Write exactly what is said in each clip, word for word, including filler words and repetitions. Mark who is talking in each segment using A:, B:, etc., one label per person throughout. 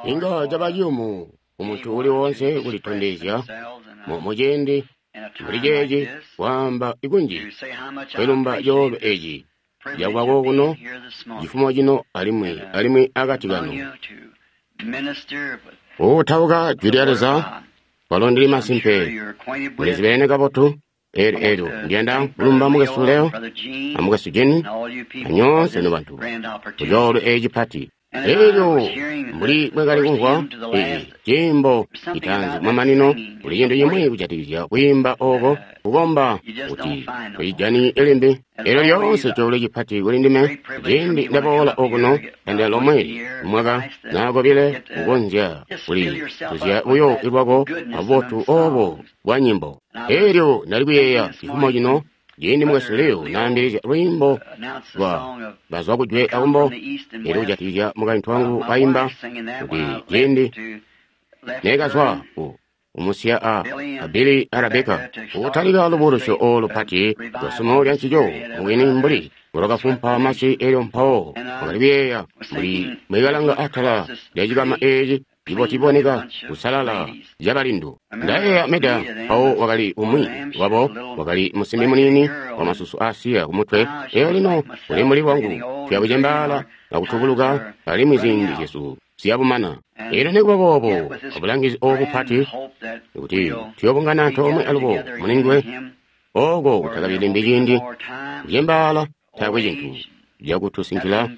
A: Inga caba ciyumu kumuntu uli woonse kulitondezya muciindi mbuli ceeci kwaamba kunji kwelumba coolwe eci cakuba kokuno cifumo cino alimwi alimwi akati kanu kutauka jwi lya Leza kwalo ndili masimpe mulizibene kabotu. Eelyo eelyo ndiyanda kulumba mukwesu Leo a mukwesu Jenny a nyoonse nobantu ku coolwe eci cipati. Eelyo mbuli bwekali kumvwa eci ciimbo citaanzi kumamanino, kuli cintu cimwi kujatikizya kwiimba oko kukomba kuti tocijani limbi. Eelyo lyoonse coolwe cipati kuli ndime ciindi ndaboola okuno tandila lomwe mwaka naa kobile kukonzya kuli tuzya buyo lwako abubotu obo bwa nyimbo. Eelyo ndali kuyeeya cifumo cino ciindi mukwesu Leo naambilizya lwiimbo lwa bazwa kujwe akumbo, eelyo kujatikizya mukaintu wangu kaimba kuti ciindi neekazwa ku umusiya a Billy a Rebecca kutalika lubuulusyo olu lupati lwa sumo lya ncico mubwini mbuli lwakafumpa masi. Eelyo mpawo wakali kuyeeya mbuli mwikalanga atala lya cikama eci cibotiboneka kusalala cabalindu. Ndayeeya Meda mpawo wakali umwi wabo, wakali musimbi muniini wa masusu aasiya kumutwe. Eelyo lino uli mbuli lwangu, tuya kucembaala akutubuluka alimwi ziindi zyesu ziyabumana. Eelyo nikuba boobo abulangizi obu bupati kuti tuyobungana antoomwe alubo mulinguwe oko kutakabi limbi ciindi kucembaala, taakwe cintu cakutusinkila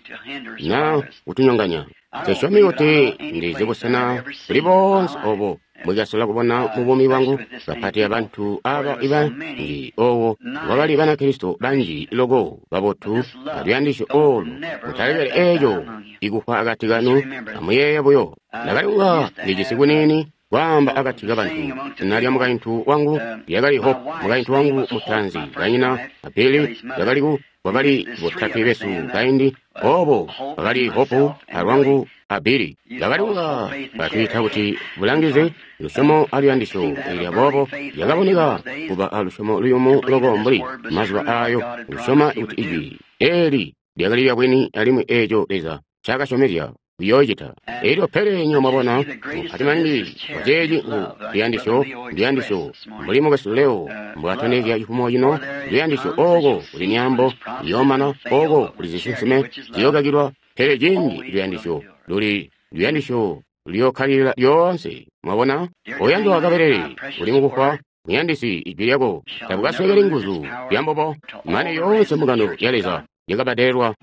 A: na kutunyonganya. Nsesyomi kuti ndizi busena buli boonse obo mbwekasola kubona mu buumi bwangu, kapati abantu aba ibanji owo kwakali Banakristo banji loko babotu aluyandisyo olu. Mutalekele eco ikufwa akati kanu, amuyeeye buyo. Ndakali kunga ndijisi kuniini kwaamba akati kabantu. Zina lya mukaintu wangu lyakali Hope, mukaintu wangu mutaanzi banyina a Billy lyakali ku kwakali botatwe besu kaindi obo bakali Hope alwangu a Billy. Bakali kunga batwiita kuti bulangizi, lusyomo aluyandisyo. Eelyo aboobo lyakaboneka kuba alusyomo luyumu loko mbuli mazuba ayo, kusyoma kuti ijwi eeli lyakali lyabwini alimwi eeco Leza ncaakasyomezya kuyoocita. Eelyo pele nywebo mwabona mupati maningi waceeci ngu luyandisyo, luyandisyo mbuli mukwesu Leo mbwatondezya cifumo cino. Luyandisyo oko kuli myaambo iyoomana, oko kuli zisinsime ziyookakilwa, pele ciindi luyandisyo luli luyandisyo luyookkalilila lyoonse. Mwabona, oyandwa kabelele uli mukufwa, muyandisi ijwi lyako tabukaswekeli nguzu lyambobo mane yoonse mbungano ya Leza yakabadelelwa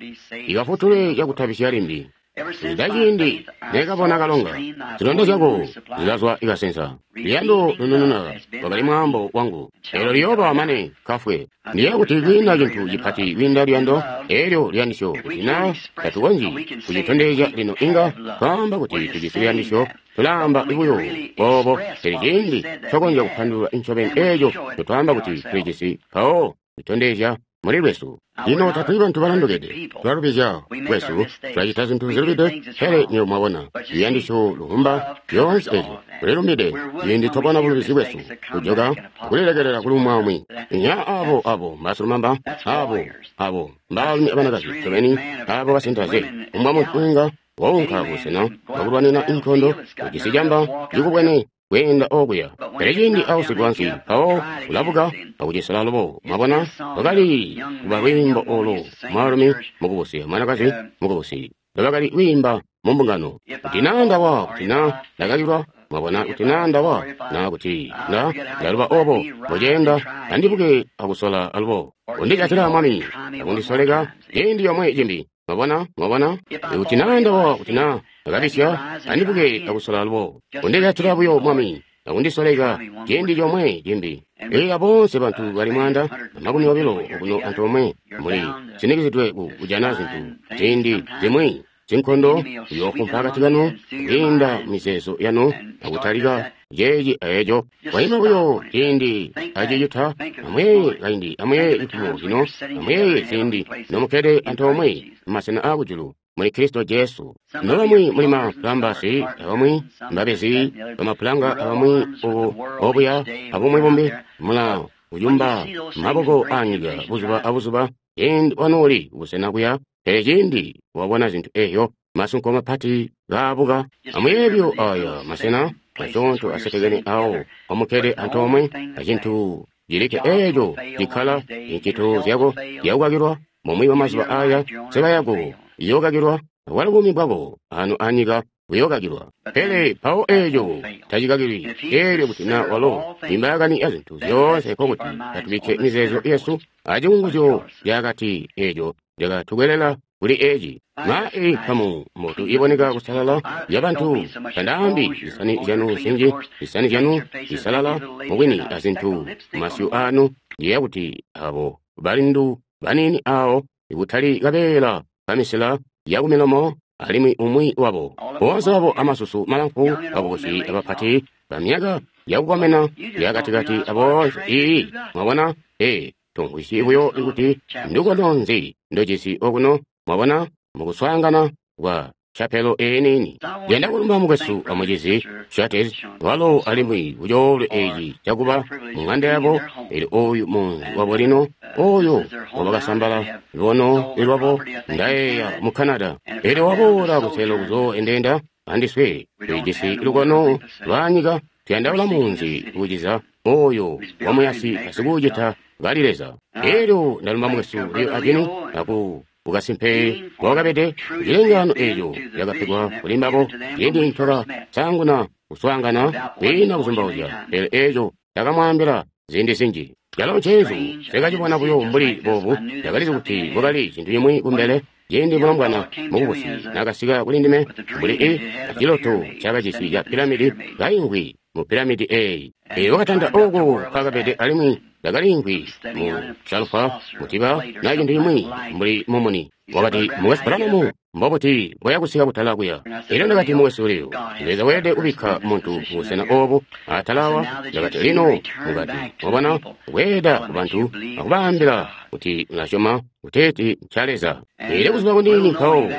A: ikafutule cakutabisya limbi. Kuzwida ciindi neekabona kalonga, zilonda zyako zilazwa ikasensa. Luyando lunununa lwakali mwaambo wangu, eelyo liyooba mane kafwe. Ndiyeeya kuti kwiina cintu cipati kwiinda luyando, eelyo luyandisyo. Kuti naa tatukonzyi kucitondezya lino, inga twaamba kuti tujisi luyandisyo, tulaamba buyo boobo. Pele ciindi twakonzya kupandulula ncobeni eeco ncotwaamba kuti tulijisi, mpawo tutondezya muli lwesu. Lino tatuli bantu balondokede, tulalubizya kwesu, tulacita zintu zilubide, pele nywebo mwabona luyandisyo luvumba zyoonse ezyo. Tulilumbide ciindi twabona bulubizi bwesu, kujoka akulilekelela kuli umwi aumwi. Inya abo abo mbasilumamba, abo abo mbaalumi abanakazi ncobeni, abo basintaze. Kumbwa muntu inga waunka kubusena bwakulwanina inkondo ujisi camba cikubwene kweenda okuya, pele ciindi ausigwa ansi mpawo ulabuka akucisela alubo. Mwabona, kwakali kuba lwiimbo olu, mwaalumi mukubusi amwanakazi mukubusi lwakali kwiimba mu mbungano. Kuti naa ndawa, kuti naa ndakakilwa, mwabona, kuti naa ndawa, naa kuti nda ndaluba obo mboceenda, andibuke akusola alubo. Undijatila Mwami, akundisoleka ciindi comwe cimbi. Mwabona, mwabona, kuti naa ndawa, kuti naa ndakabisya, andibuke akusola alubo. Undijatila buyo Mwami, akundisoleka ciindi comwe cimbi. Eelyo boonse bantu bali mwaanda amakumi obilo okuno antoomwe muli sinikizidwe ku kujana zintu ziindi zimwi zinkondo kuyoofumpa akati kanu kwiinda mizeezo yanu akutalika ceeci aeco. Waima buyo ciindi acicita, amuyeeye kaindi, amuyeeye cifumo cino, amuyeeye ziindi nomukkede antoomwe mumasena aakujulu muli Kristo Jesu. Nobamwi muli mapulambasi, abamwi mbabezi bamapulanga, abamwi ubu obuya, abumwi bumbi mula kuyumba maboko aanyika buzuba abuzuba ciindi wanooli kubusena kuya Pele cindi wabona zintu eyo, masunko mapati gaabuka, amweebyo aya masena masyoonto asetekene awo omukkede antoomwe, acintu cilikke eeco cikkala incito zyako zyakukakilwa mumwi wa mazuba aya, nseba yako iyookakilwa, akwalo buumi bwako ano anyika buyookakilwa. Pele mpawo eeco tacikakilwi. Eelyo kuti na walo imbaakani ya zintu zyoonse, nkokuti atubikke mizeezo yesu acikunguzyo cakati eeco cakatukwelela kuli eci. Ma eyi nkamu mbotu iboneka kusalala ya bantu, tandaambi zisani zyanu zinji, zisani zyanu zisalala mubwini azintu masyu anu, ndiyeeya kuti abo balindu baniini awo ikutali kabeela kamisila yakumilomo, alimwi umwi wabo boonse wabo amasusu malamfu, bakubusi abapati bamyaka yakukomena yakatikati aboonse. Ii, mwabona, ee, tumvwisyi buyo kuti ndukono nzi ndojisi okuno, mwabona, mukuswaangana kwa chapelo eniini. Ndiyanda kulumba mukwesu amucizi Shates, walo alimwi kucoolwe eci cakuba mu ng'anda yabo. Elyo oyu munzi wabo lino, oyo wabakasambala lubono lwabo, ndayeeya mu Canada. Elyo waboola kuseelo kuzooendeenda andiswe. Tulijisi lukono lwa nyika, tuyandaula munzi kuciza oyo wamuyasi asikuucita kali Leza. Elyo ndalumba mukwesu Leo Agini aku kukasimpe wakabede cilengano eeco cakapegwa kuli mbabo ciindi ncaka saanguna kuswaangana kwiina kuzumbauzya. Pele eeco ndakamwaambila ziindi zinji, calo nceezu nsekacibona buyo mbuli boobu. Ndakalizi kuti kwakali cintu cimwi kumbele. Ciindi mulombwana mukubusi nakasika kuli ndime mbuli i aciloto cakajisi ca piramidi, kaimvwi mu piramidi eeyi, elyo wakatanda ooko kwakabede, alimwi ndakaliimvwi mu salufa mutiba na cintu cimwi mbuli mumuni. Wakati, Mukwesu Branham, mbobuti boya kusika kutala kuya? Elyo ndakati, Mukwesu Leo, Leza weelede kubikka muntu kubusena obu atalawa. Ndakati, lino mukati, mwabona, bweeda ku bantu akubaambila kuti mulasyoma kuteeti nca Leza. Elyo kuzuba kuniini mpawo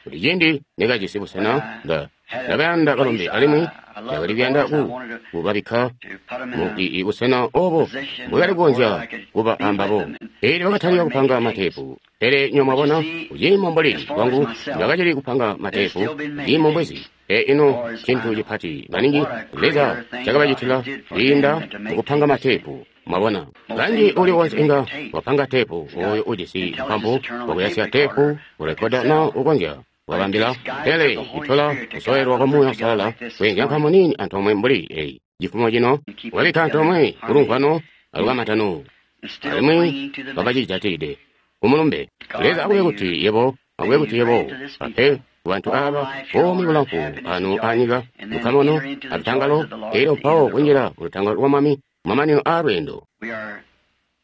A: kuti ciindi nekajisi busena, nda ndakayanda balombe alimwi ndakali kuyanda ku kubabikka mu i busena obo mbwekali kukonzya kuba ambabo. Elyo bakatalika kupanga mateepu. Pele nyo mwabona, kuciimo mbuli kwangu ndakacili kupanga mateepu, kuciimo mbwezi. E ino cintu cipati maningi Leza cakabacitila kwiinda mukupanga mateepu. Mwabona, kanji uli wonse inga wapanga teepu, oyo ujisi mpampu wakuyasya teepu urekoda na ukonzya wabambila. Pele itola kusoyelwa kwa Muuya Uusalala kweenzya nkamu nini antoomwe mbuli eyi cifumo cino, wabikka antoomwe kulumvwano alukamantano, alimwi bakacijatilide kumulumbe. Leza akube kuti yebo, akube kuti yebo ape kubantu aba buumi bulamfu anu anyika, lukamano alutangalo, elyo mpawo kunjila kulutangalo lwa Mwami mamanino a lweendo.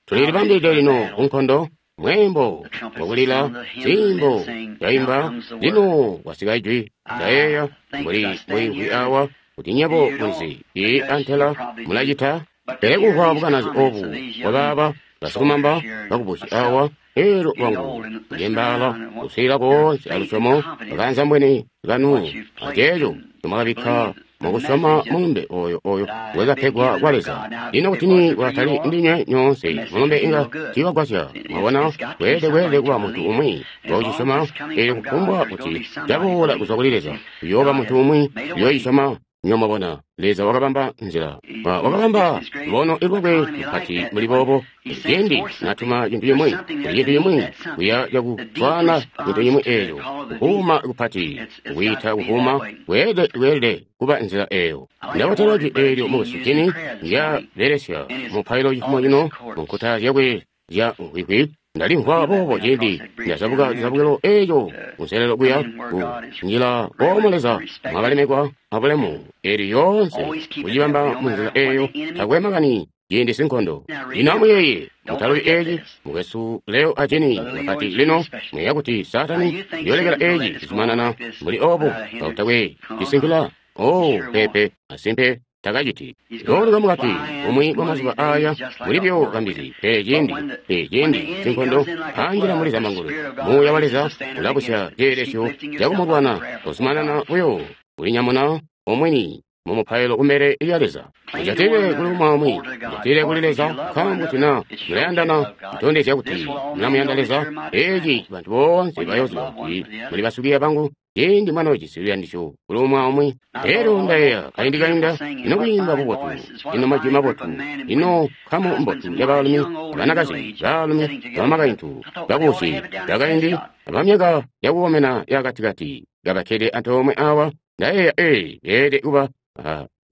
A: Tulilibambilide lino kunkondo. Mweembo wakulila, ziimbo zyaimba, lino kwasika ijwi. Ndayeeya mbuli mwiimvwi awa kuti nyebo mulizi ii antela mulacita. Pele kumvwa bukanazi obu bwabaaba basikumamba bakubusi awa, elo lwangu kucembaala kuswiilila koonse alusyomo bakanzambwene kanu aceeco ncomwakabikka mukusyoma mulumbe oyo oyo wekapegwa kwa Leza. Lino kuti ni kwatali ndinywe nyoonse, mulumbe inga tiiwagwasya. Mwabona, kweelede kweelede kuba muntu umwi wakucisyoma. Eelyo kufumbwa kuti caboola kuzwa kuli Leza, kuyooba muntu umwi uyooyisyoma. Nyo mwabona, Leza wakabamba nzila, wakabamba lubono lwakwe lupati mbuli boobo. Ciindi natuma cintu cimwi, kuli cintu cimwi kuya cakuswaana cintu cimwi eeco, kuhuuma kupati, kwiita kuhuuma, kweelede kweelede kuba nzila eeyo. Ndabotelwa jwi eelyo mukwesu Jini ndyabelesya mupailo cifumo cino mu nkuta zyakwe zya nkwikwi. Ndalimvwa boobo ciindi ndazabuka cizabukilo eeco kunselelo kuya ku njila oomo Leza mwakalemekwa abulemu. Eelyo yoonse kucibamba munzila eeyo, takwe makani ciindi sinkondo. Lino amuyeeye, mutalubi eci, mukwesu Leo a Jini bapati lino muyeeya kuti Saatani uyoolekela eci cizumanana mbuli obo kakutakwe cisinkila? Oh, peepe, asimpe takaciti. Yooluka mukati umwi wa mazuba aya muli byo kambizi. Pele ciindi e ciindi sinkondo anjila muli zambangulwe, Muuya wa Leza ulabusya ceelesyo cakumulwana, uzumanana buyo kulinyamuna omwini mumupailo kumbele lya Leza. Mujatile kuli umwi, mujatile kuli Leza, nkaambo kuti na mulayandana, mutondezya kuti mulamuyanda Leza. Eeci bantu boonse bayooziba kuti muli basikwiiya bangu ciindi mwanoojisi luyandisyo kuli umwi aumwi. Elyo ndayeeya kaindi kainda, ino kwiimba bubotu, ino majwi mabotu, ino nkamu mbotu yabaalumi, abanakazi, baalumi, abamakaintu, bakubusi, bakaindi, abamyaka yakukomena yakatikati kabakkede antoomwe awa. Ndayeeya ee beelede kuba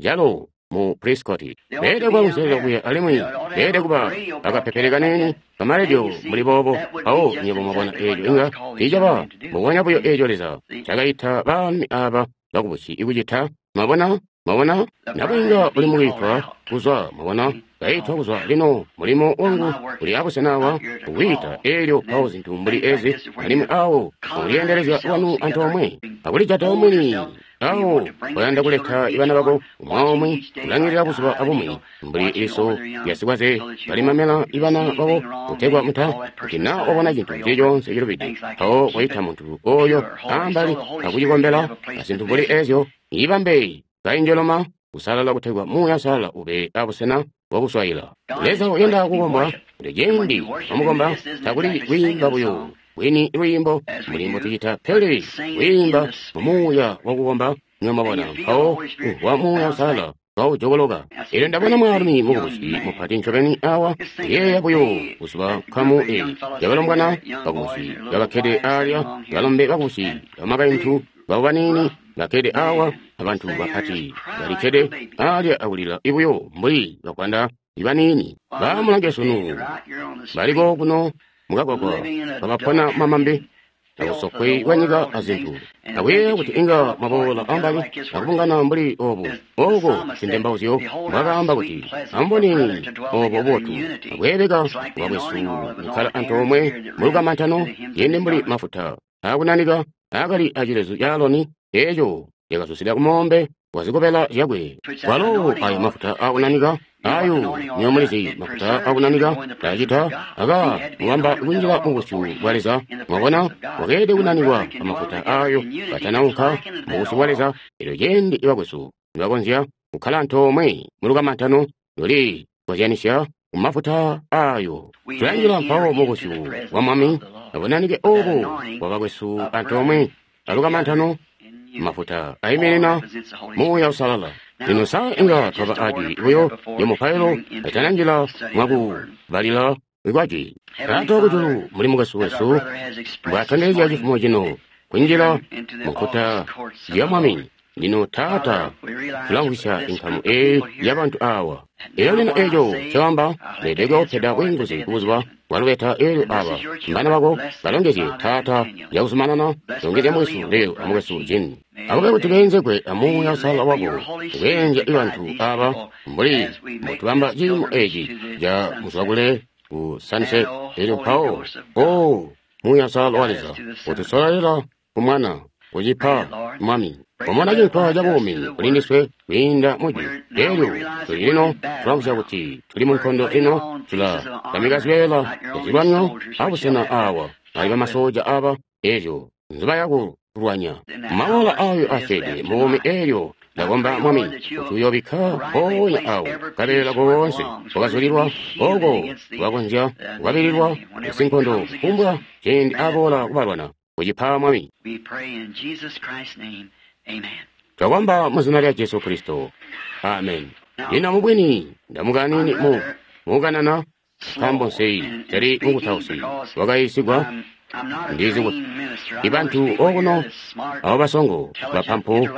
A: calo mu Prescott, beelede kuba kunselelo kuya alimwi beelede kuba akapepele kaniini kamaledio mbuli boobo. Mpawo nywebo mwabona eeco inga tiicaba mbubonya buyo eeco Leza cakaita baalumi aaba bakubusi kucita. Mwabona? Mwabona? Nabwiinga uli mukwiitwa kuzwa, mwabona, kaitwa kuzwa. Lino mulimo wangu uli abusena awa kukwiita eelyo mpawo zintu mbuli ezi, alimwi awo mukuliyeendelezya lwanu antoomwe akulijata omwini. Awo oyanda kuleta ibana bako umwi kulangilila buzuba abumwi mbuli iliso lyasikwaze balimamela ibana babo kutegwa muta kuti na obona cintu cili coonse cilubide mpawo koyita muntu oyo ambali akucikombela azintu mbuli ezyo. Ibambe kainjeloma kusalala kutegwa Muuya Uusalala ube abusena bwakuswayila. Leza uyanda kukombwa kuti ciindi wamukomba takuli kwiimba buyo bwini lwiimbo mbuli mbotucita, pele kwiimba mumuuya wakukomba. Mwabona, mpawo wa Muuya Uusalala kawujokoloka. Elyo ndabona mwaalumi mukubusi mupati ncobeni awa, yeeya buyo buzuba nkamu eyi yabalombwana bakubusi babakkede alya, balombe bakubusi, bamakaintu babo baniini bakkede awa, abantu bapati balikkede alya akulila ibuyo mbuli bakwanda ibaniini. Bamulange sunu baliko kuno mukagwagwa kabapona mamambe abusokwe bwanyika azintu. Akuyeeya kuti inga mwaboola ambali akubungana mbuli obu oko sintembauzyo mbwakaamba kuti amubone obo bubotu akweebeka bwakwesu kukkala antoomwe mulukamantano yende mbuli mafuta akunanika akali acilezu ca Aloni eeco cakasusila kumoombe wazikobela zyakwe. Kwalo ayo mafuta akunanika ayo niyo mulizi mafuta akunanika tacita aka mubamba kunjila mubusyu bwa Leza. Mwabona, wakeelede kunanikwa amafuta ayo katanaunka mubusyu bwa Leza. Elyo ciindi ibakwesu nibakonzya kukkala antoomwe mulukamantano luli kozyanisya kumafuta ayo, tulanjila mpawo mubusyu bwa Mwami abunanike obo bwa bakwesu antoomwe alukamantano. Mafuta aiminina Muuya Uusalala. Lino sa inga twaba ajwi buyo lyamupailo atananjila mwakubalila ikwaji. Taata wakujulu, muli mukwesu wesu mbwatondezya cifumo cino kunjila munkuta lya Mwami. Lino Taata, tulamvwisya inkamu eyi yabantu awa. Elyo lino eeco cawamba leelede kupeda bwiinguzi kubuzuba bwalubeta. Eelyo aba mbana bako balongezye Taata yakuzumanana longezya mukwesu Leo amukwesu Jin. Akube kuti beenzegwe amuuya Uusalala wako kubeenzya ibantu aba mbuli mbotubamba ciimo eeci ca muzwakule ku Sunset. Elyo mpawo o Muuya Uusalala wa Leza utusololela ku Mwana kucipa Mwami. Wamona cinkwa ca buumi kuli ndiswe kwiinda mujwi. Elyo tuli lino tulamvwisya kuti tuli mu nkondo lino, tulatamika zibeela zyazilwanyo abusena awa ali bamasoja aba ezyo nzibaya kulwanya maola ayo asyeede mubuumi. Elyo ndakomba Mwami kuti uyoobikka mpoonya awo kabeela koonse kwakazulilwa oko kubakonzya kukwabililwa sinkondo kufumbwa ciindi aboola kubalwana. Kucipa Mwami. Twakomba muzina lya Jesu Kristo. Amen. Lino mubwini ndamukanini mu mukanana nkaambo nseyi tali mukutausi wakayiisigwa ndizi kuti ibantu okuno abo basongo bapampu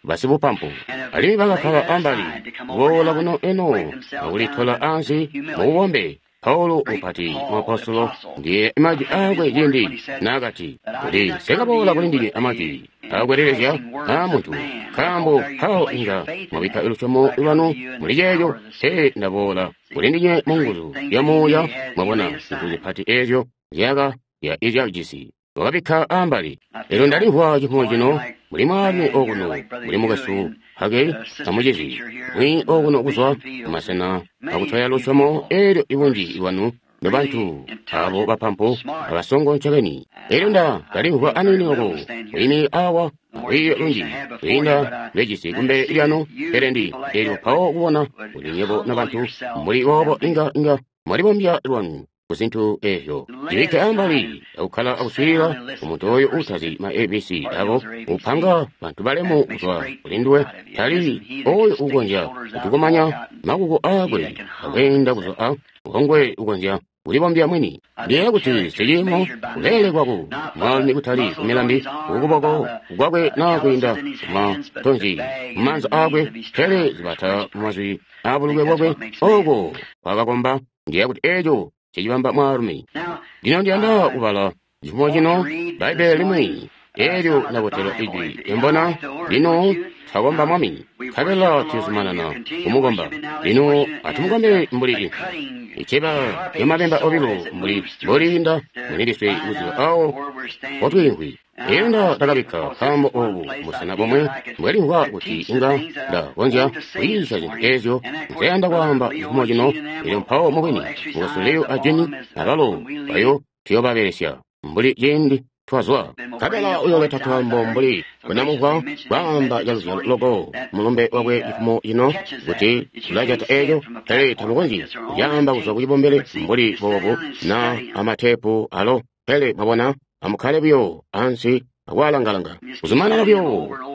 A: basibupampu alimwi bakakkala ambali kuboola kuno eno akulitola ansi mububombe. Paulo mupati muapostolo ndiye majwi akwe ciindi naakati kuti sekaboola kuli ndinywe amajwi akwelelezya a muntu, nkaambo mpawo inga mwabikka lusyomo lwanu muli ceeco. Te ndaboola kuli ndinywe munguzu ya Muuya. Mwabona zintu zipati ezyo zyaka izyajisi wakabikka ambali. Elyo ndalimvwa cifumo cino muli mwaalumi okuno muli mukwesu Hagey amucizi mwi okuno kuzwa kumasena akutwaya lusyomo. Elyo ibunji lwanu nobantu abo bapampu abasongo ncobeni. Elyo Nda kalimvwa aniini loko kwiimi awa lwiiyo lunji kwiinda lwejisi kumbele lyanu, pele ndi elyo mpawo kubona kuti nywebo nobantu mbuli boobo inga inga mwalibombya lwanu ku zintu ezyo. Ndibikke ambali akukkala akuswiilila ku muntu oyo uutazi ma A B C abo upanga bantu balemu kuzwa kuli nduwe, tali oyo ukonzya kutukumanya makuko aakwe akweenda kuzwa a ngongwe ukonzya kulibombya mwini. Ndiyeeya kuti siciimo kuleelekwa ku mwaalumi kutali ku milambi kukuboko kwakwe naa kwiinda kumatonzi mumaanza aakwe, pele zibata mumazwi aabulukwe bwakwe oko kwakakomba. Ndiyeeya kuti eeco cicibamba mwaalumi. Lino ndiyanda kubala cifumo cino Bbaibbele limwi eelyo ndabotela ijwi embona. Lino twakomba Mwami, nkabela tuyozumanana kumukomba. Lino atumukombe mbuli iceba lyamabemba obilo mbuli mbolinda mulindiswe kuziba awo potwiimvwi. Elyo nda ndakabikka kaambo obu busena bomwe mbwelimvwa kuti inga ndakonzya kuyiisya zintu ezyo nzeyanda kwaamba cifumo cino. Elyo mpawo mubwini mukwesu Leo a Jenny abalo bayo tuyoobabelesya mbuli ciindi twazwa. Nkabela uyooleta twaambo mbuli bwenamumvwa kwaamba caluzyalo loko mulumbe wakwe cifumo cino kuti ulacata eeco, pele tamukonzyi kucaamba kuzwa kucibombele mbuli boobu na amateepu alo. Pele mwabona, amukkale buyo ansi akwaalangalanga, kuzumanana buyo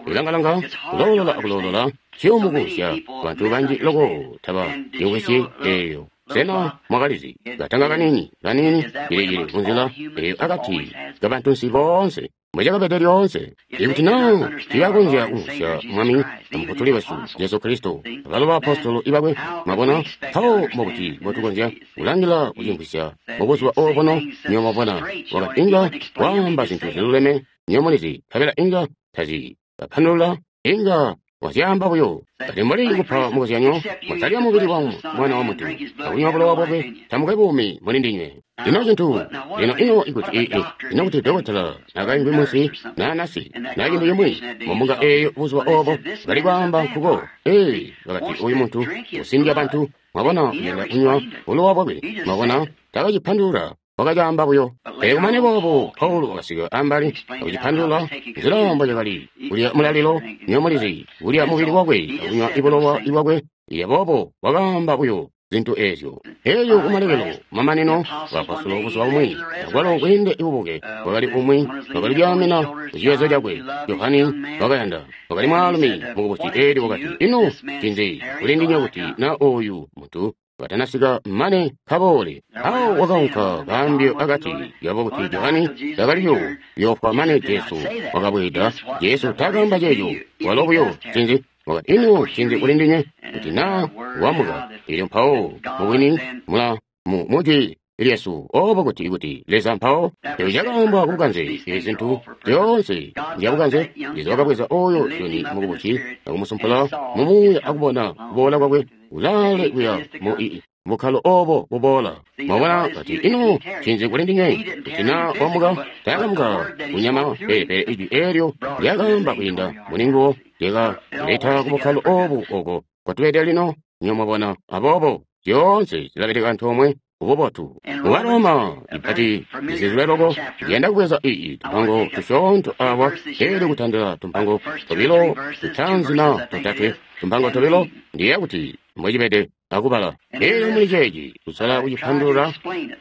A: kulangalanga, kuloolola akuloolola, ciyoomukusya bantu banji loko taba cimvwisyi eeyo. Sena mwakalizi katanga kaniini kaniini cilicili kunzila eyo akati kabantunsi boonse mbwecakabede lyoonse? Ikuti naa tiibakonzya kumvwisya Mwami amufutuli wesu Jesu Kristo abalo baapostolo ibakwe, mwabona, mpawo mbokuti mbotukonzya kulangila kucimvwisya mubuzuba obuno. Nywebo mwabona, wakati inga waamba zintu ziluleme, nywebo mulizi, nkabela inga tazi bapandulula, inga wazyaamba buyo. Kati mbuli kupa mukozyanyo, mwatalya mubili wa Mwana wa Muntu akunywa bulowa bwakwe, tamukwe buumi muli ndinywe. Lino cintu lino ino ikuti ii ino kuti dokotela nakaimvwi munsi naa nasi naa cintu cimwi mumbunga eeyo buzuba obo bali kwaamba nkuko, ee, bakati uyu muntu usindya bantu, mwabona, uyanda kunywa bulowa bwakwe, mwabona, takacipandulula, wakacaamba buyo. Pele kumane boobo Paulo wakasika ambali akucipandulula nzila mbocakali kulya mulalilo, nywebo mulizi, kulya mubili wakwe akunywa bulowa bwakwe. Ilya boobo wakaamba buyo zintu ezyo. Elyo kumalekelo mamanino baapostolo buzuba bumwi akwalo bweende bubuke bwakali umwi wakali kuyaamina kuciwezo cakwe. Johani wakayanda wakali mwaalumi mukubusi. Elyo wakati, ino ncinzi kuli ndinywe kuti na oyu muntu katanasika mane kaboole? Awo wakaunka kaambyo akati yabo kuti Johani takaliyo yoofwa mane Jesu wakabweeda. Jesu takaamba ceeco, walo buyo ncinzi wakati, ino ncinzi kuli ndinywe kuti naa wamuka? Elyo mpawo mubwini mula mu mujwi lyesu obo kuti kuti Leza mpawo eco cakaambwa kubukanze. Ezi zintu zyoonse nzyabukanze. Leza wakabweza oyo Joni mukubusi akumusumpula mumuuya akubona kuboola kwakwe ulaale kuya mu ii bukkalo obo buboola. Mwabona, kati ino ncinzi kuli ndinywe kuti naa wamuka? Takamuka kunyama, pele pele ijwi eelyo lyakaamba kwiinda mulinguwo lyakaleta kubukkalo obu oko kwatubede lino. Nywebo mwabona, aboobo zyoonse zilabeleka antoomwe kububotu. Mu Baroma ipati zizilwe loko ndiyanda kubweza ii tumpango tusyoonto awa, elyo kutandila tumpango tobilo tutaanzi na totatwe, tumpango tobilo, ndiyeeya kuti mbwecibede akubala. Elyo muli ceeci kusala kucipandulula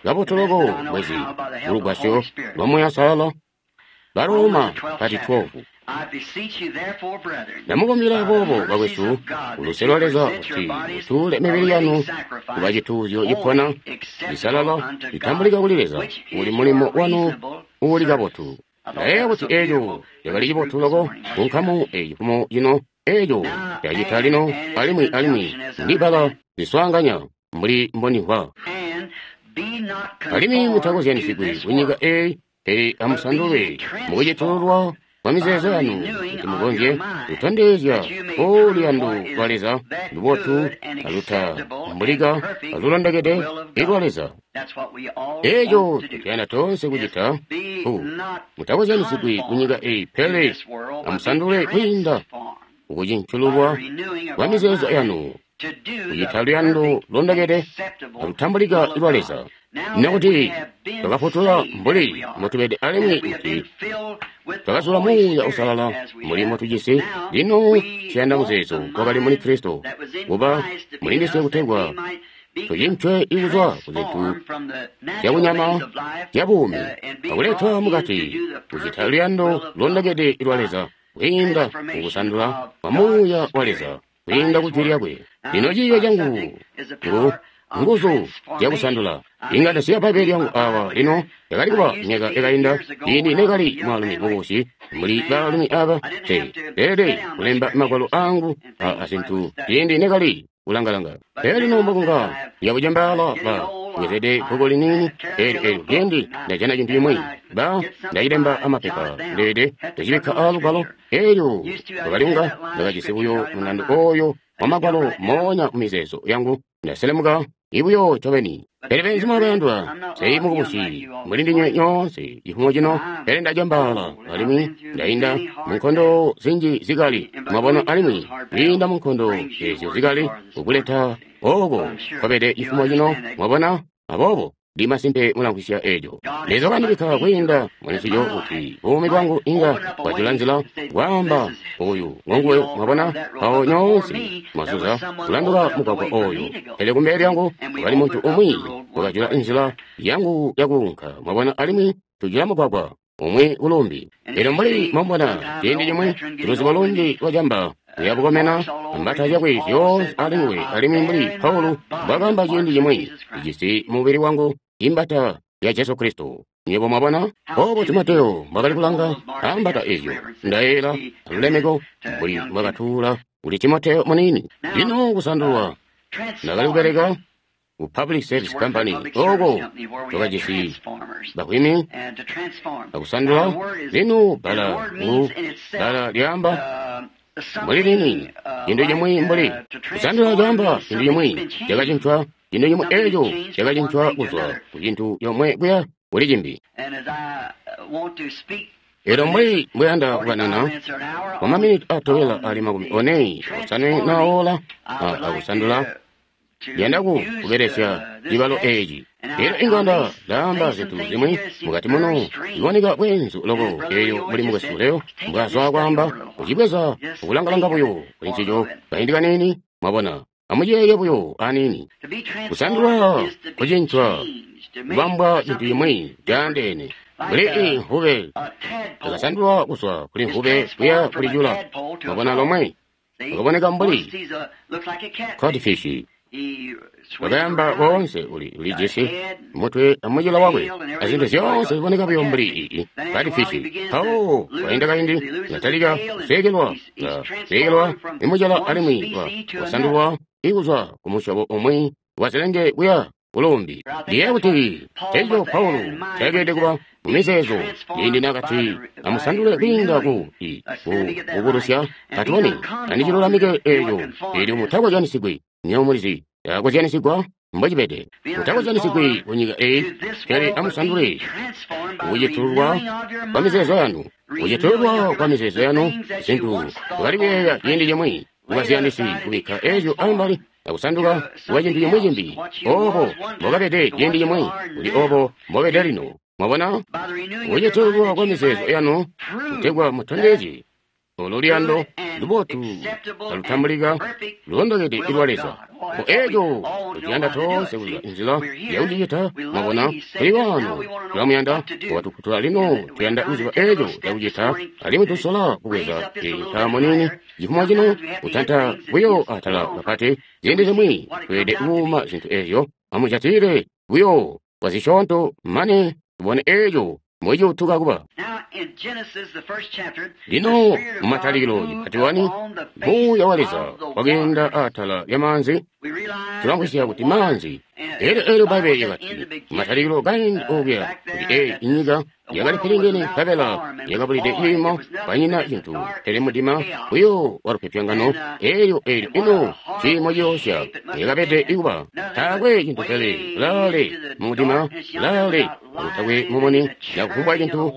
A: kabotu loko bwezi mulugwasyo lwa Muuya Uusalala. Baroma pati twelve. Ndamukumbila boobo bakwesu kuluse lwa Leza kuti mutuule mibili yanu kuba cituuzyo cipona, cisalala, citambulika kuli Leza, uli mulimo wanu uuli kabotu. Ndayeeya kuti eeco cakali cibotu loko kunkamu eyi cifumo cino, eeco cacita lino alimwi alimwi ndibala ziswaanganya mbuli mbonimvwa. Alimwi mutakozyanisigwi kunyika eeyi, pele amusandulwe mukucitululwa kwa mizeezo yanu kuti mukonzye kutondezya luyando lwa Leza lubotu alutambulika alulondokede ilwa Leza. Eeco tutuyanda toonse kucita ku mutakozyanisigwi kunyika eyi, pele amusandulwe kwiinda kukucincululwa kwa mizeezo yanu kucita luyando lulondokede alutambulika ilwa Leza. Nokuti twakafutula mbuli mbotubede alimwi kuti twakazula Muuya Uusalala mbuli mbotujisi, lino tuyanda muzeezo wakali muli Kristo kuba mulindiswe kutegwa tucincwe ikuzwa kuzintu zyakunyama zyabuumi akuletwa mukati kucita luyando lulondokede lwa Leza kwiinda mukusandula kwa Muuya wa Leza kwiinda ku Jwi lyakwe. Lino ciiyo cangu ngu nguzu zyakusandula. Inga ndasiya Bbaibbele lyangu awa lino yakali kuba myaka yakainda ciindi nekali mwaalumi mukubusi mbuli baalumi aba te leelede kulemba magwalo angu a azintu ciindi nekali kulangalanga. Pele lino mbokunga yakucembaala ba bwezede bbuku liniini eelyo eelyo ciindi ndajana cintu cimwi ba ndacilemba amapepa ndeede ndacibikka aalugwalo eelyo ndakalinga ndakajisi buyo mundando oyo wa magwalo moonya mumizeezo yangu ndaselemuka ibuyo ncobeni. Pele benzuma bayandwa, sei mukubusi mbuli ndinywe nyoonse cifumo cino, pele ndacembaala alimwi ndainda munkondo zinji zikali, mwabona, alimwi kwiinda munkondo ezyo zikali kukuleta oko kwabede cifumo cino, mwabona. Aboobo ndi masimpe mulamvwisya eco. Leza wakandibikka kwiinda mulincico kuti buumi bwangu inga bwajula nzila kwaamba oyu ngonguwe, mwabona. Mpawo nyoonse mwazuza kulanduka mugwagwa oyo, pele kumbele lyangu kwakali muntu umwi wakajula nzila yangu yakuunka, mwabona, alimwi tujula mugwagwa umwi kulumbi. Elyo mbuli mwabona ciindi cimwi luzibo lunji lwacamba uyabukomena mbata zyakwe zyoonse alinguwe, alimwi mbuli Paulo mbwakaamba ciindi cimwi, ijisi mubili wangu imbata ya Jesu Kristo. Nywebo mwabona obo Timoteyo mbwakali kulanga ambata ezyo, ndayeela alulemeko mbuli mbwakatuula kuli Timoteyo muniini. Lino kusandulwa, ndakali kubeleka ku Public Service Company oko twakajisi bakwimi akusandula. Lino bbala ngu bbala lyaamba mbuli lini cintu cimwi mbuli kusandula caamba cintu cimwi cakacincwa, cintu cimwi eco cakacincwa kuzwa ku cintu comwe kuya kuli cimbi. Elyo mbuli mbuyanda kukanana kwa maminiti atobela ali makumi one osanwe na ola akusandula, ndiyanda ku kubelesya cibalo eci. Elyo inga nda ndaamba zintu zimwi mukati muno ziboneka bweenzu loko, elyo mbuli mukwesu Leo mbwazwa kwaamba, kucibweza akulangalanga buyo kuli ncico kaindi kaniini, mwabona. Amuyeeye buyo aniini. Kusandulwa kucincwa kubambwa cintu cimwi caandeene. Mbuli inhube yakasandulwa kuzwa kuli nhube kuya kuli cula, mwabona, lomwe akaboneka mbuli codfish. Wakayamba woonse uli ulijisi mutwe amucila wakwe azintu zyoonse ziboneka buyo mbuli ii codfish. Mpawo kwainda kaindi yatalika kusekelwa, kusekelwa imucila alimwi wasandulwa ikuzwa ku musyobo umwi wazilenge kuya kulumbi. Ndiye kuti eco Paulo cakeelede kuba mumizeezo ciindi nakati amusandule kwiinda ku kubukulusya, katubone andicilulamike eco eelyo mutakozyanisigwi. Nywebo mulizi takozyanisigwa mbocibede, mutakozyanisigwi kunyika eyi, pele amusandule kucitululwa kwa mizeezo yanu, kucitululwa kwa mizeezo yanu zintu mwakali kuyeeya ciindi cimwi mukaziyandisi kubikka eco ambali akusanduka kuba cintu cimwi cimbi. Obo mbokabede ciindi cimwi kuli obo mbobede lino. Mwabona, kucitululwa kwa mizeezo yanu kutegwa mutondezye olo luyando lubotu alutambulika lulondokede lwa Leza. Mbo eco tutiyanda toonse kuziba nzila yakucicita. Mwabona, tuli wano tulamuyanda wakatufutula, lino tuyanda kuziba eco cakucita, alimwi tusola kubweza ntaamo nini cifumo cino kutanta buyo atala kapati. Ziindi zimwi tweelede kuuma zintu ezyo, amucatile buyo kwa zisyoonto mane tubone eco mbociutuka kuba. Lino mumatalikilo cipati wani, Muuya wa Leza wakeenda atala lya maanzi. Tulamvwisya kuti maanzi. Elyo elyo Bbaibbele lyakati mumatalikilo kaindi okuya kuti eyi inyika yakali pilingene nkabela yakabulide ciimo, kwanyina cintu pele mudima buyo wa lupyopyongano. Elyo elyo ino ciimo ciyoosya yakabede ikuba, taakwe cintu pele laale mudima, laale akutakwe mumuni nakufumbwa cintu,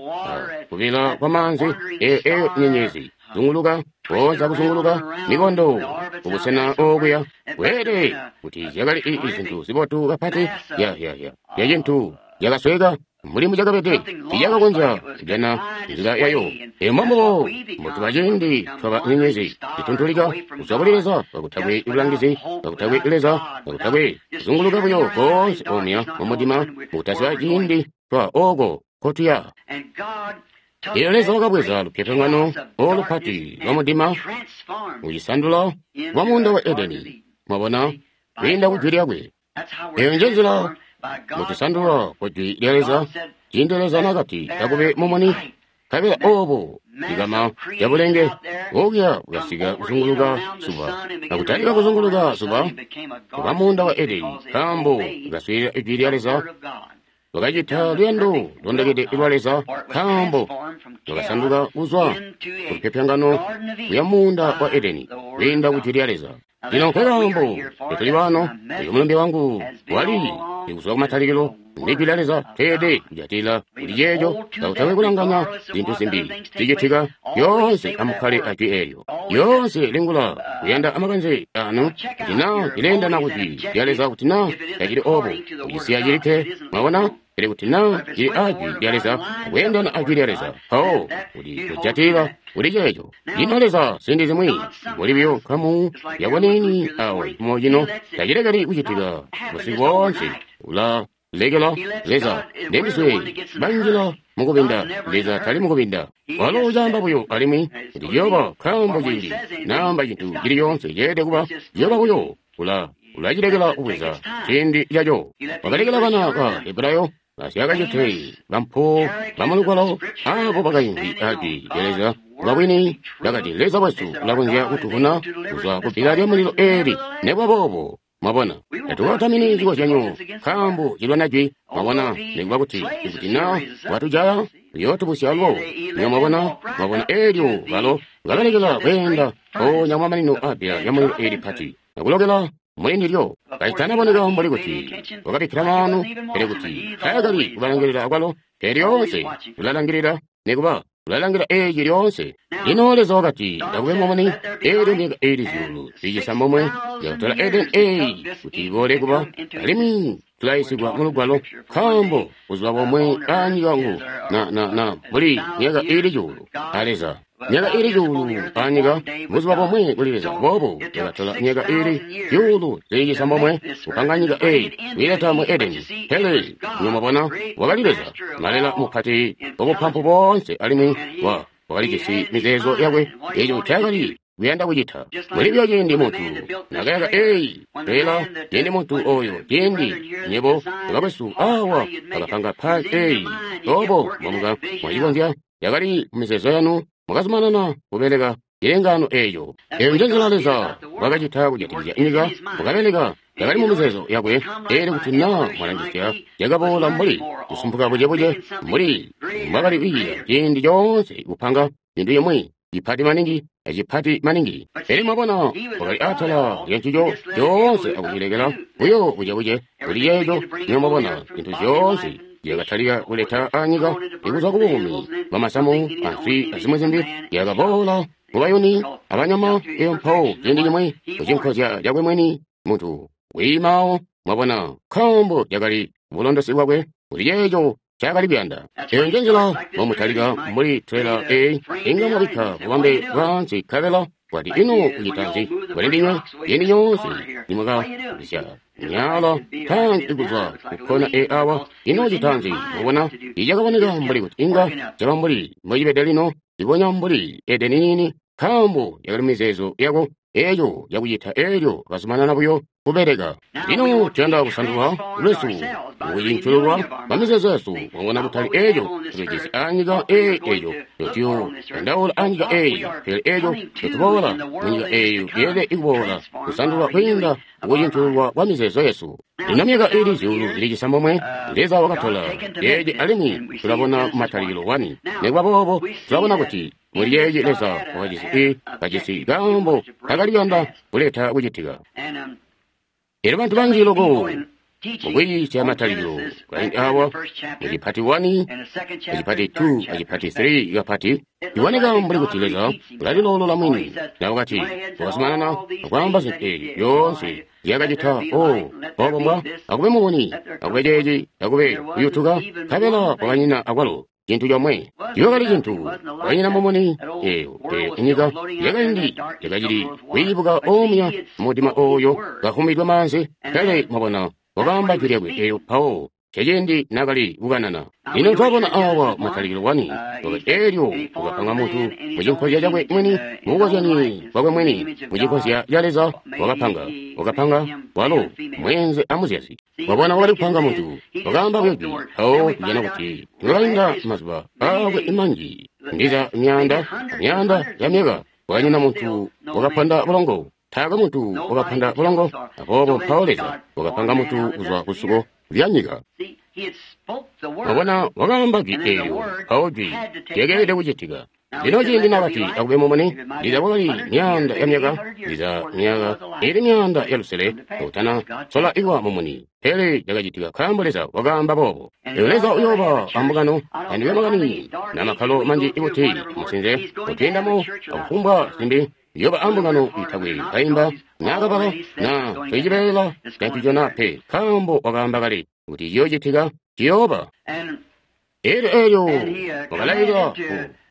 A: kubila kwa maanzi. Eyo eyo nyenyezi zunguluka koonse akuzunguluka mikondo kubusena okuya. Kweelede kuti zyakali i zintu zibotu kapati ya ya ya ya cintu yakasweka mbuli mucakabede iyakakonzya kujana nzila yayo. Eyo mbombubo mbutuba ciindi twaba nyenyezi zituntulika kuzwa kuli Leza kakutakwe bulangizi, kakutakwe Leza, kakutakwe kuzunguluka buyo koonse omuya mumudima mukutaziba ciindi twa oko kotuya. Elyo Leza wakabweza lupyopyongano olupati lwa mudima kucisandula lwa muunda wa Edeni, mwabona, kwiinda ku jwi lyakwe. Eyo nje nzila mutusandulwa kwa jwi lya Leza. Ciindi Leza nakati akube mumuni, nkabela obo likama lya bulenge okuya bukasika kuzunguluka zuba, akutalika kuzunguluka zuba kuba muunda wa Edeni, nkaambo bukaswiilila ijwi lya Leza, lwakacita luyando londekede lwa Leza, nkaambo lwakasanduka kuzwa ku lupyopyongano kuya muunda wa Edeni kwiinda ku jwi lya Leza. Lino nkekaambo tuli wano, uyu mulumbe wangu wali ikuzwa kumatalikilo ndi jwi lya Leza. Tweelede kujatila kuli ceeco kakutakwe kulanganya zintu zimbi zicitika. Lyoonse amukkale a jwi eelyo. Lyoonse lingula kuyanda amakanze anu kuti naa cileendana ku jwi lya Leza, kuti naa tacili obo kucisiya cilikke, mwabona. Pele kuti naa cili a jwi lya Leza, kweendana a jwi lya Leza, mpawo kuti kujatila kuli ceeco. Lino Leza ziindi zimwi mbuli buyo nkamu yakuniini awo cimo cino tacilekeli kucitika busiku boonse. Ula lekela Leza ndendiswe banjila mukubinda. Leza tali mukubinda, walo ucaamba buyo alimwi kuti ciyooba, nkaambo ciindi naamba cintu cili coonse ceelede kuba ciyooba buyo. Ula ulacilekela kubweza ciindi caco. Wakalekela bana ba Hebrayo basyakacite bampo bamulugwalo abo bakaimvwi ajwi lya Leza lwabwini, bakati Leza wesu ulakonzya kutuvuna kuzwa kubbila lya mulilo eeli. Nekuba boobo, mwabona, tatukatamini cikozyanyo nkaambo cilwana jwi, mwabona, nikuba kuti ikuti naa watujaya uyootubusya alubo. Niyo mwabona, mwabona eelyo balo kabalekela kweenda mpoonya kumamanino aabbila lya mulilo eeli pati akulokela muli ndilyo. Kacitanaboneka mbuli kuti wakabikkila maanu, pele kuti taakali kubalangilila akwalo, pele lyoonse ulalangilila, nikuba ulalangila eeci lyoonse. Lino Leza wakati akube mumuni. Eelyo myaka eili zyuulu zicisambomwe yakatola Edeni eeyi kuti iboole kuba, alimwi tulayisigwa mulugwalo, nkaambo buzuba bomwe anyika ngu na na na mbuli myaka iili cuulu a Leza. Myaka iili cuulu anyika buzuba bomwe kuli Leza. Boobo yakatola myaka iili zyuulu zili cisambomwe kupanga nyika eeyi kwiileta mu Edeni. Pele niyo mwabona, wakali Leza malela mupati wabupampu boonse, alimwi wa wakalijisi mizeezo yakwe eco ncaakali kuyanda kucita. Mbuli buyo ciindi muntu nakayaka eeyi pela, ciindi muntu oyo, ciindi nyebo bakwesu awa bakapanga paaki eeyi, obo mwamuka mwacikonzya, yakali mumizeezo yanu, mwakazumanana kubeleka cilengaano eeco. Eyo nje nzila Leza wakacita kujatikizya nyika, wakabeleka yakali mumizeezo yakwe. Eelyo kuti naa mwalangisya, yakaboola mbuli kusumpuka bucebuce mbuli mbwakali kwiiya ciindi coonse kupanga cintu cimwi cipati maningi acipati maningi. Pele mwabona, wakali atala lya ncico coonse akucilekela buyo bucebuce kuli ceeco. Niyo mwabona, zintu zyoonse zyakatalika kuleta anyika ikuzwa ku buumi bwamasamu answi azimwi zimbi, yakaboola mubayuni abanyama. Eyo mpawo ciindi cimwi kucinkozya cakwe mwini muntu wiimawo, mwabona, nkaambo cakali bulondosi bwakwe kuli ceeco ncaakali kuyanda. Eyo nje nzila mbomutalika mbuli trela eyi, inga mwabikka bubambe bwaansi nkabela bwati ino kucita nzi kuli ndinywe ciindi nyoonse nimwakabisya myala tanzi kuzwa kukkona e awa. Ino cita nzi? Mwabona, icakaboneka mbuli kuti inga caba mbuli mbocibede lino, libonya mbuli Edeni niini, nkaambo yakali mizeezo yako eco cakucita. Eelyo kazumanana buyo kubeleka. Lino tuyanda kusandulwa lwesu kucincululwa kwa mizeezo yesu, mwabona, kutali eco tutujisi anyika eyi eco tuyo yandaula anyika eyi, pele eco tutuboola munyika eyo yeelede ikuboola kusandulwa kwiinda kucincululwa kwa mizeezo yesu. Lino myaka iili zyuulu zili cisambomwe Leza wakatola yeeci, alimwi tulabona matalikilo wani. Nikuba boobo tulabona kuti muli yeeci Leza wakajisi i kajisi kaambo kakali kuyanda kuleta kucitika. Elyo bantu banji loko Mukwiisya matalikilo kaindi awa mucipati wani, mucipati two, mucipati three kapati iboneka mbuli kuti Leza ulalilolola mwini. Na wakati wakazumanana akwaamba zintu ezi zyoonse zyakacita. O obo mbwa akube mumuni, akube ceeci, akube kuyutuka, nkabela kwakanyina akwalo cintu comwe. Iwakali cintu kwakanyina mumuni eyo eyo inyika yakaindi yakacili kwiibuka omuya mudima oyo kahumbidwe maanzi. Pele mwabona wakaamba jwi lyakwe eyo mpawo ceciindi nakali kukanana. Lino twabona awa matalikilo wani elyo wakapanga muntu mucinkozya cakwe mwini, mubukozyanyi bwakwe mwini, mucinkozya ca Leza wakapanga, wakapanga walo mwenze amuzyazi. Wabona wakali kupanga muntu, wakaamba buyo jwi mpawo tujana kuti twakainda mazuba akwe manji, ndiza myaanda myaanda ya myaka, kwakanyina muntu wakapanda bulongo. Taakwe muntu wakapanda bulongo. Aboobo mpawo Leza wakapanga muntu kuzwa kusuko lya nyika. Wabona wakaamba jwi eelyo, mpawo jwi lyakeelede kucitika. Lino ciindi nakati akube mumuni, ndiza kwakali myaanda ya myaka, ndiza myaka ili myaanda ya lusele utana sola iwa mumuni, pele cakacitika nkaambo Leza wakaamba boobo. Lino Leza uyooba ambungano andiwe makani na makkalo manji ikuti musinze kutwiindamo akufumbwa zimbi. Yoba ambungano itakwe kaimba nakabala na twicibeela cancicona pe, nkaambo wakaamba kale kuti ciyoocitika ciyooba. Elyo elyo wakalailila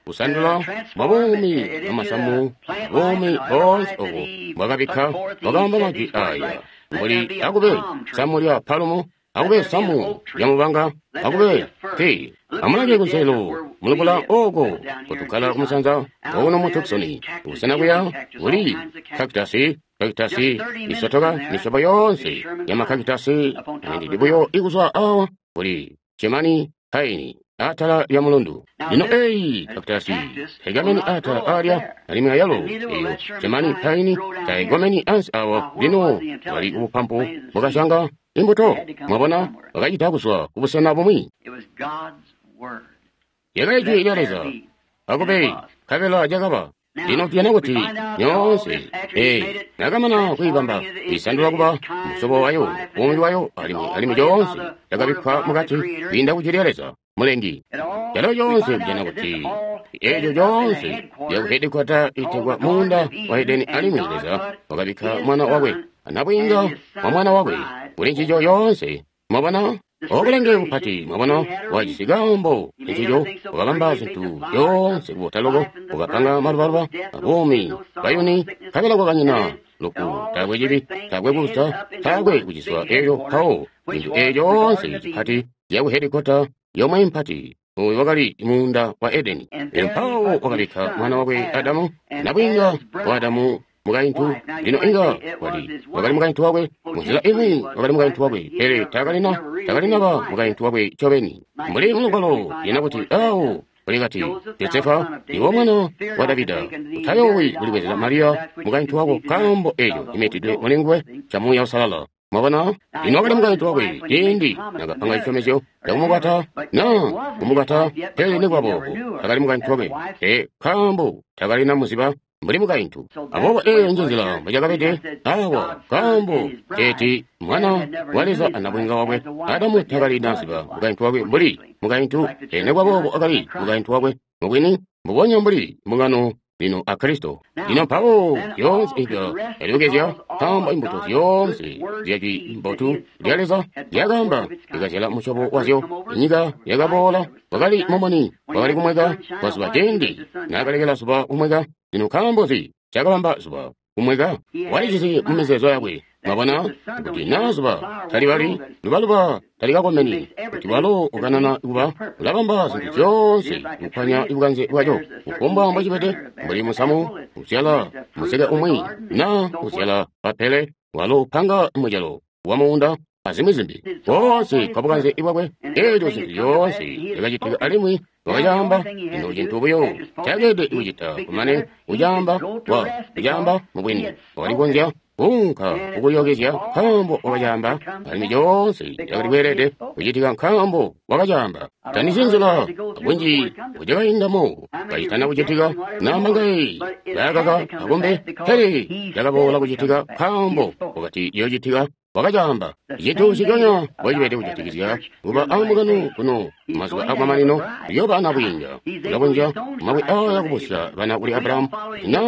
A: kusandula mwabuumi bwamasamu buumi boonse obo bwakabikka. Wakaamba majwi aya mbuli akube samu lya palumu, akube samu lya mubanga, akube te. Amulange kunselelo mulubula oko kutukkala kumusanza okuno mu Tucson, kusena kuya kuli kakitasi, kakitasi isotoka misyobo yoonse ya makakitasi andidi buyo ikuzwa awa kuli cemani paini atala lya mulundu. Lino eyi kakitasi taigameni atala alya, alimwi ayalo eyo cemani paini taigomeni ansi awa. Lino bali ubupampu bwakasyanga imbuto, mwabona, bakacita kuzwa kubusena bumwi. Lyakali jwi lya Leza, akube nkabela cakaba. Lino tuyana kuti nyoonse ee nakamana kuibamba isandula kuba musyobo wayo, buumi bwayo, alimwi alimwi coonse cakabikkwa mukati kwiinda ku jwi lya Leza mulengi. Calo coonse kujana kuti eeco coonse lyakuhedikwata itegwa muunda wa Edeni, alimwi Leza wakabikka mwana wakwe anabwiinga wa mwana wakwe kuli ncico yoonse. Mwabona obulenge bupati, mwabona wajisi kaambo ncico, wakabamba zintu zyoonse kubota loko, wakapanga malubaluba abuumi bayuni, nkabela kwakanyina lufu, taakwe cibi, taakwe kusa, taakwe kuciswa. Eyo mpawo zintu eeco yoonse cipati yakuhedikwata yomwe mpati oyo wakali muunda wa Edeni. Elyo mpawo wakabikka mwana wakwe Adamu, nabwiinga wa Adamu mukaintu. Lino inga wali wakali mukaintu wakwe munzila imwi, wakali mukaintu wakwe, pele takalina takalinaba mukaintu wakwe ncobeni. Mbuli mulugwalo lyena kuti awo kulikati Josefa iwo mwana wa Davida, utayowi kulibwezela Mariya mukaintu wako, nkaambo eco cimitidwe muli nguwe ca Muuya Uusalala. Mwabona, lino wakali mukaintu wakwe ciindi nakapanga cisyomezyo cakumukwata na kumukwata, pele nikuba boobo takali mukaintu wakwe pe, nkaambo takalina muziba mbuli mukaintu. Aboobo eyo nje nzila mbwecakabede awa, nkaambo teeti mwana wa Leza anabwiinga wakwe Adamu takalina ziba mukaintu wakwe mbuli mukaintu, pele nikuba boobo akali mukaintu wakwe mubwini, mbubonya mbuli mbungano lino a Kristo. Lino mpawo zyoonse ibyo yalyokezya, nkaambo imbuto zyoonse zyajwi mbotu lya Leza lyakaamba likazyala musyobo wazyo. Inyika yakaboola, wakali mumuni, wakali kumweka kwa zuba ciindi naakalekela zuba kumweka. Lino nkaambo nzi cakabamba zuba kumweka? Walijisi mumizeezo yakwe. Mwabona kuti naa zuba talibali lubaluba talikakomeni, kuti walo ukanana kuba ulabamba zintu zyoonse kukwanya bukanze bwaco, kufumbwa mbocibede, mbuli musamu uzyala museke umwi na uzyala papele, walo upanga mucelo wa muunda azimwi zimbi. Koonse kwa bukanze bwakwe, eeco zintu zyoonse zyakacitika alimwi wakacaamba. Lino cintu buyo cakeelede kucita kumane kucaamba wa kucaamba mubwini, wakali kukonzya kuunka kukulyokezya nkaambo wakacaamba, alimwi coonse cakali kweelede kucitika nkaambo wakacaamba. Tandizi nzila bunji bucakaindamo kacitana kucitika, namangayi bayakaka akumbe, pele cakaboola kucitika nkaambo wakati ciyoocitika. wakacaamba. Cintu nciconya mbocibede kujatikizya kuba ambungano kuno mazuba akumamanino, kuyooba nabwiinga. Ulakonzya mabwe aaya kubusya bana kuli Abrahamu. Na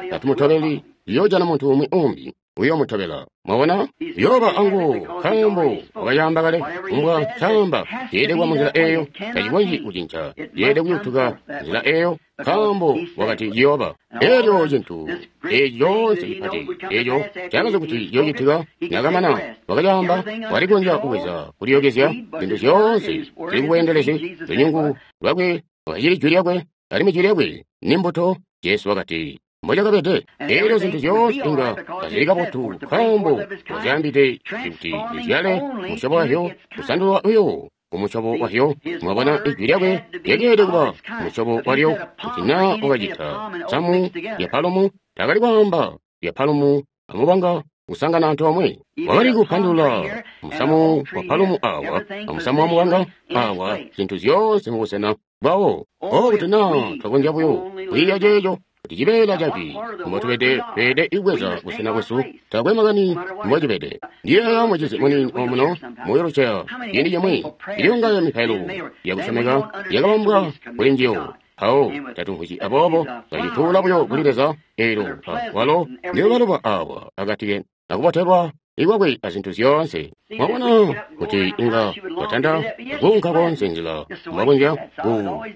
A: tatumutobeli, yoojana muntu umwi umbi uyoomutobela. Mwabona? Yooba anguwo, nkaambo wakacaamba kale. Kumbwa caamba ceelede kuba munzila eeyo, tacikonzyi kucinca. Yeelede kuyutuka nzila eeyo, nkaambo wakati ciyooba. Elyo cintu eeci coonse cipati eeco cakazi kuti ciyoocitika, nakamana wakacaamba, walikonzya kubweza kuliyokezya zintu zyoonse zili kubweendelezi lunyungu lwakwe lwakacili jwi lyakwe, alimwi jwi lyakwe ni mbuto. Jesu wakati mbocakabede. Elyo zintu zyoonse inga kazili kabotu, nkaambo wazyaambide kuti zizyale musyobo wazyo, kusandulwa uyo kumusyobo wazyo. Mwabona, ijwi lyakwe lyakeelede kuba musyobo walyo. Kuti naa wakacita samu lya palumu, takali kwaamba lya palumu amubanga kusangana antoomwe. Wakali kupandulula musamu wa palumu awa amusamu wa mubanga awa, zintu zyoonse mubusena bwawo. O kuti naa twakonzya buyo kwiiya ceeco, kuti cibeela caci mbotubede tweelede kubweza busena bwesu, taakwe makani mbocibede. Ndiyeeya mucizi muniini omuno mu wheelchair ciindi cimwi, iliyongayo mipailo yakusyomeka yakabambwa kuli njiyo. Mpawo tatumvwisyi, aboobo twacituula buyo kuli Leza. Eelyo walo ndiyobaluba awa akati akubotelwa ikwakwe azintu zyoonse. Mwabona kuti inga watanda kuunka koonse nzila mwakonzya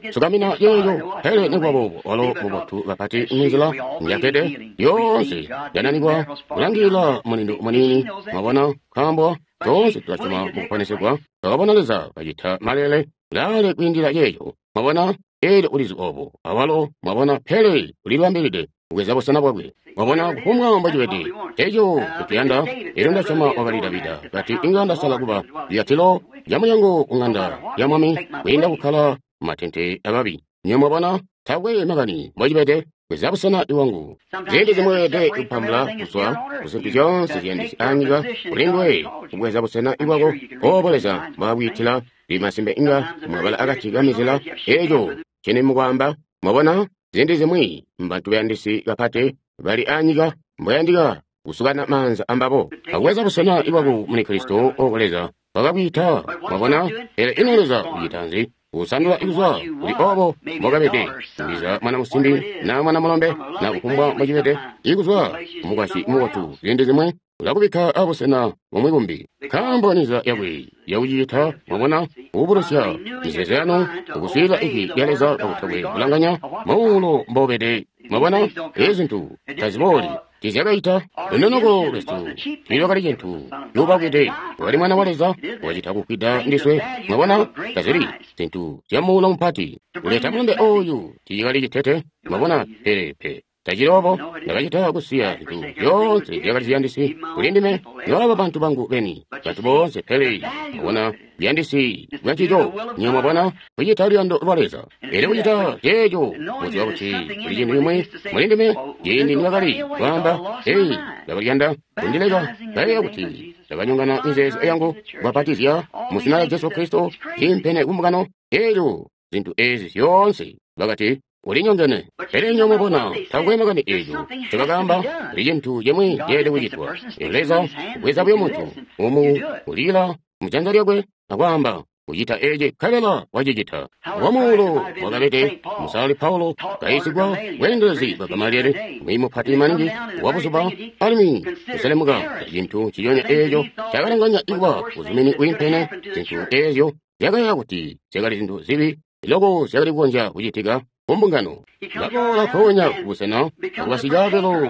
A: kusukamina yeeyo, pele nikuba boobo walo mubotu kapati munzila njakede yoonse yananikwa kulangilila mulindu muniini. Mwabona, nkaambo toonse tulasyoma mukuponesegwa, twakabona Leza kacita malele laale kwiindila yeeyo. Mwabona, eelyo ulizi obo awalo. Mwabona, pele ulilibambilide kubweza busena bwakwe. Mwabona, kufumbwa mbocibede eco kutuyanda. Elyo ndasyoma wakali Davida kati, inga ndasala kuba lyatilo lya mulyango ku ng'anda ya mwami kwiinda kukkala mumatente ababi. Nyo mwabona, taakwe makani mbocibede, bweza busena iwangu. Ziindi zimweelede kupambula kuzwa kuzintu zyoonse ziyandisi anyika kulindwe kubweza busena iwako obo Leza mbwaakwiitila. Limasimbe inga mwabala akati kamizila eco cini mukwaamba. Mwabona, ziindi zimwi mbantu bayandisi kapati bali anyika mboyandika kusukana maanza ambabo akubweza busena ibwaku muli Kristo oko Leza wakakwiita. Mwabona, pele ino Leza ucita nzi? Kusandula kuzwa kuli obo mbokabede, ndiza mwana musimbi na mwana mulombe na kufumbwa mbocibede, ikuzwa kumukwasyi mubotu, ziindi zimwi ulakubikka abusena bumwi bumbi, nkaambo ninzila yakwe yakucicita. Mwabona, kububulusya mizeezo yanu ukuswiilila ijwi lya Leza kakutakwe kulanganya muulo mbobede. Mwabona, ezi zintu tazibooli tizyakaita lunonoko lwesu tiilwakali cintu cuubakwide, wakali Mwana wa Leza wacita kufwida ndiswe. Mwabona, tazili zintu zya muulo mupati kuleta mulumbe oyu, tiikali citete. Mwabona, pele pe tacili obo. Ndakacita kusiya zintu zyoonse zyakali ziyandisi kuli ndime, nobaba bantu bangu beni, bantu boonse. Pele mwabona buyandisi bwancico, nyo mwabona kucita luyando lwa Leza. Elyo kucita ceeco, muziba kuti kuli cintu cimwi muli ndime. Ciindi nibakali kwaamba, ei, ndakaliyanda kundileka, kayeeya kuti ndakanyongana mizeezo yangu kubapatizya mu zina lya Jesu Kristo impene kumbungano. Elyo zintu ezi zyoonse bakati ulinyongene. Pele nyo mwabona, takwe makani eco ncobakaamba, kuli cintu cimwi ceelede kucitwa. Leza kubweza buyo muntu umu kulila mujanza lyakwe akwaamba kucita eci, nkabela wacicita. Wamuulo wakabede musalali Paulo kayisigwa bweendelezi bwa Gamalieli, mwiiyi mupati maningi wa buzuba, alimwi kuselemuka cintu nciconya eeco cakalanganya ikuba buzumini bwiimpene. Zintu eezyo zyakayeeya kuti zyakali zintu zibi loko zyakali kukonzya kucitika kumbungano. Baboola mpoonya kubusena akubasika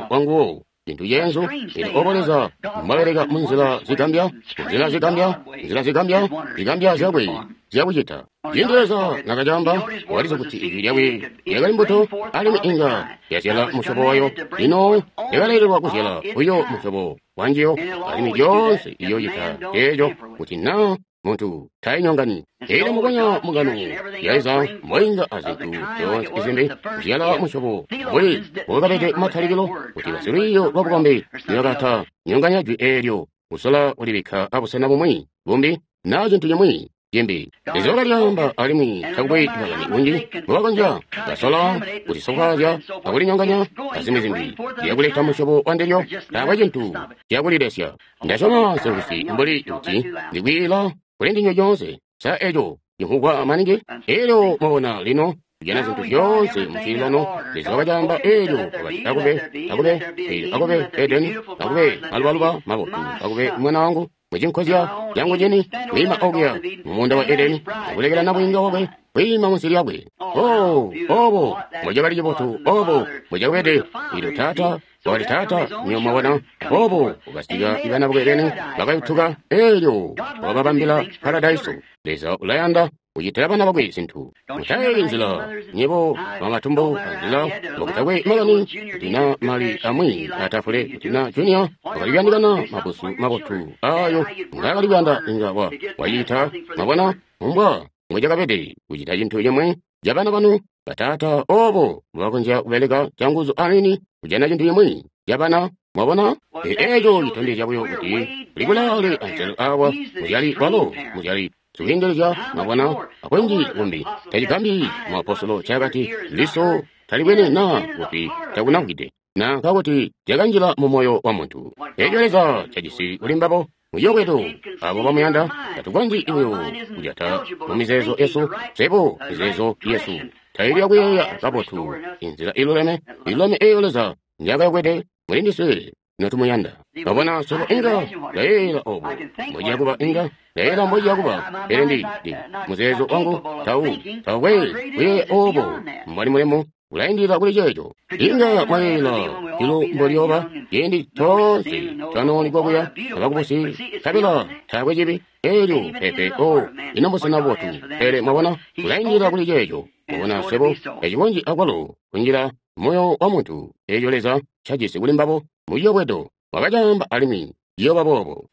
A: wanguwo, cintu ceenzu. Elyo obo Leza mbwabeleka munzila zigambya, nzila zigambya, nzila zigambya, zigambya zyakwe zyakucita. Ciindi Leza nakacamba, wakalizi kuti ijwi lyakwe lyakali mbuto, alimwi inga yazyala musyobo wayo. Lino yakalelelwa kuzyala buyo musyobo wanjiyo, alimwi lyoonse iyoocita eeco kuti naa muntu tainyongani. Elyo mukonya mungano ya Leza mboinga azintu zyoonse izimbi kuzyala musyobo mbuli mbokabede matalikilo, kuti basilwiiyo lwabukombi nibakata nyonganya jwi eelyo kusola kulibikka abusena bumwi bumbi naa cintu cimwi cimbi. Leza wakalyaamba alimwi takukwe makani kunji mbobakonzya basola kulisofwaazya akulinyonganya azimwi zimbi liyakuleta musyobo wa ndilyo, taakwe cintu ciyakulilesya. Ndasyoma selusi mbuli kuti ndikwiila kuli ndinywe lyoonse. Sa eco cimvwugwa maningi? Elyo mwabona lino kujana zintu zyoonse mucililano. Leza wakacaamba elyo wakati akube, akube, elyo akube Edeni, akube malubaluba mabotu, akube mwana wangu mucinkozya cangu cini kwiima okuya mumuunda wa Edeni akulekela nabwiinga wakwe kwiima munsi lyakwe. Oh, obo mbocakali cibotu, obo mbocakabede. Elyo taata wakati, taata, nyo mwabona, obo ukasika ibana bakwe beni bakayutuka, elyo wakababambila paradaiso. Leza ulayanda kucitila bana bakwe zintu. Mutayeeyi nzila nyebo bamatumbu anzila mbokutakwe makani kuti na mali amwi atafule kuti na junior wakali kuyandikana mabusu mabotu ayo ngaakali kuyanda inga wa wacita. Mwabona umbwa mbocakabede kucita cintu cimwi ca bana banu bataata, obo mbobakonzya kubeleka canguzu anini kujana cintu cimwi ca bana. Mwabona, eeco citondezya buyo kuti kuli kulaale anzelo awa muzyali walo muzyali sikuyengelezya. Mwabona, akunji kumbi tacigambi muapostolo cakati liso talibwene naa kuti takunamvwide na nkakuti cakanjila mu moyo wa muntu. Eco Leza cajisi kuli mbabo muyobwedo abo bamuyanda tatukonzyi buyo kujata mu mizeezo yesu. Sebo mizeezo yesu taili yakuyeeya kabotu inzila iluleme iluleme eyo Leza njakayokwede muli ndiswe notumuyanda. Mwabona, sebo inga ndayeeyela obo mbociya kuba, inga ndayeeyela mbociya kuba, pele ndi ndi muzeezo wangu tau taukwe kuyeeya obo mbwali mulemu ulaindilila kuli ceeco. Inga mwayeeyela julu mbolyoba ciindi toonse twanoonigwa kuya abakubusi nkabela taakwe cibi elyo pepe o ino mbusena bubotu, pele mwabona ulaindilila kuli ceeco. Mwabona, sebo tacikonzyi akwalo kunjila moyo wa muntu eeco Leza cajisi kuli mbabo muyobwedo wakacaamba alimwi ciyooba boobo.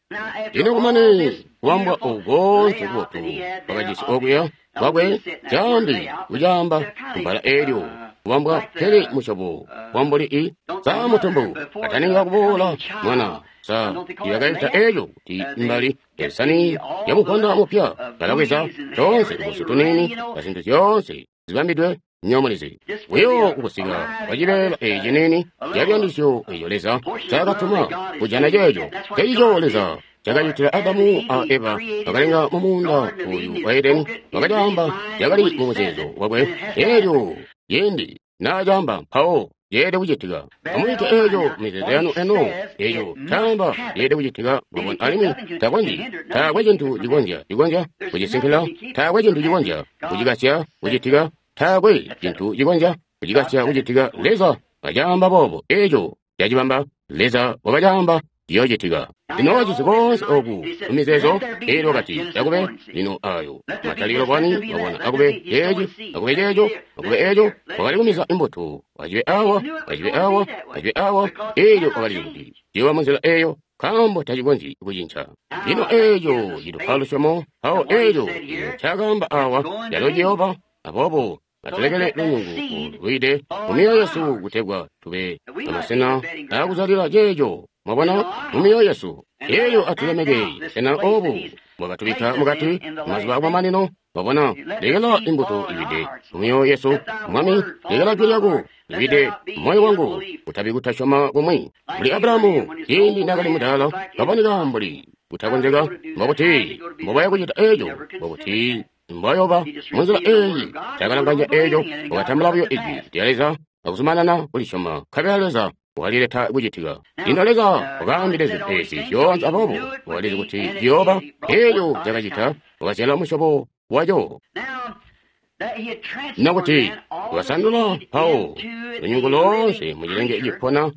A: Lino kumane kubambwa oku koonse kubotu wakajisi okuya kwakwe caambi kucaamba kubbala eelyo kubambwa pele musyobo wambuli i sa mutumbu ataninga kuboola mwana sa yakaita eeco kuti mbali esani yamuponda mupya balabweza toonse tubusu tuniini azintu zyoonse zibambidwe nyomulizi buyo kukusika kwacibeela eeci nini cabyandisyo eco Leza cakatuma kujana ceeco ceecico Leza cakacitila Adamu a Eva bakalenga mumuunda oyu wa Edeni. Wakacaamba cakali mumuzeezo wakwe eelyo ciindi naacaamba mpawo yeede kucitika. Amwiite eeco mizeezo yanu eno, eeco caamba yeede kucitika. Mwabona, alimwi takonzyi, taakwe cintu cikonzya cikonzya kucisinkila, taakwe cintu cikonzya kucikasya kucitika, taakwe cintu cikonzya kucikasya kucitika. Leza wakacaamba boobo, eeco cacibamba. Leza wakacaamba ciyoocitika. Lino wajisi koonse oku mumizeezo eelyo wakati akube lino ayo matalikilo bwani. Mwabona, akube ceeci, akube ceeco, akube eeco. Wakali kumiza imbuto, wacibe awa, wacibe awa, wacibe awa. Eelyo wakalizi kuti ciyooba munzila eeyo, nkaambo tacikonzyi kucinca. Lino eeco citupa lusyomo mpawo eeco cakaamba awa calo ciyooba. Aboobo atulekele lunyungu lwiide mu myoyo yesu kutegwa tube amasena aakuzalila ceeco. Mwabona, mu myoyo yesu eeyo atulemeke sena obu bwakatubikka mukati mazuba akumamanino. Mwabona, lekela imbuto iwide mu myoyo yesu. Mwami, lekela jwi lyako liwide moyo wangu, kutabi kutasyoma kumwi. Mbuli Abrahamu ciindi naakali mudaala, kaboneka mbuli kutakonzeka, mbokuti mbobaya kucita eeco, mbokuti mbwayoba munzila eeyi. Takalanganya eeco, wakatambula buyo ijwi lya Leza akuzumanana kulisyoma, nkabela Leza wakalileta kucitika. Lino Leza wakaambile zintu eezi zyoonse, aboobo wakalizi kuti ciyooba. Eeco cakacita, wakazyala musyobo waco. Nakuti wakasandula mpawo lunyungu loonse mucilenge cipona,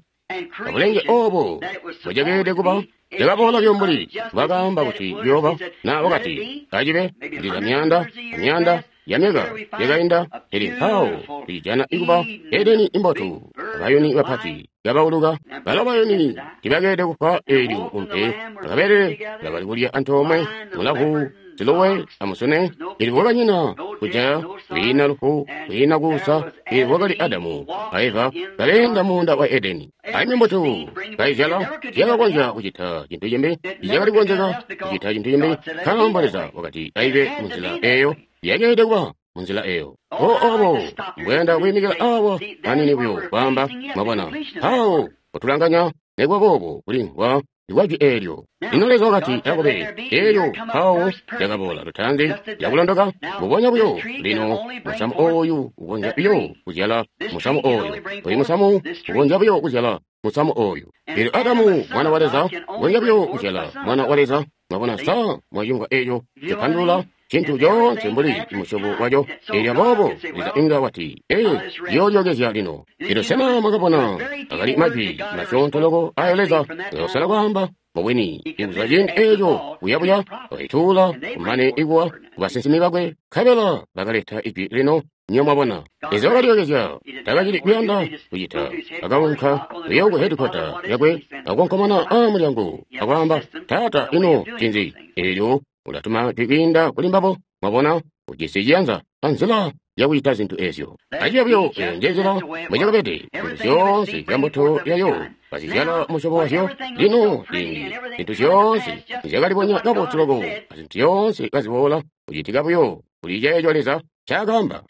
A: abulenge obo bwacakeelede kuba. Cakaboola buyo mbuli bwakaamba kuti ciyooba. Na wakati acibe, ndiza myaanda amyaanda yamyaka yakainda, pele mpawo tucijana ikuba Edeni imbotu, abayuni bapati kabauluka. Balo bayuni tibakeelede kufwa eelyo umpe bakabelele bakali kulya antoomwe mulavu siluwe amusune, ili kwakanyina kujaya, kwiina lufu, kwiina kuusa, ili kwakali Adamu a Eva kaleenda muunda wa Edeni. Aimwi mbuto kaizyala tiyakakonzya kucita cintu cimbi, ticakali kukonzeka kucita cintu cimbi, nkaambo Leza wakati aibe munzila eyo, yakeelede kuba munzila eyo. O obo mbwenda kwiimikila awa anini buyo kwaamba, mwabona, mpawo kutulanganya nekuba boobo kulimvwa ikwajwi eelyo. Lino Leza wakati akube, eelyo mpawo lyakaboola lutaanzi lyakulondoka mbubonya buyo. Lino musamu ooyu ukonzya buyo kuzyala musamu ooyu, oyu musamu ukonzya buyo kuzyala musamu ooyu. Eelyo Adamu mwana wa Leza ukonzya buyo kuzyala mwana wa Leza. Mwabona, sa mwacimvwa eeco cipandulula cintu coonse mbuli musyobo waco. Eelyo aboobo Leza inga wati, ee, ndiyoolyookezya lino. Eelyo sena mwakabona akali majwi masyoonto loko ayo Leza ngakasala kwaamba? Mubwini, ikuzwa ciindi eeco buyabuya wakaituula kumane ikuwa kubasinsimi bakwe, nkabela bakaleta ijwi lino. Nyo mwabona, Leza wakalyookezya, takacili kuyanda kucita. Akaunka kuyo ku hedikwata yakwe, akukonkomona aamulyango, akwaamba, Taata, ino ncinzi? Eelyo ulatuma jwi kwiinda kuli mbabo. Mwabona, ujisi ciyanza anzila yakucita zintu ezyo. Aciya buyo eyo njenzila mbwecakabede. Zintu zyoonse zya mbuto yayo bazizyala musyobo wazyo. Lino ciindi zintu zyoonse zyakalibonya kabotu loko, azintu zyoonse kaziboola kucitika buyo kuli ceeco Leza ncaakaamba.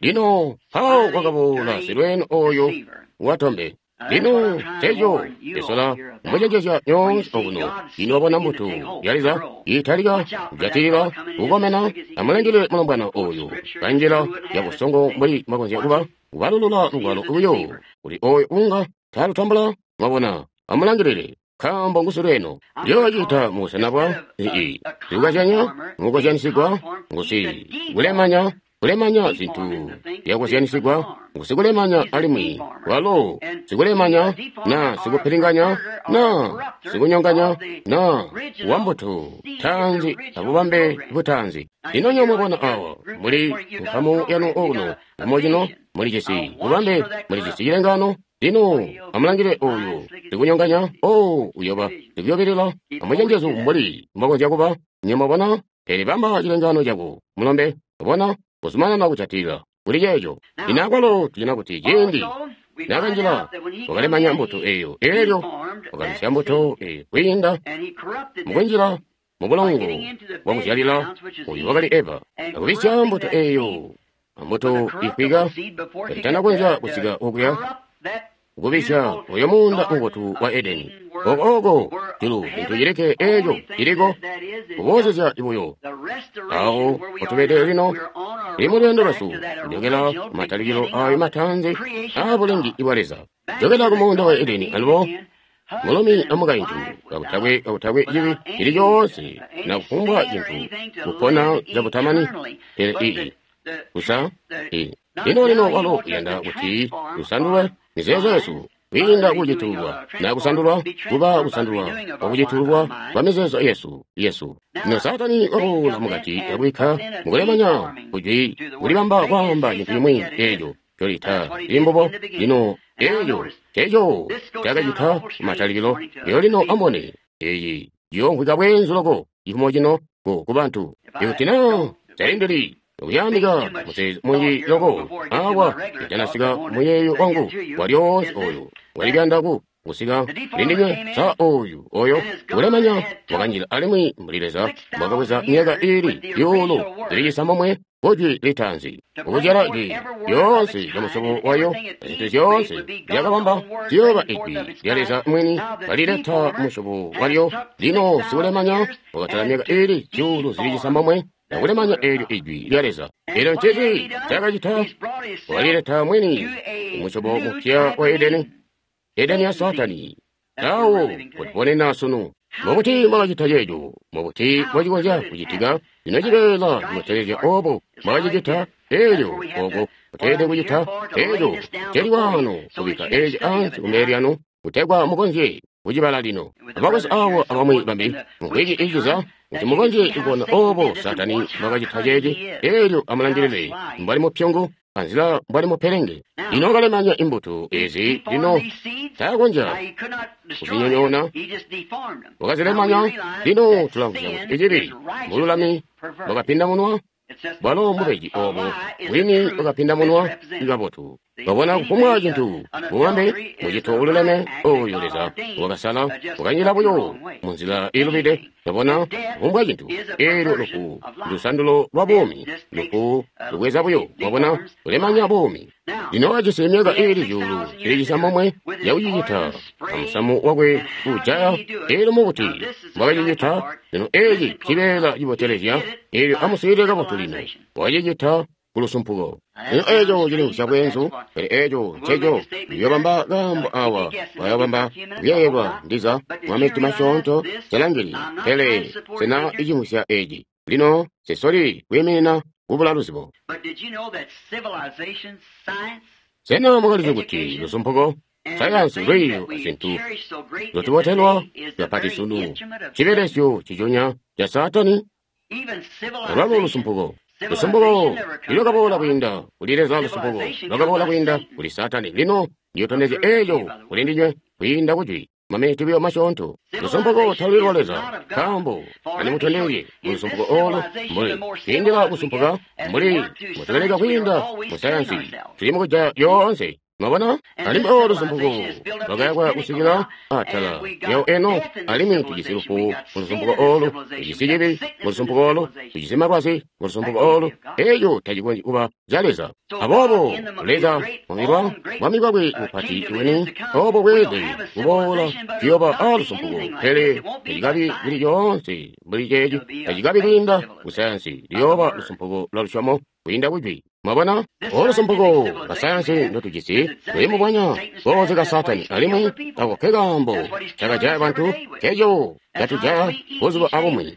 A: Lino mpawo kwakaboola silweeno oyo watombe. Lino nceeco ndisola kumucenjezya nyoonse okuno. Lino wabona mbuto ya Leza iitalika kujatilila kukomena, amulangile mulombwana oyo kanjila yabusongo mbuli mwakonzya kuba kubalulula lugwalo buyo kuli oyo unga taalutambula. Mwabona, amulangilile, nkaambo ngusilweeno. Ndiyoocita mubusena bwa ii sikukazyanya mukukozyanisigwa ngusi kulemanya kulemanya zintu zyakuzyanisigwa ngusikulemanya, alimwi walo sikulemanya na sikupilinganya na sikunyonganya na wambuto taanzi abubambe butaanzi. Lino nyo mwabona awa muli nkamu yanu okuno kumo cino muli cisi bubambe, muli cisi cilengano. Lino amulangile oyo sikunyonganya, o uyoba sikuyobelela amucenjezu mbuli mwakonzya kuba. Nyo mwabona, pele bamba cilengano cako mulombe, bona kuzumanana kujatilila kuli ceeco. Lino akwalo tujana kuti ciindi nakanjila wakalemanya mbuto eyo, eelyo wakabisya mbuto eyo kwiinda mukunjila mubulongo bwakuzyalila oyu wakali Eva, akubisya mbuto eyo ambuto ifwika kaitanakonzya kusika okuya kubisya oyo muunda mubotu wa Edeni. Oko oko julu cintu cilikke eeco ciliko kuboozezya buyo awo potubede lino tuli mu lweendo lwesu kujokela kumatalikilo ayo mataanzi aabulengi bwa Leza, jokela ku muunda wa Edeni alubo mulumi amukaintu kakutakwe kakutakwe cibi cili coonse na kufumbwa cintu kupona cabutamani. Pele ii kusa ii lino lino walo uyanda kuti tusandulwe mizeezo yesu kwiinda kucitulwa na kusandulwa kuba kusandulwa kwakucitulwa kwa mizeezo yesu yesu. Lino Saatani waboola mukati akubikka mukulemanya kujwi kulibamba kwaamba cintu cimwi eeco colita limbubo. Lino eeco ceeco cakacita kumatalikilo. Eyo lino amubone eyi ciyoomvwika bweenzu loko cifumo cino ku kubantu. Ikuti na talindili okuyandika muzeezo munji loko awa itanasika muyeeyo wangu walyoonse oyo walikuyanda ku kusika kulindinywe. Sa oyu oyo ulemanya wakanjila alimwi mbuli Leza mwakabweza myaka iili zyuulu zili cisambomwe kujwi litaanzi ukuzyala jwi lyoonse lya musyobo wayo, zintu zyoonse zyakabamba ziyooba ijwi lya Leza mwini kalileta musyobo walyo. Lino sikulemanya wakatala myaka iili zyuulu zili cisambomwe akulemanya eelyo ijwi lya Leza. Eelyo ncinzi cakacita? Walileta mwini umusyobo mupya wa Edeni, Edeni ya Saatani. Awo kutubonena sunu. Mubuti mwakacita ceeco? Mubuti mwacikonzya kucitika? Lino cibeela cibotelezya obo mwakacicita eelyo oko kuteelede kucita eeco celi wano kubikka eeci ansi kumbele lyanu kutegwa mukonzye kucibala lino. Abakwesu awo abamwi bambi mumvwiki iiciza kuti mukonzye kubona obo Saatani mbwakacita ceeci. Eelyo amulangilile mbwali mupyungu. anzila mbwali mupelenge. Lino wakalemanya imbuto ezi, lino taakonzya kuzinyonyoona, wakazilemanya. Lino tulamvwa kuti icibi mbululami bwakapindamunwa, bwalo mbubeji obo bwini bwakapindamunwa kabotu. Babona kufumbwa cintu bubambe mucito ululeme oyo Leza wakasala wakanyila buyo munzila iilubide. Babona kufumbwa cintu eelyo lufu ndusandulo lwa buumi, lufu lubweza buyo, wabona kulemanya buumi. Lino wajisi myaka iili zyuulu zili cisambomwe yakucicita amusamu wakwe uujaya. Eelyo mubuti mbwakacicita? Lino eeci cibeela cibotelezya. Eelyo amuswiilile kabotu lino. Wakacicita kulusumpuko. Lino eeco cilimvwisya bweenzu, pele eeco nceco ndiyobamba kaambo awa, wayobamba kuyeeyelwa ndiza mwamitima masyoonto selangili, pele sena icimvwisya eeci. Lino sesoli kwiiminina kubula luzibo. Sena mwakalizi kuti lusumpuko, sayansi, lwiiyo azintu zotubotelwa kapati sunu cibelesyo ciconya ca Saatani? Alwalo lusumpuko, lusumpuko lwakaboola kwiinda kuli Leza, lusumpuko lwakaboola kwiinda kuli Saatani. Lino ndiyotondezya eeco kuli ndinywe kwiinda kujwi maminiti buyo masyoonto. Lusumpuko taluli lwa Leza, nkaambo andimutondezye mu lusumpuko oolo mbuli kwiindila kusumpuka mbuli mutubeleka kwiinda mu sayansi tuli mukujaya yoonse. Mwabona? Alimwi oolo lusumpuko lwakayakwa kusikila atala lyawo eno, alimwi tujisi lufu mu lusumpuko oolu, tujisi cibi mu lusumpuko oolu, tujisi malwazi mu lusumpuko oolu. Eeco tacikonzyi kuba ca Leza. Aboobo Leza mwamilwa mwami bwakwe bupati bwini obo bweelede kuboola, tuyooba a lusumpuko, pele tacikabi kuli coonse mbuli ceeci, tacikabi kwiinda ku sayansi, luyooba lusumpuko lwa lusyomo kwiinda kujwi. Mwabona? Olu lusumpuko lwa sayansi ndotujisi luli mubwanya kooze ka Saatani, alimwi ako ke kaambo cakajaya bantu, keco catujaya buzuba abumwi.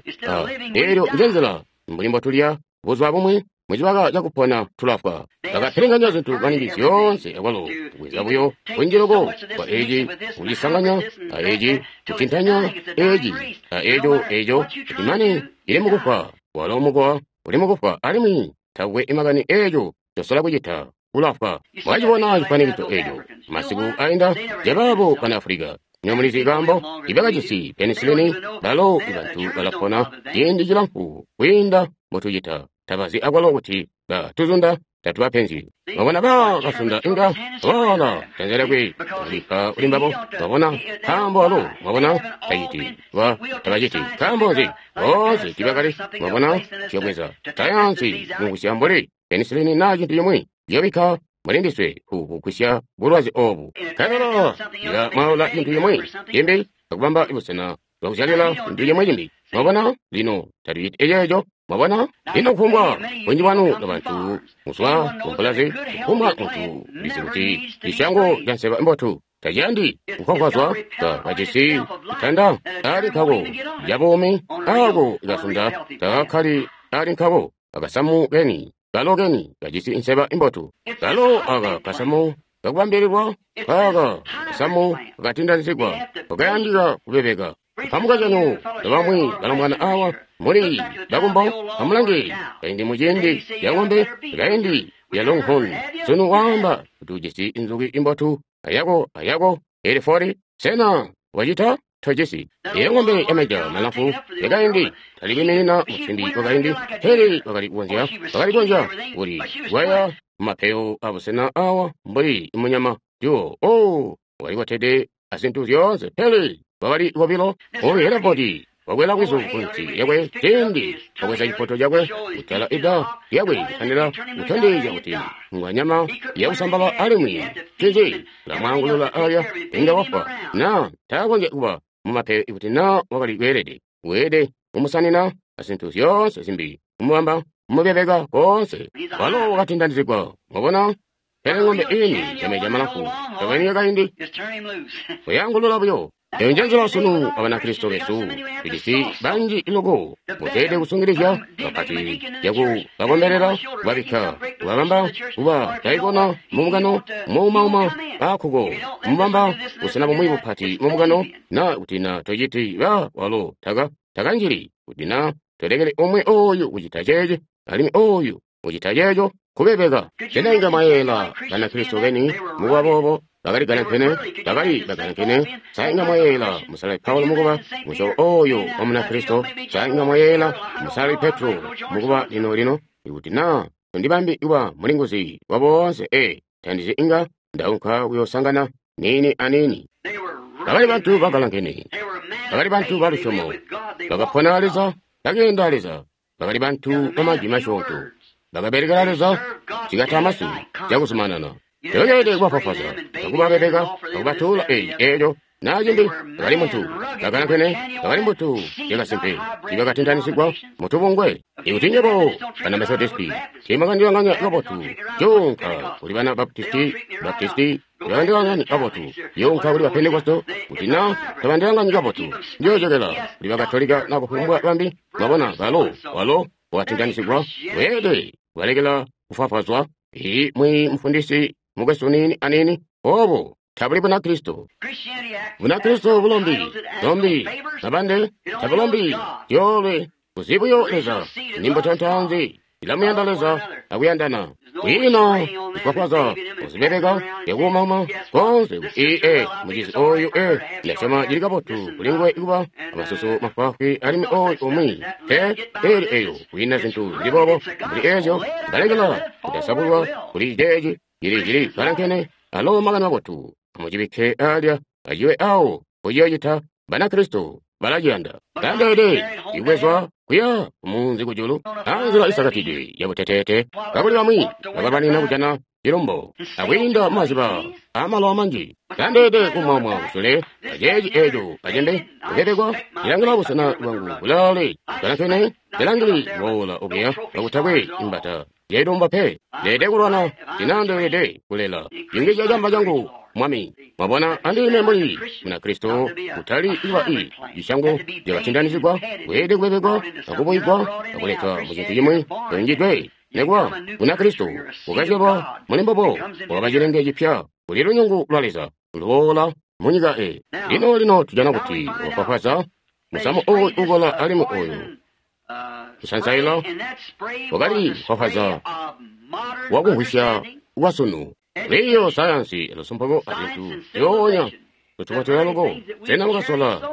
A: Eelyo njenzila mbuli mbotulya buzuba bumwi, mucibaka cakupona tulafwa. Bakapilinganya zintu maningi zyoonse akwalo kubweza buyo kunji loko kwa eci kucisanganya a eci kucintanya eci a eco eco kuti mane cili mukufwa. Walo mukowa uli mukufwa, alimwi takwe imakani eeco cosola kucita, ulafwa. Mwacibona cifwanikiso eeco masiku ainda jabaabo bana Afulika. Ino mulizi kaambo ibakajisi penisilini? Balo ibantu balapona ciindi cilamfu kwiinda mbotucita. Tabazi akwalo kuti batuzunda tatubapenzi. Mwabona bakasunda inga wala janza lyakwe kulika kuli mbabo. Mwabona nkaambo alo, mwabona taciti ba tabaciti nkaambo nzi boonse tibakali. Mwabona ciyobweza sayansi mugusya mbuli penisilini naa cintu cimwi ciyobikka muli ndiswe kugwisya bulwazi obu. Nkabela ila mwaula cintu cimwi cimbi akubamba busena bwakuzyalila cintu cimwi cimbi. Mwabona lino tatuciti eceeco. Mwabona? Lino kufumbwa bunji bwanu lwabantu muzwa kumpulazi, kufumbwa muntu ulizi kuti cisyango ca nseba mbotu taciyandi kukhonkhwazwa ka kajisi itanda ali nkako lyabuumi ako ikasunda takakkali ali nkako akasamu keni kalo keni kajisi nseba imbotu kalo aka kasamu kakubambililwa kaka kasamu kakatindanizigwa kakayandika kubebeka. Pamuka canu nobamwi balombwana awa muli bakumbo, amulange kaindi muciindi lya ng'ombe, kaindi lya longhorn. Sunu waamba kuti ujisi inzuki imbotu ayako ayako elifori, sena wacita? Tojisi. Iyo ng'ombe yameja malamfu yakaindi talikwiiminina musimbi wakaindi, pele wakali kukonzya wakali kukonzya kuli gwaya mumapeyo abusena awa mbuli munyama juwo. Oh, walikotede azintu zyoonse, pele wakali kobilo. Oyu Herefodi wakwela bwizu kunsi yakwe ciindi wakweza cipoto cakwe kutala ida lyakwe kutandila kutondezya kuti ngwanyama yakusambala, alimwi cinzi lamwaangulula alya inga wafwa na taakonzya kuba mumapeyo ikuti na wakali kweelede weelede kumusanina azintu zyoonse zimbi kumubamba kumubebeka koonse. Walo wakatindanizigwa. Mwabona? Pele ng'ombe ini yameja malamfu tokweni yakaindi kuyangulula buyo. Eyo njenzila sunu abanakristo besu tujisi banji iloko muteede kusungilizya kapati yaku bakombelela kubabikka kubabamba kuba daikona mumukano muumauma akhuko kumubamba busena bumwi bupati mumukano na kuti na tociti ba walo taka takanjili kuti na tolekele umwe oyu kucita ceeci alimwi oyu kucita ceeco. Kubebeka. Sena inga mwayeeyela Banakristo beni mukuba boobo bakali galankene, bakali bagalankene? Sa inga mwayeeyela Musalali Paulo mukuba musyobo oyo wa Munakristo? Sa inga mwayeeyela Musalali Petro mukuba lino lino? Ikuti na tondibambi kuba mulinguzi wa boonse, ee, tandizi inga ndaunka kuyoosangana niini aniini. Bakali bantu bagalankene, bakali bantu balusyomo, bakapona Leza, bakeenda Leza, bakali bantu bamajwi masyoonto, bakabelekela Leza cikatamasu cakuzumanana. Tebakeelede kubafwafwaza, akubabebeka, akubatuula eyi eeco naa cimbi. Bakali muntu bagalankene, bakali mbuto yakasimpe, tiibakatintanisigwa mutubungwe. Ikuti nywebo bana Methodisti tiimwakandilanganya kabotu, cuunka kuli bana Baptisti, Baptisti tiibakandilanganya kabotu, cuunka kuli ba Pentekosto, kuti naa tabandilanganyi kabotu, njoojokela kuli Bakatolika na kufumbwa bambi. Mwabona, balo, walo wakatintanisigwa, weelede kubalekela kufwafwazwa. Ii mwi mufundisi mukwesu niini aniini, obo tabuli Bunakristo. Bunakristo bulombi, lombi, mabande, tabulombi, zyoolwe, kuzibuyo Leza, nimbuto ntaanzi, ilamuyanda Leza akuyandana. Kwiina kufwafwaza, kuzibebeka, yakuumama, konse ii e mucizi oyu e ndasyoma cili kabotu kuli nguwe kuba amasusu mafwaafwi alimwi oyu umwi te eli eyo kwiina zintu zili boobo mbuli ezyo balekela kutasabulwa kuli ceeci cili cili galankene. Alo makani mabotu amucibikke alya aciwe awo kuciyocita. Banakristo balaciyanda kandeede ibwezwa kuya kumunzi kujulu anzila isakatidwe yabuteteete, kakuli bamwi bakabanina kujana cilumbo akwiinda mumaziba amalowa manji. Kandeede kumwamwa kusule aceeci eeco acembe kubebekwa cilangila busena bwangu bulaale galankene cilangili boola okuya kakutakwe imbata yailumba pe. Ndeede kulwana tinandeelede kulela yungizya camba cangu Mwami. Mwabona, andime mbuli Munakristo kutali iba i cisyango cakatindanisigwa, kweelede kubebekwa akubuyigwa akuletwa mucintu cimwi yungidwe. Nekuba Munakristo ukazyalwa muli mbobo, wakaba cilenge cipya kuli lunyungu lwa Leza luboola munyika e. Lino lino tujana kuti wafwafwaza musamu oyu ukola alimwi oyu kusansaila wakali fwafwaza wakumvwisya kwasunu. Lwiiyo sayansi lusumpuko azintu zyoonya lutubotela loko. Sena mukasola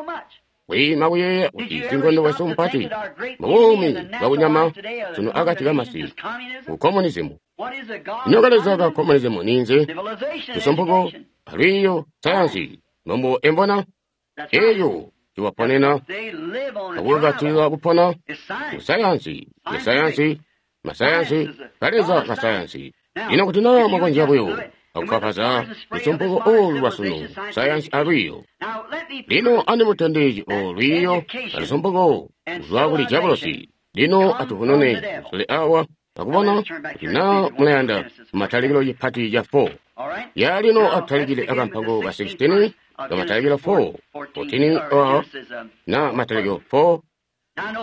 A: kwiima kuyeeya kuti sinkondo wesu mpati mubuumi bwakunyama sunu akati kamasi ku komunizimu? Ino kaleza ka komunizimu ninzi? Lusumpuko alwiiyo sayansi nombo embona eyo ciwaponena akukakatila kupona ku sayansi ya sayansi masayansi kaleza ka sayansi. Lino kuti naa mwakonzya buyo akufwafwaza lusumpuko olu lwasunu sayansi alwiiyo. Lino andimutondezye olwiiyo alusumpuko kuzwa kuli diabolosi. Lino atuvunune kusule awa akubona kuti naa mulayanda mumatalikilo cipati ca four. Ya lino atutalikile akampango ka sixteen kamatalikilo four, fourteen a na matalikilo four.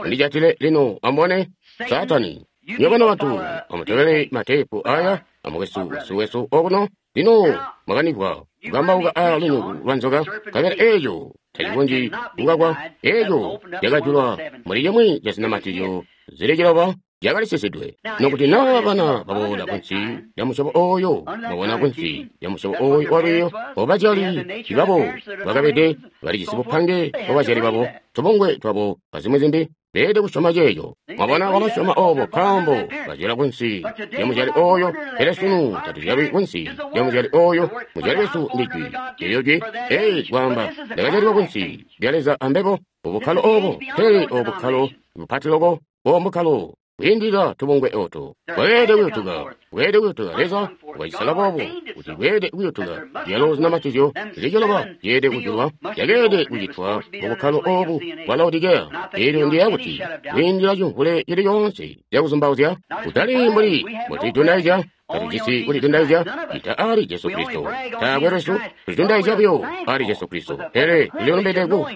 A: Ndijatile lino ambone Satani. Nywebo bantu amutobele matepu aya amukwesu wesu okuno. Lino mwakanigwa kukambauka a lunyungu lwa nzoka, nkabela eeco tacikonzyi kukakwa. Eeco cakajulwa muli cimwi ca zinamatizyo zili ciloba cakali sisidwe. Nokuti naa bana baboola kunsi lya musyobo oyo, mwabona, kunsi lya musyobo oyo walwiiyo, obazyali babo bakabede balijisi bupange bwabazyali babo, tubungwe twabo azimwi zimbi, beelede kusyoma ceeco. Mwabona, balasyoma obo nkaambo bazyalwa kunsi lya muzyali oyo. Pele sunu tatuzyalwi kunsi lya muzyali oyo. Muzyali wesu ndi Jwi. Eelyo Jwi, ei kwaamba, ndakazyalilwa kunsi lya Leza ambebo ubukkalo obo, pele obukkalo bupati loko, bombukkalo kwiindilila tubungwe oto. Bweelede kuyutuka, bweelede kuyutuka. Leza wacisala boobo kuti bweelede kuyutuka. Zyalo zinamatizyo zili ciloba zyeelede kujulwa, zyakeelede kucitwa mubukkalo obu bwa Laodikeya. Eelyo ndiyeeya kuti kwiindilila cimvule cili coonse cakuzumbauzya, kutali mbuli mbotulidundaizya, tatujisi kulidundaizya ita ali Jesu Kristo. Taakwe lwesu tulidundaizya buyo ali Jesu Kristo, pele tulilumbede ku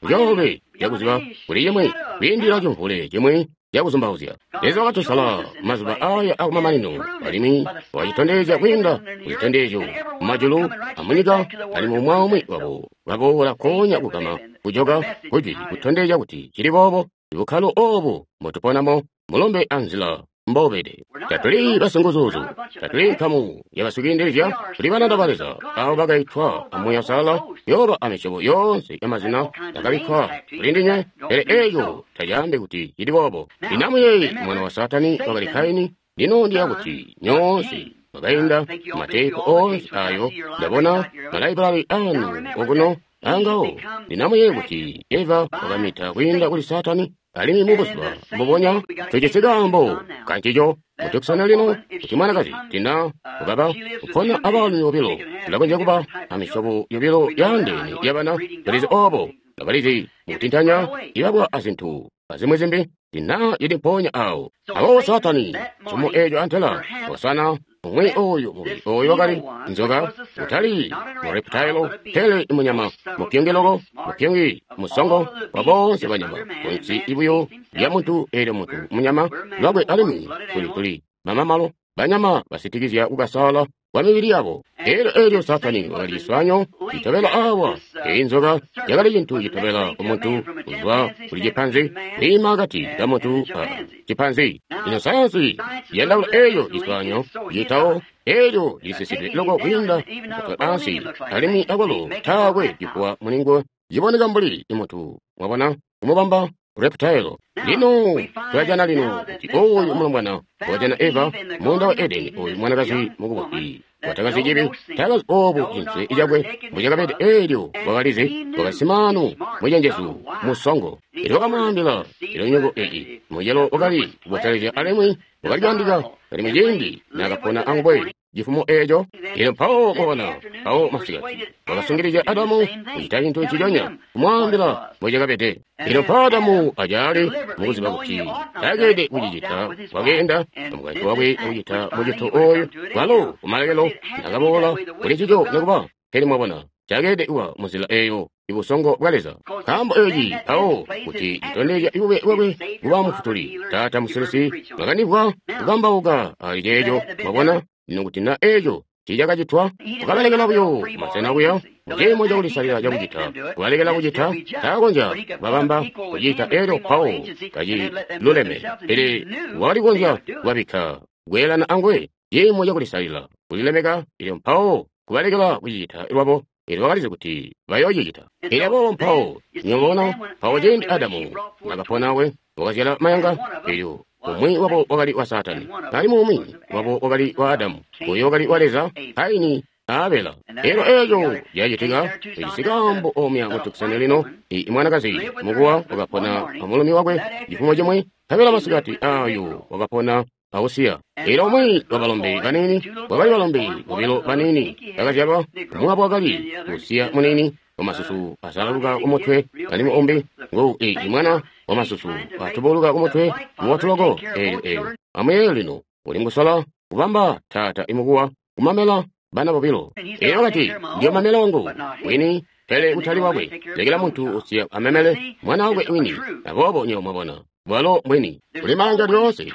A: coolwe cakuziba kuli cimwi kwiindilila cimvule cimwi cakuzumbauzya. Leza wakatusala mazuba aya akumamanino, alimwi wakacitondezya kwiinda kuzitondezyo mumajulu amunyika, alimwi umwi aumwi wabo baboola koonya kugama kujoka kujwi kutondezya kuti cili boobo. Bukkalo obu mbotuponamo mulombe anzila mbobede. Tatuli basinguzuzu, tatuli nkamu ya basikiindilizya, tuli bananda ba Leza abo bakaitwa amuuya Uusalala, yoba amisyobo yoonse yamazina yakabikkwa kuli ndinywe, pele eeco tacaambi kuti cili boobo. Lino amuyeeye, mwana wa Saatani wakali Kaini. Lino ndiya kuti nyoonse mwakainda mateepu oonse ayo, ndabona malaibrari anu okuno angawo. Lino amuyeeye kuti Eva wakamita kwiinda kuli Saatani, alimwi mubuzuba mbubonya tujisi kaambo kancico mutukusana lino kuti mwanakazi tina ukaba kupona abaalumi bobilo, tulakonzya kuba amisyobo yobilo yaandeene yabana. Tulizi obo, abalizi mukutintanya ibabwa azintu azimwi zimbi tina ili mpoonya awo. Aboobo Saatani somo eeco antela wasana umwi oyu mubi oyu wakali nzoka, utali mu reptile, pele imunyama mupyungi loko, mupyungi musongo wa boonse banyama kunsi ibuyo lya muntu. Eelyo muntu munyama lwakwe, alimwi tuli tuli mamamalo banyama basitikizya kukasala kwa mibili yabo. Eelyo eelyo Saatani wakali ciswanyo citobela awa. Eyi nzoka yakali cintu citobela ku muntu kuzwa kuli cipanzi, kwiima akati ka muntu a cipanzi. Lino sayansi yandaula eeyo ciswanyo citawo, eelyo cilisisidwe loko kwiinda mutwe ansi, alimwi akwalo taakwe cifuwa mulinguwe ciboneka mbuli imuntu. Mwabona, kumubamba reptile. Lino tulajana lino kuti oyu mulombwana wakajana Eva muunda wa Edeni, oyu mwanakazi mukubusi watakazi cibi, takazi obu cintu cakwe mbucakabede. Eelyo wakalizi, wakali simaanu, mucenjezu, musongo. Elyo wakamwaambila ilunyungu eyi mucelo wakali kubotelezya alimwi wakali kuyandika, alimwi ciindi naakapona anguwe cifumo eeco. Elyo mpawo mwabona, mpawo masikati wakasungilizya Adamu kucita cintu nciconya, kumwaambila mbucakabede. Elyo mpawo Adamu acaali mukuziba kuti taakede kucicita, wakeenda amukaintu wakwe kucita mucito oyu, kwalo kumalekelo nakaboola kuli ncico nikuba. Pele mwabona, cakeede kuba munzila eeyo ibusongo bwa Leza, nkaambo eeci mpawo kuti citondezya ibube bwakwe kuba mufutuli, taata musilisi. Mwakandimvwa kukambauka ali ceeco. Mwabona lino kuti na eeco tiicakacitwa, kukabalekela buyo masena kuya muciimo cakulisalila cakucita, kubalekela kucita, taakonzya kubabamba kucita eelyo mpawo kaciluleme, pele wakali kukonzya kubabikka kweelana anguwe ciimo cakulisalila kulilemeka, eelyo mpawo kubalekela kucicita lwabo. Elyo wakalizi kuti bayoocicita. Elyo aboobo mpawo nyobona mpawo ciindi Adamu nakaponawe wakazyala mayanga, elyo umwi wabo wakali wa Saatani, alimwi umwi wabo wakali wa Adamu, uyo wakali wa Leza, Kaini a Abela. Elyo eeco cacitika cijisi kaambo omya kutukusana lino. I mwanakazi mukuwa wakapona amulumi wakwe cifumo cimwe, nkabela masikati ayo wakapona ausiya. Elyo umwi wa balombe baniini, wakali balombe bobilo baniini bakazyalwa, umwi wabo wakali usiya muniini wamasusu asalaluka kumutwe, alimwi umbi ngu i mwana wamasusu atubuluka kumutwe mubotu loko. Eelyo eelyo amuyeeye lino, uli mukusola kubamba taata imukuwa kumamela bana bobilo. Elyo wakati, ndiyo mamela wangu wini, pele kutali wakwe. Lekela muntu usiya amemele mwana wakwe wini. Aboobo nywebo mwabona, bwalo mbwini kuli mayanga lyoonse.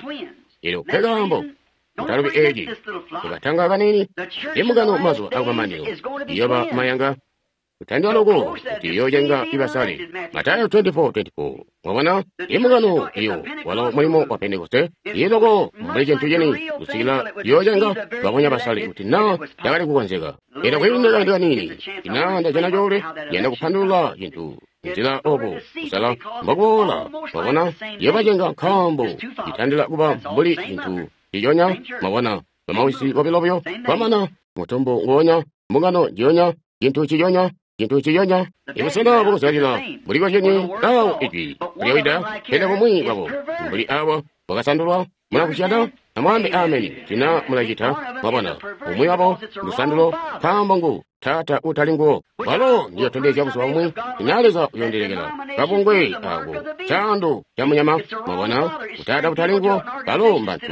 A: Elyo nkekaambo mutalubi eeci tukatanga kanini imbungano mazuba akumamanino iyoba mayanga kutandila loko kuti iyoocenga ibasale. Matayo twenty-four twenty-four. Mwabona imbungano iyo walo mulimo wa Pentekoste ili loko mbuli cintu cini kusikila iyoocenga babonya basale kuti na yakali kukonzeka. Elyo kwiinda kaindi kanini ina ndajana coolwe yanda kupandulula cintu nzila obo kusala mbokuboola. Mwabona iyobacenga nkaambo itandila kuba mbuli cintu ciconya. Mwabona bamawisi bobilo buyo kwamana mutumbu nguonya, mbungano njiyonya, cintu ciconya, cintu ciconya. Ibusena bwakuzyalila buli kozyenye awo ijwi lyawida, pele bumwi bwabo mbuli awa bwakasandulwa. Mulakusyana amwaambe ameni tina mulacita. Mwabona umwi wabo lusandulo nkaambo ngu taata utali nguwo, walo ndiyotondezya buzuba bumwi tina Leza uyondilekela kabungwe ako caando ca munyama. Mwabona utaata utali nguwo, balo mbantu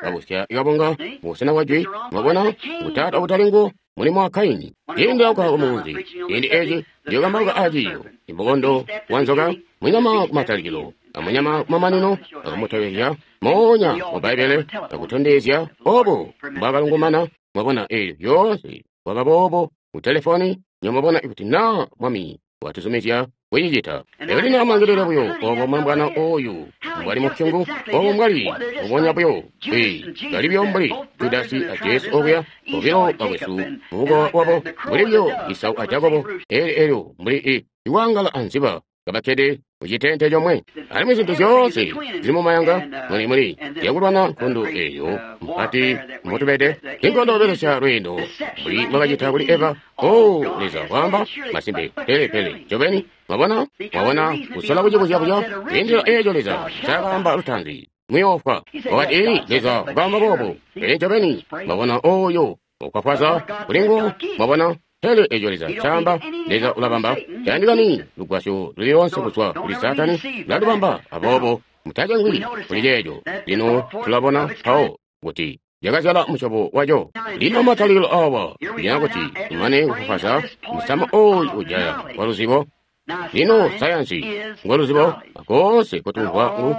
A: babusya kabunga mubusena bwa jwi. Mwabona utaata utali nguwo mulimo wa Kaini. Ciindi auka kumunzi, ciindi eeci ndiyokambauka aciiyo imbukondo wa nzoka, munyama kumatalikilo amunyama kumamanino, akumutobezya moonya mu Bbaibbele akutondezya obo mbwakalungumana. Mwabona eelyo lyoonse kwaba boobo ku telefoni. Nyomubona ikuti na Mwami watuzumizya kucicita. Elyo lino amulangilile buyo obo mulombwana oyu mbwali mupyungu, obo mbwali mbubonya buyo. Ee, bali buyo mbuli Judasi a Jesu okuya, bobilo bakwesu mubukowa wabo, mbuli buyo Isau a Jakobo, elyo elyo mbuli i iwaangala anziba kabakkede mucitente comwe. Alimwi zintu zyoonse zili mumayanga muli muli zyakulwana nkondo eyo mpati mbotubede. Inkondo belesya lweendo mbuli mwakacita kuli Eva. Oh, Leza waamba masimpe, pele pele ncobeni. Mwabona, mwabona kusola kucibuzyabuya kwiindila eeco Leza ncaakaamba lutaanzi, muyoofwa. Wakati, Ee, Leza wakaamba boobo, pele ncobeni. Mwabona oyo ukwafwaza kuli nguwo. Mwabona, pele eco Leza ncaamba, Leza ulabamba. Tayandikani lugwasyo luli loonse kuzwa kuli Saatani, ulalubamba. Aboobo mutacengwi kuli ceeco. Lino tulabona mpawo kuti yakazyala musyobo waco. Lino matalikilo awa kunyina kuti imane kufwafwaza musamu oyu ujaya wa luzibo. Lino sayansi ngo luzibo koonse kutumvwa ngu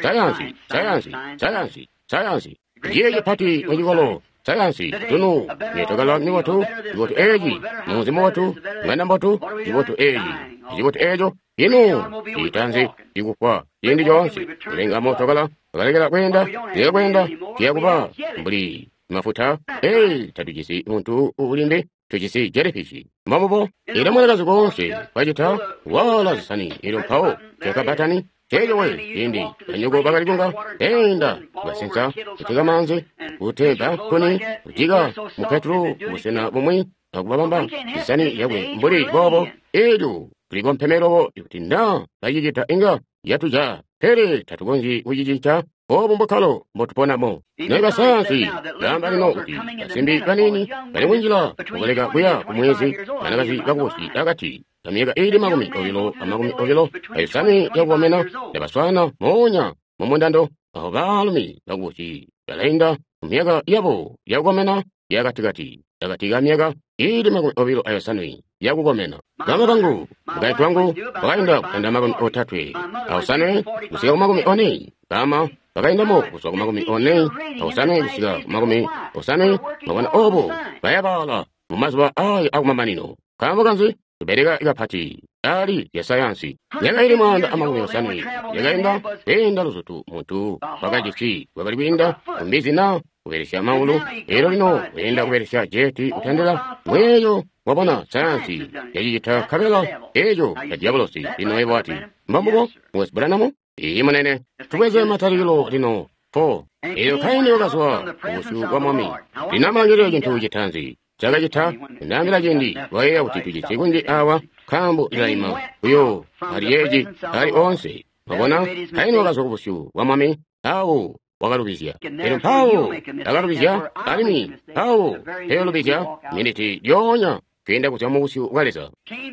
A: sayansi, sayansi, sayansi, sayansi. Ndiye cipati mucikolo sayansi tunu netokala mibotu cibotu eci munzi mubotu ng'anda mbotu cibotu eci cibotu eco. Ino citanzi cikufwa ciindi coonse kulenga motokala akalekela kweenda leka kweenda ciya kuba mbuli mafuta. Ee, tatujisi muntu ulimbi, tujisi jellyfish. Mbamubo ila mwanakazi koonse kwacita wala zisani elyo mpawo cakabatani ceeco we ciindi banyoko bakali kunga enda kubasensa kuteka maanzi kutega kuni kujika mu petulo busena bumwi akubabamba zisani yakwe mbuli boobo. Elyo tulikompeme kuti na bacicita inga yatuja, pele tatukonzyi kucicinca. Obu mbukkalo mbotuponamo. Naye sayansi laamba lino kuti basimbi baniini bali kunjila kukuleka kuya kumwezi, banakazi bakubusi akati kamyaka iili makumi obilo amakumi obilo ayosanwe yakukomena ndabaswaana moonya mumundando aho baalumi bakubusi balainda mumyaka yabo yakukomena yakatikati akati kamyaka iili makumi obilo ayosanwe yakukomena. Bama bangu mukaintu wangu wakainda kutanda makumi otatwe aosanwe kusika ku makumi one. Bama bakaindamo kuzwa ku makumi one aosanwe kusika ku makumi osanwe. Mwabona obo bayabala mu mazuba ayo akumamanino. Nkaambo kanzi? Tubeleka kapati ali lya sayansi. Myaka ili mwaanda amakumi osanwe yakainda kweenda luzutu muntu wakajisi wakali kwiinda kumbizi na kubelesya maulu. Elyo lino kweenda kubelesya jeti kutandila mweeyo. Wabona sayansi yacicita nkabela eco ca diabolosi. Lino yebo ati mbambubo Mukwesu Branham? Iiyi munene. Tubweze matalikilo lino four. Elyo Kaini wakazwa kubusyu bwa Mwami. Lino amulangilile cintu citaanzi cakacita. Ndaambila ciindi lwayeeya kuti tujisi kunji awa nkaambo lilaima buyo ali yeeci ali oonse. Mwabona, Kaini wakazwa kubusyu bwa Mwami awo wakalubizya. Elyo mpawo akalubizya alimwi mpawo teelubizya miniti lyoonya kwiinda kuzwa mu busyu bwa Leza.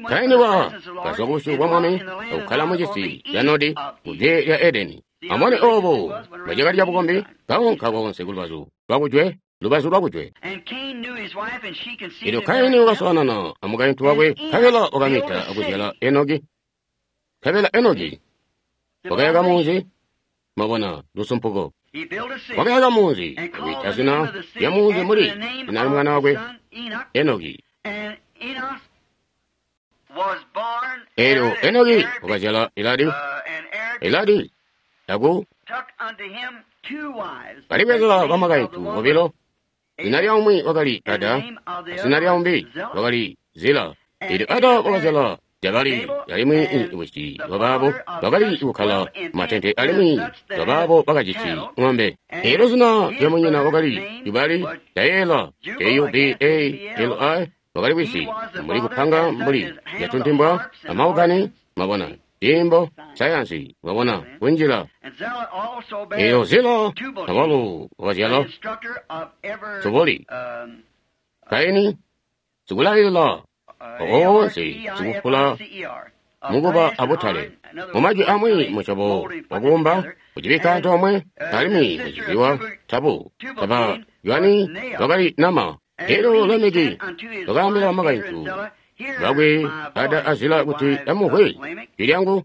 A: Kaini wa kazwa kubusyu bwa Mwami akukkala mu cisi ca Nodi kujwe lya Edeni. Amone obo bwacakali cabukombi kaunka koonse kulubazu lwakujwe, lubazu lwakujwe. Elyo Kaini wakaswaanana amukaintu wakwe nkabela wakamita akuzyala Enoki. Nkabela Enoki wakayaka munzi. Mwabona lusumpuko. Wakayaka munzi akwiita zina lya munzi muli zina lya mwana wakwe Enoki. Elyo Enoki wakazyala Eladi. Eladi aku kalibwezela bamakaintu bobilo. Zina lya umwi wakali Ada, zina lya umbi wakali Zila. Elyo Ada wakazyala Jabali alimwi wisi wabaabo bakali kukkala matente alimwi wabaabo bakajisi ng'ombe. Elyo zina lya munyina wakali Jubali, Jayela, J U B A L I wakali wisi mbuli kupanga mbuli yatuntimbwa amaukani. Mwabona dimbo sayansi, mwabona kunjila. Elyo Zila awalo wakazyala Tuboli. Kaini sikulalila oonse sikufula mukuba abutale. Mumajwi amwi musyobo wakumba kucibikka antoomwe alimwi kucibiwa tabu taba ywani wakali nama. Elyo Lameki wakaambila bamakaintu bakwe Ada a Zila kuti amuvwe jwi lyangu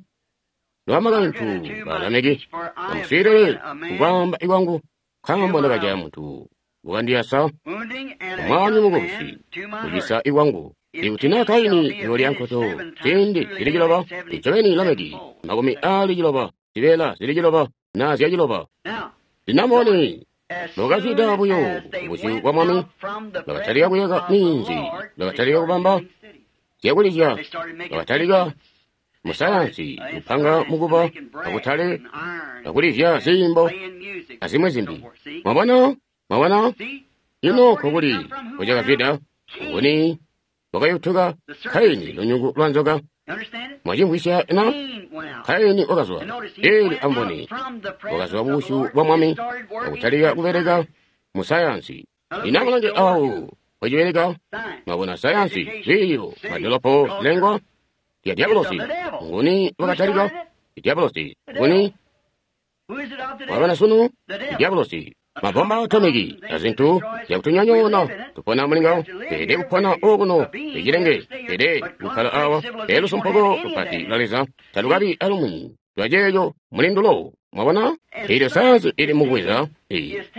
A: lwamakaintu ba Lameki, amuswiilile kukwaamba ikwangu, nkaambo ndakajaya muntu wakandiyasa umwami mukubusi kucisa ikwangu. Ikuti naa Kaini uyoolya nkoto ziindi zili ciloba, ncobeni Lameki makumi aali ciloba, zibeela zili ciloba naa zya ciloba. Lino amubone, mbokazwida buyo kubusyu bwa Mwami, bakatalika kuyaka minzi, bakatalika kubamba zyakulizya, bakatalika musayansi kupanga mukuba akutale akulizya ziimbo azimwi zimbi. Mwabona? Mwabona? Ino nkokuli kucakazwida nguni wakayutuka Kaini lunyungu lwa nzoka. Mwacimvwisya na? Kaini wakazwa eli amboni wakazwa kubusyu bwa Mwami akutalika kubeleka musayansi. Lino amulange awo wacibeleka. Mwabona sayansi, lwiiyo, madolopo, zilengwa lya diabolosi. Nguni wakatalika? Diabolosi. Nguni wabona sunu? Diabolosi. Mabomba atomiki azintu zyakutunyonyoona tupona mulingawo teede kupona okuno icilenge teede kukkala awa lusumpuko lupati lwa Leza talukabi alumwi lwaceeco mulindulo. Mwabona? Eelyo sayansi ili mukubweza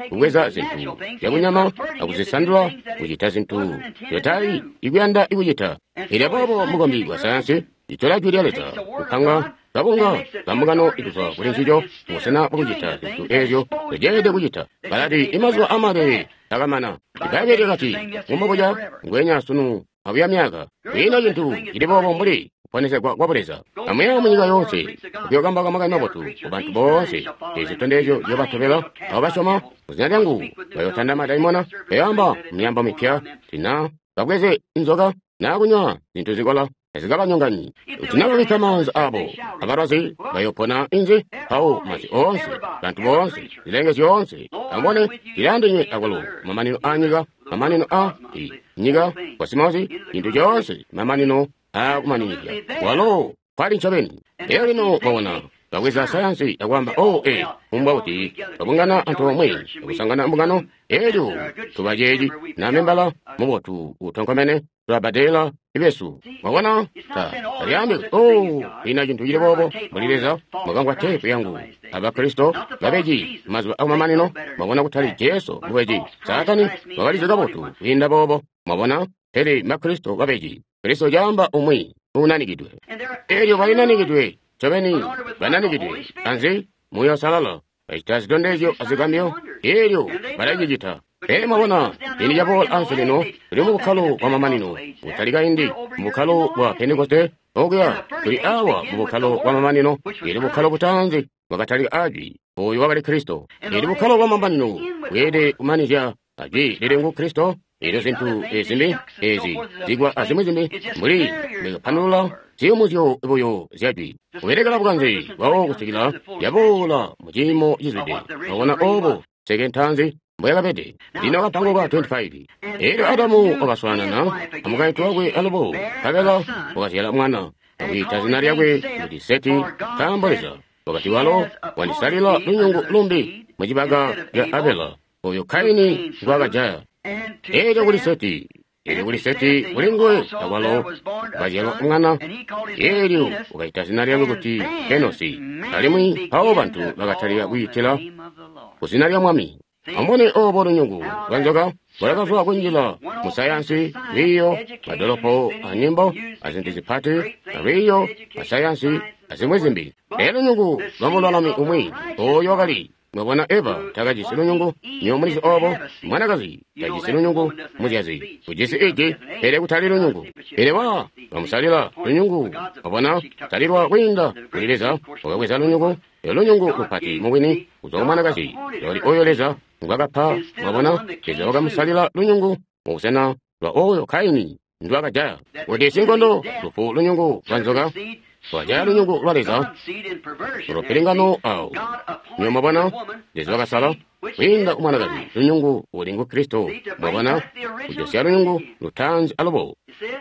A: kubweza zintu zyakunyama akuzisandula kucita zintu zyotali ikuyanda ikucita. Eelyo aboobo mukombi bwa sayansi itola jwi lya Leza kupanga kabunga kambungano ikuzwa kuli ncico mubusena bwakucita zintu eezyo zyeelede kucita. Balati imazuba amaleele akamana. Ibbaibbele lyakati ngumbobuca ngweenya sunu abuya myaka. Kwiina cintu cili boobo mbuli kuponesegwa kwa Buleza. Amuya munyika yoonse kuyokambauka makani mabotu kubantu boonse. Eezi zitondezyo ziyoobatobela abo basyoma muzina lyangu bayootanda madaimona, bayoamba myaambo mipya, tina babweze inzoka naa kunywa zintu zikola tazikabanyonganyi. Kuti naa babikka maanza abo abalwazi bayopona inzi mpawo mazi oonse, bantu boonse, zilenge zyoonse. Amubone zilaandinywe akwalo mamanino a nyika, mamanino a nyika, kosimosi, cintu coonse, mamanino aakumaninizya. Walo kwali ncobeni. Elyo lino mwabona babweza sayansi akwaamba, oh, eh, kumbwa kuti babungana antoomwe akusangana mbungano, elyo tuba ceeci na membala mubotu utonkomene tulabadela ibesu. Mwabona? Ta talyaambi kuti, oh, ina cintu cili boobo mbuli Leza. Mwakamvwa teepu yangu Abakristo babeji mazuba akumamanino. Mwabona kutali Jesu mubeji, Saatani wakalizi kabotu kwiinda boobo. Mwabona? Pele Makristo babeji. Kristo caamba umwi uunanikidwe. Elyo balinanikidwe ncobeni, bananikidwe anzi Muuya Uusalala, bacita zitondezyo azigambyo, elyo balacicita. Pele mwabona, ciindi caboola ansi lino tuli mu bukkalo bwa mamanino, kutali kaindi mu bukkalo bwa Pentekoste okuya, tuli awa mu bukkalo bwa mamanino. Eli bukkalo butaanzi bwakatalika ajwi, oyo wakali Kristo. Eli bukkalo bwa mamanino bweelede kumanizya ajwi lili ngu Kristo. Elyo zintu ezimbi ezi zigwa azimwi zimbi mbuli mbwekapandulula ziyumuzyo buyo zyajwi kubelekela bukanze bwawo kusikila yaboola mu ciimo cizwide. Mwabona obo nseke ntaanzi mbweyakabede. Lino kapango ka makumi aali asanu amusanu. Elyo Adamu wakaswaanana amukaintu wakwe alubo, nkabela wakazyala mwana, akwiita zina lyakwe kuti Seti, nkaambo Leza wakati walo wandisalila lunyungu lumbi mucibaka ca Abela, oyo Kaini ngwaakajaya. Elyo kuli Seti, elyo kuli Seti kuli nguwe akwalo wakazyalwa mwana, elyo wakaita zina lyakwe kuti Enosi. Alimwi mpawo bantu bakatalika kwiitila kuzina lya Mwami. Amubone obo lunyungu lwa nzoka lwakazwa kunjila musayansi, lwiiyo, madolopo anyimbo, azintu zipati, alwiiyo, asayansi, azimwi zimbi. Elyo lunyungu lwa mululami umwi oyo wakali. Mwabona Eva takajisi lunyungu, nywebo mulizi obo, mwanakazi tajisi lunyungu, muzyazi ujisi iji, pele kutali lunyungu. Pele wa bamusalila lunyungu, mwabona, salilwa kwiinda kuli Leza, wakabweza lunyungu, elyo lunyungu lupati mubwini kuzwa ku mwanakazi, lwakali oyo Leza ngwakapa. Mwabona, Leza wakamusalila lunyungu mubusena lwa oyo Kaini ndwakajaya. Kuti sinkondo lufu lunyungu lwa nzoka lwajaya lunyungu lwa Leza lupilingano awo. Nywebo mwabona, Leza wakasala kwiinda kumwanakazi lunyungu uli ngu Kristo. Mwabona, kujosya lunyungu lutaanzi alubo.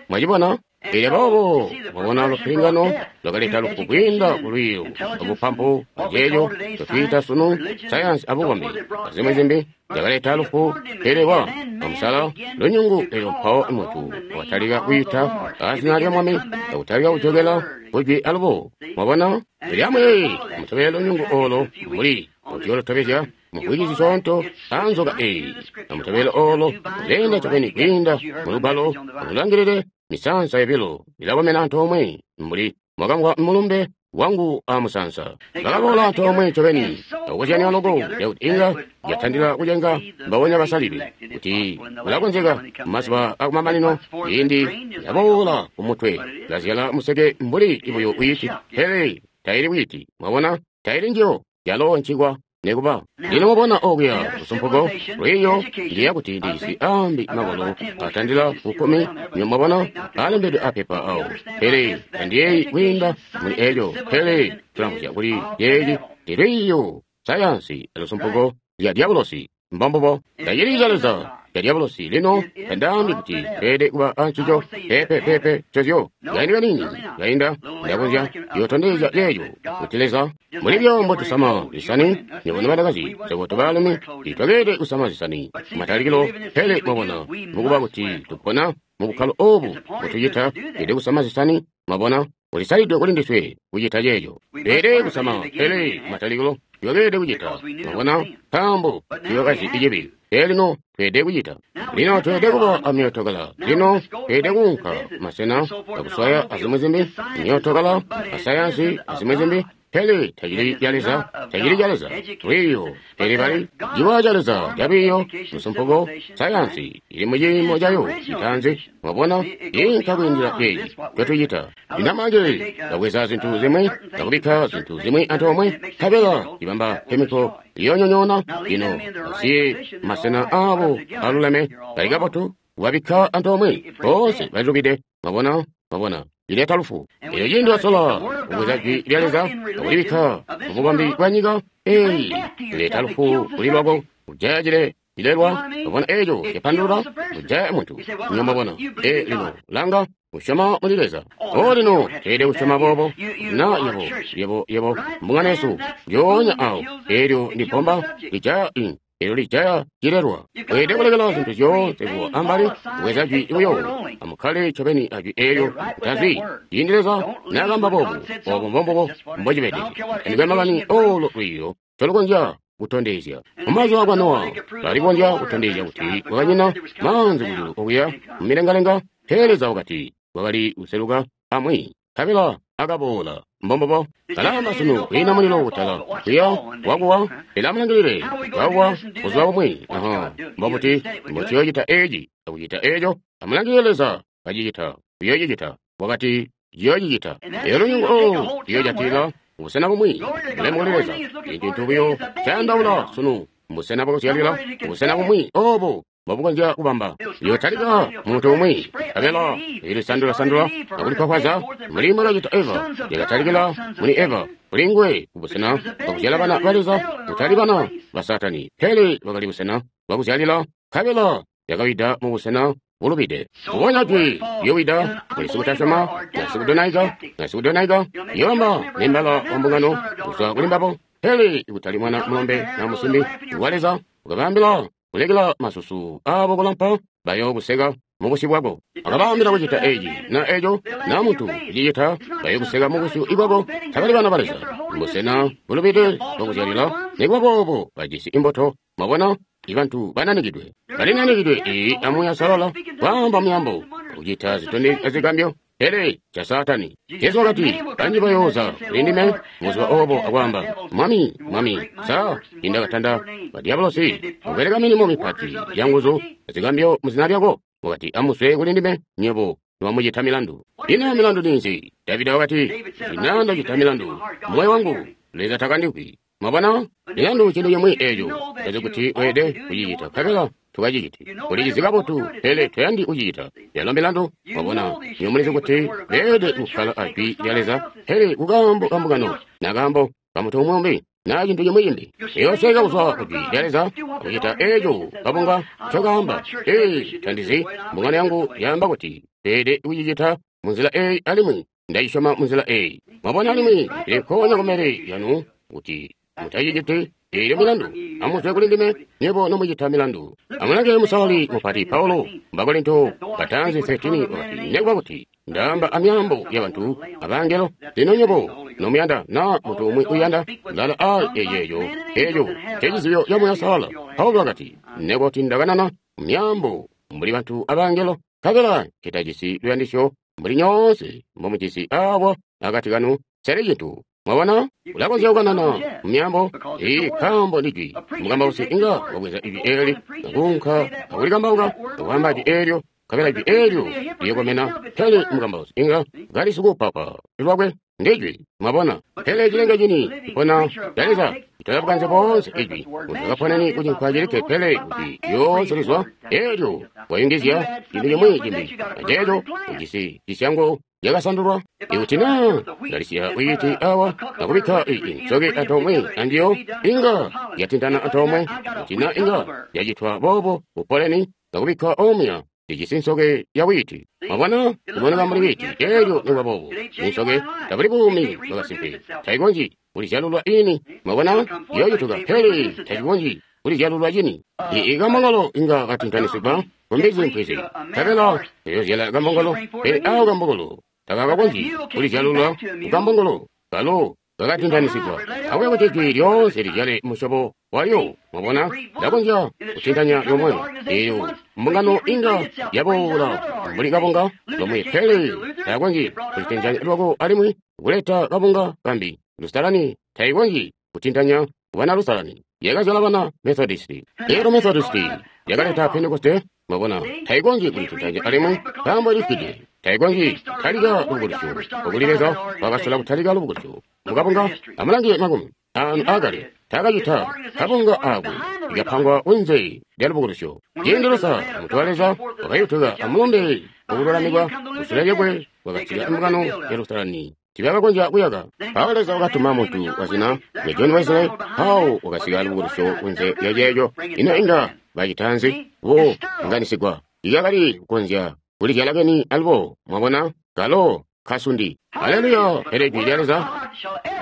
A: Mwacibona? Elyo boobo mwabona lupilingano lwakaleta lufu kwiinda kulwiiyo abupampu aceeco totwiita sunu sayansi abukombi azimwi zimbi zyakaleta lufu. Pele wa bamusala lunyungu, elyo mpawo muntu wakatalika kwiita azina lya Mwami akutalika kujokela kujwi alubo. Mwabona? Elyo amwi mutobele lunyungu olo mbuli mutiyolutobezya muvwiki zisyoonto anzoka eyi. Amutobele olo leenda ncobeni kwiinda mulugwalo amulangilile Misansa yobilo ilakomena antoomwe mbuli mwakamvwa mulumbe wangu a musansa. Bakaboola antoomwe ncobeni akukozyanya loko cakuti inga yatandila kucenga mbabonya basalidwe kuti kulakonzeka mazuba akumamanino ciindi yaboola kumutwe lazyala museke mbuli buyo wiiti, pele taili wiiti. Mwabona, taili njiyo, yalo ncikwa nekuba. Lino mwabona okuya lusumpuko lwiiyo ndiya kuti ndijisi ambi makolo atandila kukkumi, mwabona alembedwe apepa awo, pele tandiyeeyi kwiinda muli eco, pele tulamvwisya kuli yeeci ndi lwiiyo sayansi alusumpuko lya dyabulosi. Mbombubo, tacili ca Leza ca dyabulosi. Lino tandaambi kuti tweelede kuba ancico pepe pepe cozyo. Kaindi kaniini kainda ndakonzya kuyootondezya ceeco kuti Leza muli byombo tusama zisani nywebo nobanakazi swebo tobaalumi titwakeelede kusama zisani kumatalikilo, pele mwabona mukuba kuti tupona mubukkalo obu mbutucita tweelede kusama zisani. Mwabona, kulisalidwe kuli ndiswe kucita ceeco. Tweelede kusama, pele kumatalikilo twakeelede kucita, mwabona, nkaambo twakazi icibi. Pele lino tweelede kucita. Lino tweelede kuba amyootokala. Lino tweelede kuunka masena akuswaya azimwi zimbi, myootokala, asayansi azimwi zimbi, pele tacili ca Leza, tacili ca Leza. Lwiiyo, pele bali ciwa ca Leza calwiiyo, lusumpuko, sayansi ili muciimo cayo citaanzi. Mwabona, inka kwiindila ceeci ncotucita. Lino manje babweza zintu zimwi akubikka zintu zimwi antoomwe, nkabela ibamba kemiko iyonyonyoona. Lino basiye masena aabo aluleme bali kabotu kubabikka antoomwe, boonse balilubide. Mwabona, mwabona, ileta lufu. Elyo ciindi wasola kubweza jwi lya Leza akulibikka mububambi bwa nyika eyi, ileta lufu kuli lwako, kujaya cile cilelwa. Mwabona eco capandulula kujaya muntu. Nyo mwabona, e lino langa kusyoma muli Leza. O lino tweelede kusyoma boobo na yebo yebo yebo mbungano yesu njoonya awo. Elyo ndi bbomba lijaya i elyo lijaya cilelwa. Weelede kulekela zintu zyoonse kuwa ambali, kubweza jwi buyo. Amukkale ncobeni ajwi eelyo, mutazwi. Ciindi Leza naakamba boobu, obo mbombubo mbocibede. Tandikwe makani olo lwiiyo ncolukonzya kutondezya. Mumazuba akwa Nowa balikonzya kutondezya kuti kwakanyina maanzi kujulu okuya mumilengalenga, pele Leza wakati kwakali kuseluka amwi, nkabela akaboola. Mbombubo kalamba sunu kwiina mulilo kutala kuya wakuwa, pele amulangilile wakuwa buzuba bumwi. Aha, mbobuti mbociyocita eci akucita eco? Amulangilile Leza kacicita, uyocicita. Wakati ciyocicita. Elyo lunyungu olu luyocatila busena bumwi. Bulemu kuli Leza. Cintu buyo cayandaula sunu mbusena bwakuzyalila, busena bumwi obo mbobukonzya kubamba. Iyotalika muntu umwi, nkabela ilisandula-sandula akulikwakwaza mbuli mbwakacita Eva. Yakatalikila muli Eva, kuli nguwe kubusena bwakuzyala bana ba Leza, kutali bana ba Saatani, pele bakali busena bwakuzyalila, nkabela yakawida mubusena bulubide. Kubonya jwi liyowida kuli sikutasyoma na sikudonaika na sikudonaika liyobamba membala wa mbungano kuzwa kuli mbabo, pele kutali mwana mulombe na musimbi wa Leza. Ukabaambila kulekela masusu abo kulampa, bayokuseka mubusyu bwako. Akabaambila kucita eci na eco, na muntu kucicita, bayokuseka mubusyu bwako. Tabali bana ba Leza, mbusena bulubide bwakuzyalila. Nikuba boobo bajisi imbuto. Mwabona, ibantu bananikidwe, balinanikidwe iyi amuya salala, kwaamba muyambo, kucita zitondezyo azigambyo, pele ca Saatani. Jesu wakati, banji bayooza kuli ndime mubuzuba obo akwaamba, Mwami, Mwami, sa indakatanda badyabolosi kubeleka milimo mipati yanguzu azigambyo muzina lyako? Wakati, amuswe kuli ndime nywebo niwamucita milandu. Ino milandu ninzi? Davida wakati, ina ndacita milandu moyo wangu, Leza takandikwi. Mwabona, milandu cintu cimwi eco tazi kuti weelede kucicita, nkabela tukaciciti. Ulicizi kabotu, pele toyandi kucicita. Yalo milandu, mwabona, niyo mulizi kuti beelede kukkala ajwi lya Leza, pele kukaambo ka mbungano, na kaambo ka muntu umwi umbi, na cintu cimwi cimbi. Uyoseka kuzwa kujwi lya Leza akucita eco kabunga ncokaamba. Ee, tandizi, mbungano yangu yaamba kuti beelede kucicita munzila eyi, alimwi ndacisyoma munzila eyi. Mwabona, alimwi ilikonya kumbele yanu kuti mutaciciti eelyo milandu. Amuzwe kuli ndime nywebo nomucita milandu. Amulange musalali mupati Paulo Bakorinto batanzi thirteen wakati, nekuba kuti ndaamba amyaambo yabantu abangelo, lino nywebo nomuyanda na muntu umwi uyanda lala a eyeyo eyo cecizibyo ca Muuya Salala. Paulo wakati, nekuba kuti ndakanana myaambo mbuli bantu abangelo, Nkabela nketajisi luyandisyo mbuli nyoonse mbomujisi awa akati kanu, nseli cintu. Mwabona? Ulakonzya kukanana mu myaambo, ii nkaambo ndi jwi. Mukambausi inga wabweza ijwi eli, akuunka akulikambauka, akwaamba jwi eelyo, nkabela jwi eelyo liyokomena. Pele mukambausi inga kali sikupapa lwakwe ndi jwi. Mwabona? Pele cilenge cini cipona ca Leza citola bukanze boonse ijwi. Muntu akaponeni ku cinkwa cilikke, pele kuti lyoonse lizwa eelyo wayungizya cintu cimwi cimbi, aceeco ujisi cisyango yakasandulwa. Ikuti naa ndalisiya wiiti awa akubikka iyi nsoke antoomwe anjiyo, inga yatintana antoomwe. Kuti naa inga yacitwa boobo kupoleni akubikka omuya, ijisi nsoke ya wiiti. Mwabona, iboneka mbuli wiiti, eelyo nikuba boobo insoke tabuli buumi bwakasimpe, taikonzyi kulizyalulwa ini. Mwabona, iyooyutuka, pele tacikonzyi kulizyalulwa cini. Ii kambongolo inga katintanisigwa kumbizi mpwizi, nkabela iyozyala kambongolo, pele awo kambongolo takakakonzyi kulizyalulwa kukambongolo kalo kakatintanisigwa. Akube kuti jwi lyoonse lizyale musyobo walyo. Mwabona, lakonzya kutintanya lyomwe, eelyo mbungano inga yaboola mbuli kabunga lomwe, pele takonzyi kulitintanya lwako alimwi kuleta kabunga kambi. Lusalani taikonzyi kutintanya bana Lusalani, yakazyala bana Methodisti. Eelyo Methodisti yakaleta Pentekoste. Mwabona, taikonzyi kulitintanya alimwi nkaambo ilifwide. Taikonzyi kutalika lubukulusyo. Okuli Leza wakasola kutalika lubukulusyo mukabunga. Amulange makumi anu akale takacita kabunga ako ikapangwa kunze lya lubukulusyo. Ciindi Lusa muntu wa Leza wakayutuka amulumbe wakululamikwa kusule lyakwe wakasika mbungano ya Lusalani, tibakakonzya kuyaka. Mpawo Leza wakatuma muntu wazina lya John Wesley, mpawo wakasika lubukulusyo kunze lya ceeco. Ino inga bacita nzi? Bo nganisigwa ikakali kukonzya kulizyala keni alubo. Mwabona, kalo kasundi. Haleluya! Pele jwi lya Leza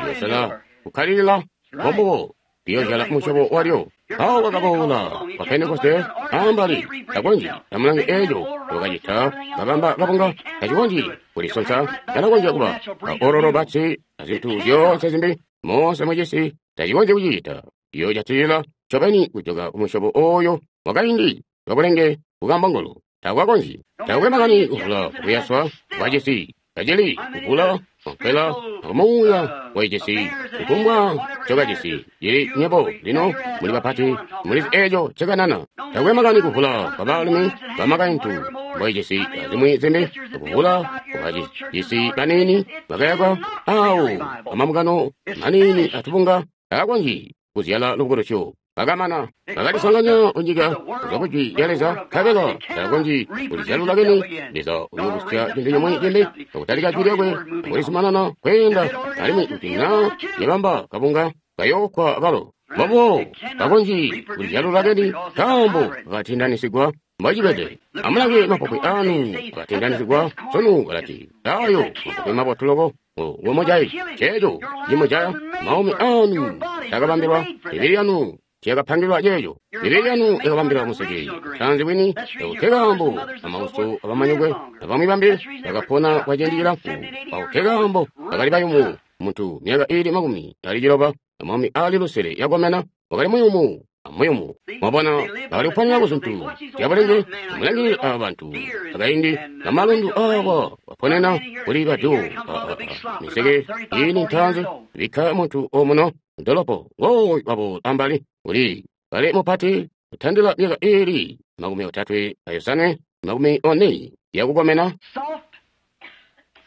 A: liyosala kukkalilila, mbombubo liyozyala musyobo walyo. Mpawo kwakaboola wa Pentekoste ambali, takonzyi. Amulange eeco wakacita, kabamba kabunga, tacikonzyi kulisonsa. Kalakonzya kuba aororo batsi azintu zyoonse zimbi moonse mucisi, tacikonzyi kucicita. Iyoojatilila ncobeni kujoka kumusyobo ooyo wakaindi wabulenge kukambongolo. Takwakonzyi. Takwe makani kuvula kuyaswa kwacisi, kacili kuvula nkwela akumuuya waicisi, kufumbwa ncokacisi cili nyebo lino muli bapati mulizi eeco ncekanana. Takwe makani kuvula kwa baalumi bamakaintu mboicisi azimwi zimbi, kuvula kwacisi baniini bakayakwa awo amamukano maniini atubunga, takakonzyi kuzyala lubukulusyo. Bakamana bakalisanganya kunyika kuzwa kujwi lya Leza, nkabela takonzyi kulizyalula keni. Leza uyoobusya cintu cimwi cimbi akutalika jwi lyakwe akulizumanana kweenda, alimwi kuti naa yabamba kabunga kayookwa akalo. Mbobo takonzyi kulizyalula keni nkaambo kakatindanisigwa mbocibede. Amulange mapopwe anu akatindanisigwa sunu, balati ayo mapopwe mabotu loko ngomujayi. Ceeco cimujaya maumi anu takabambilwa mibili yanu tiyakapangilwa ceeco. Mibili yanu yakabambilwa museke tanzi bwini akutekambo amauso abamanyokwe abamwi bambi bakapona kwa ciindi cilamfu akutekambo bakali bayumu. Muntu myaka iili makumi ali ciloba amaumi ali lusele yakomena wakali muyumu amuyumu. Mwabona, bakali kuponera ku zintu zyabulenge. Amulangilile aba bantu akaindi namalundu awa baponena kuli baju miseke iini ntanzi bikka muntu omuno ndolopo ngooyu wabo ambali uli kale mupati kutandila myaka iili makumi otatwe ayosanwe makumi one yakukomena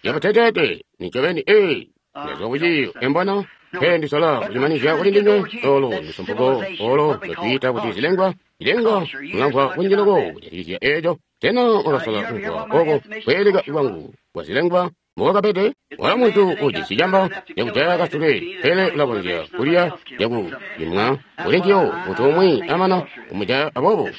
A: yabuteteete nincobeni ee ndazwa kuciyo embona pele ndisola kucimanizya kuli ndinywe. Olo lusumpuko olo lwatwiita kuti zilengwa zilengwa mulamvwa kunji loko kujatikizya eeco. Sena mwakasola kumvwa oko kweeleka kwangu kwa zilengwa mbokwakabede? Wala muntu ujisi camba cakujaya kasule, pele ulakonzya kulya cakulimwa kuli njiyo muntu umwi amana kumujaya. Aboobo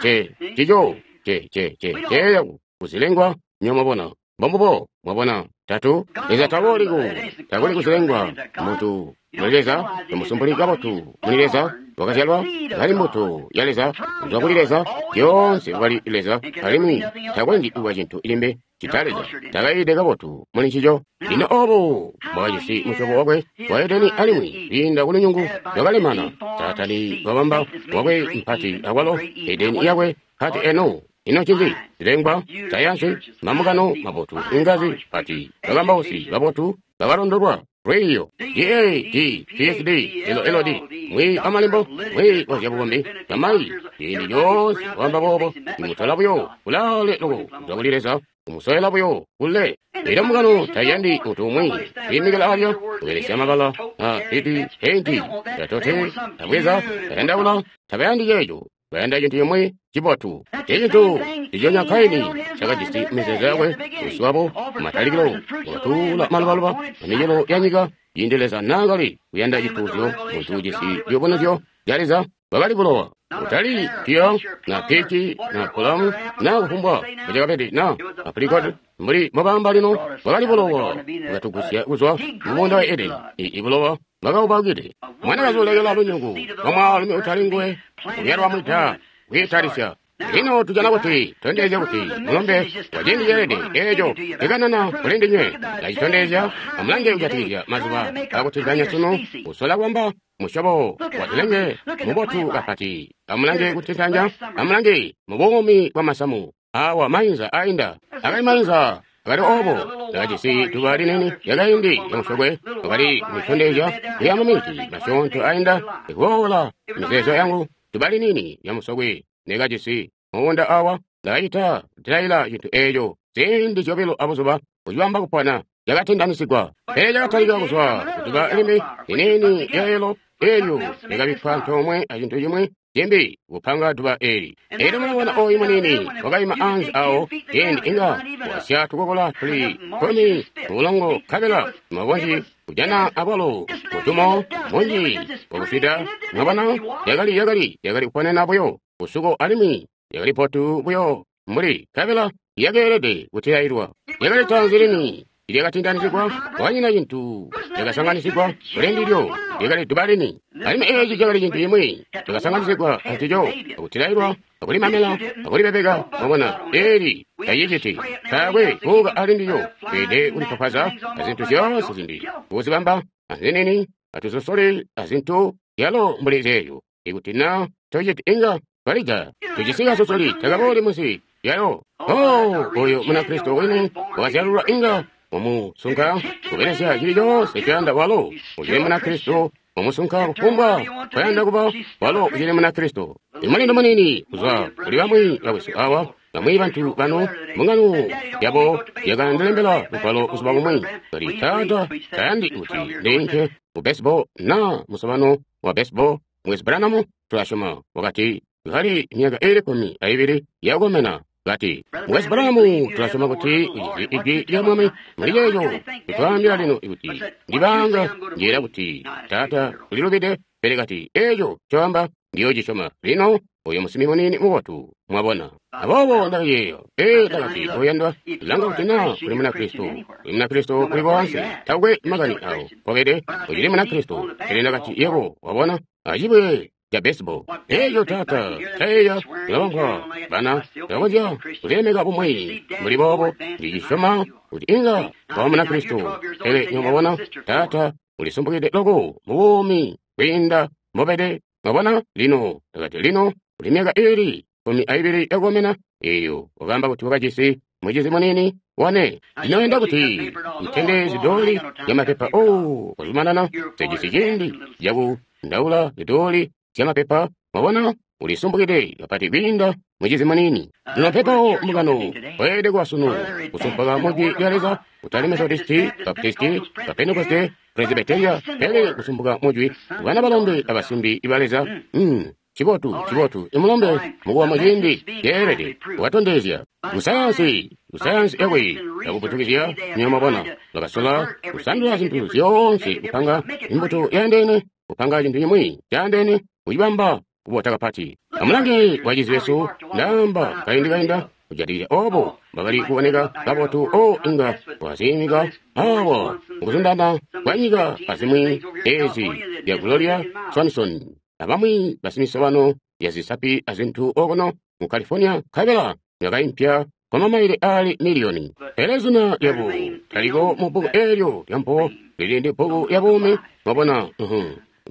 A: ce cico ce ce ce ceeya kuzilengwa nyo mwabona. Mbombubo mwabona. Tatu Leza tabooli ku takuli kuzilengwa. Muntu muli Leza tomusumpuli kabotu muli Leza wakazyalwa kali mbuto ya Leza kuzwa kuli Leza lyoonse wakali Leza alimwi takonzyi kuba cintu limbi cita Leza takayiide kabotu muli ncico. Lino obo bwakajisi musyobo wakwe wa Edeni alimwi kwiinda kulunyungu lwakalemana Saatani wabamba wakwe mpati akwalo Edeni yakwe mpati eno Ino ncinzi? Zilengwa, sayansi, mambungano mabotu, ingazi pati, bakambausi babotu, bakalondolwa, lwiiyo, D A D P H D L L D, mwi amalembo, mwi wazyabukombi, bamayi, ciindi coonse wamba boobo, imutola buyo kulaale loko kuzwa kuli Leza, umusoyela buyo kule. Elyo mbungano taiyandi muntu umwi kwiimikila alya, kubelesya mabala a piti, peinti, tatote, tabweza, tayandaula, tabayandi ceeco. Bayanda cintu cimwi cibotu. Ecintu nciconya Kaini cakajisi mizeezo yakwe, usyi wabo matalikilo wakatuula malubaluba amicelo ya nyika, ciindi Leza naakali kuyanda cituuzyo, muntu ujisi ciyubunuzyo ca Leza bwakali bulowa. Kutali piya na pici na pulamu na kufumbwa mbucakabede na aprikoti mbuli mobamba lino, bwakali bulowa bwakatugusya kuzwa mu muunda wa Edeni. I bulowa bwakaubakide. Mwanakazi ulekela lunyungu lwa mwaalumi utali nguwe kubyalwa mwida kwiitalisya. Lino tujana kuti tondezya kuti mulombe wa ciindi ceelede eeco cikanana kuli ndinywe ndacitondezya. Amulange kujatikizya mazuba akutintanya sunu, kusola kwamba musyobo wa zilenge mubotu kapati. Amulange kutintanya, amulange mubuumi bwa masamu awa mainza ainda akali mainza akali obo ndakajisi duba linene lyakaindi lyamusyokwe wakali kulitondezya lya mamiti masyoonto ainda ikuboola mizeezo yangu. Duba linini lyamusokwe nekajisi muunda awa ndakacita kutilaila cintu eeco ziindi zyobilo abuzuba kucibamba kupona lyakatindanisigwa. Pele cakatalika kuzwa kuduba limbi liniini lyaelo eelyo lyakabikkwa antoomwe acintu cimwi cimbi kupanga duba eeli. Eelyo mulabona ooyu muniini wakaima anze awo ciindi inga wasya tukokola tuli kkumi mubulongo nkabela mwakonzyi kujana abwalo mutumo munji wakuswida. Mwabona yakali yakali yakali kuponena buyo kusuko alimwi yakali potu buyo mbuli nkabela yakeelede kutilailwa. Yakali tanzi lini lyakatindanisigwa, kwanyina cintu lyakasanganisigwa kuli ndilyo, lyakali duba lini. Alimwi eeci cakali cintu cimwi cakasanganisigwa ancico, akutilailwa, akulimamela, akulibebeka. Mwabona eeli taciciti taakwe kuuka ali ndilyo, tweelede kulipapwaza azintu zyoonse zimbi, kuzibamba azinini atuzosole azintu zyalo mbuli zeeyo. Ikuti na tociti inga twalija tujisi kasosoli takabooli munsi lyalo. Oh, oyo Munakristo wini wakazyalulwa inga wamusunka kubelesya cili coonse ciyanda walo ucili Munakristo, wamusunka kufumbwa kwayanda kuba walo ucili Munakristo. Imulindo munini kuzwa kuli bamwi bakwesu awa, bamwi bantu bano mbungano yabo yakandilembela lugwalo buzuba bumwi kali, Taata tayandi kuti ndiinke ku baseball na musobano wa baseball. Mukwesu Branham tulasyoma wakati kali myaka iili kkumi aibili yakukomena. Kati, Mukwesu Branham tulasyoma kuti ujisi ijwi lya Mwami muli ceeco tutwaambila lino ikuti ndibanga njeera kuti Taata ulilubide, pele kati eeco ncoamba ndiyoocisyoma lino. Oyo musimi muniini mubotu, mwabona. Aboobo ndakayeeya, ee, ndakati, oyandwa, langa kuti na uli Munakristo, uli Munakristo kuli koonse, takwe makani awo mpobede, ucili Munakristo. Pele ndakati, yebo, wabona, acibwe ca baseball eeco Taata tayeeya kulabambwa bana tabakonzya kulilemeka bumwi mbuli boobo. Ndicisyoma kuti inga waba Munakristo, pele nywebo mwabona, Taata ulisumpukide loko mubuumi kwiinda mbobede. Mwabona lino, ndakati lino uli myaka iili kkumi aibili yakukomena. Eeyo wakaamba kuti wakajisi mucizi muniini wane. Ndinoyenda kuti ntende zidooli zyamapepa. Oh, kwazumanana sijisi ciindi cakundaula zidooli zyamapepa. Mwabona ulisumpukide kapati kwiinda mucizi muniini. Lino pepawo mbungano weelede kuba sunu kusumpuka mujwi lya Leza, kutali Methodisti, Baptisti, Pentekoste, Presbyteria, pele kusumpuka mujwi bana balombe abasimbi ba Leza. Mm, cibotu cibotu imulombe mukuwa muciindi ceelede kubatondezya kusayansi kusayansi yakwe yakuputukizya. Nywebo mwabona bakasola kusandula zintu zyoonse, kupanga imbuto yaandeene, kupanga cintu cimwi caandeene, kucibamba kubota kapati. Amulange bacizi besu, ndaamba kaindi kainda kujatikizya obo bakali kuboneka kabotu. O inga waziimika awa mukuzundana kwa nyika azimwi ezi zya Gloria Swanson abamwi basimisobano ya zisapi azintu okuno mu California, nkabela yakaimpya kwa mamaile ali miliyoni. Pele zina lyabo taliko mu bbuku eelyo lyampo, lili ndi bbuku ya buumi. Mwabona,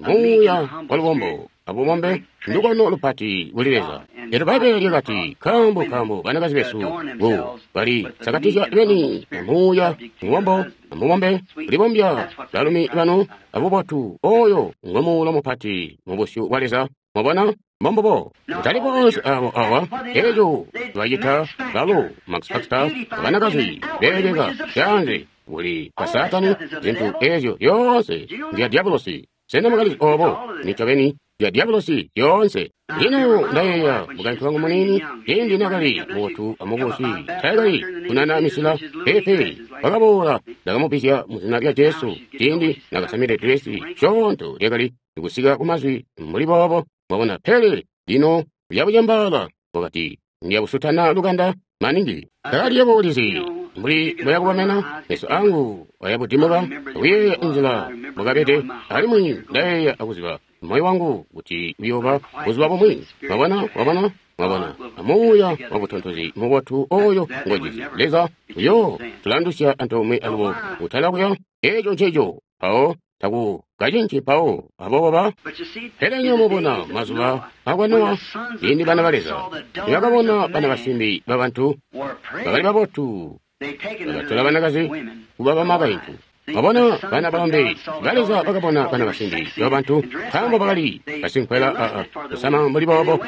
A: muuya wa lubombo abubombe ndukono lupati kuli Leza. Elyo Bbaibbele lyakati, nkaambo nkaambo banakazi besu ku bali sakatizya beni amuuya mubombo amubombe kulibombya balumi banu abubotu, oyo ngo muulo mupati mu busyu bwa Leza. Mwabona? Mbombubo. Kutali bonse abo awa, eco bacita balo Max Factor, banakazi beebeka canze kuli kwa Saatani, zintu ezyo zyoonse nzya dyabulosi. Sena mwakalizi obo? Nincobeni zya dyabulosi zyoonse. Lino ndayeeya mukaintu wangu muniini, ciindi nakali mubotu amubusi, taakali kunana misila, peepe, wakaboola, ndakamubbizya mu zina lya Jesu, ciindi nakasamide dilesi syoonto lyakali kusika kumazwi mbuli boobo. Mwabona? Pele lino lyabucembaala, wakati ndiyabusutana lukanda maningi. Ndakali yebo ulizi mbuli mbweyakubamena meso angu ayabudimuka akuyeeya inzila mbwakabede, alimwi ndayeeya akuziba moyo wangu kuti uyooba buzuba bumwi. Mwabona? Mwabona? Mwabona? Amuuya wabutontozi mubotu oyo ngojisi Leza uyo tulandusya antoomwe alubo kutala kuya. Eco nceco mpawo taku kacinci mpawo aboobo ba. Pele nyo mubona mazuba akwa Nowa, ciindi bana ba Leza nibakabona bana basimbi babantu bakali babotu, bakatola banakazi kuba bamakaintu. Mwabona, bana balombe ba Leza bakabona bana basimbi babantu, nkaambo bakali basinkwela aa kusama mbuli boobo,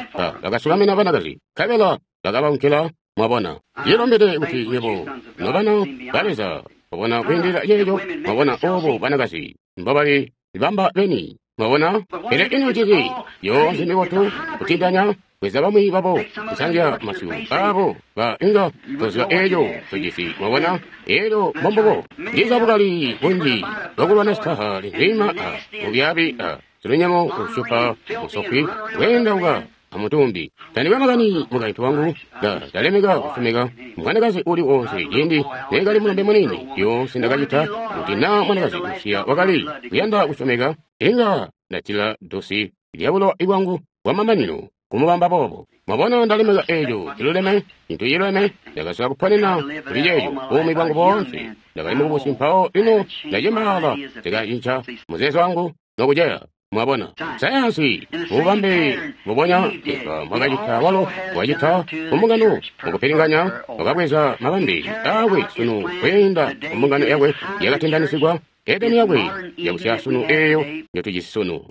A: bakasukamina banakazi, nkabela bakabaunkila. Mwabona, ndilombede kuti nywebo nobana ba Leza mwabona kwiindilila ceeco. Mwabona obo banakazi mbobali bamba beni. Mwabona? Pele ino ciki yoonse mibotu kutindanya kweza bamwi babo kusanzya masyu abo ba inga toziba eco tojisi. Mwabona? Elyo mbombubo ndiza bukali bunji bwakulwana sitaha linzima a bubyabi a silunyemo ushupa musokwi wendauka amutumbi. Tandikwe makani mukaintu wangu, nda ndalemeka kusomeka mwanakazi uli wonse. Ciindi nekali mulombe muniini, lyoonse ndakacita kuti naa mwanakazi usiya wakali kuyanda kusomeka, inga ndatila dosi lyabulowa bwangu bwamamanino kumubamba boobo. Mwabona, ndalemeka eco ciluleme, cintu ciluleme. Ndakasola kuponena kuli ceeco buumi bwangu boonse. Ndakali mukubusi mpawo lino ndacembaala, ndikacinca muzeezo wangu nokuceya. Mwabona, sayansi mububambe mbubonya Eva mwakacita walo wacita kumbungano mukupilinganya, wakabweza mabambe akwe sunu kwiinda kumbungano yakwe yakatindanisigwa, Edeni yakwe yakusiya sunu eyo njotujisi sunu.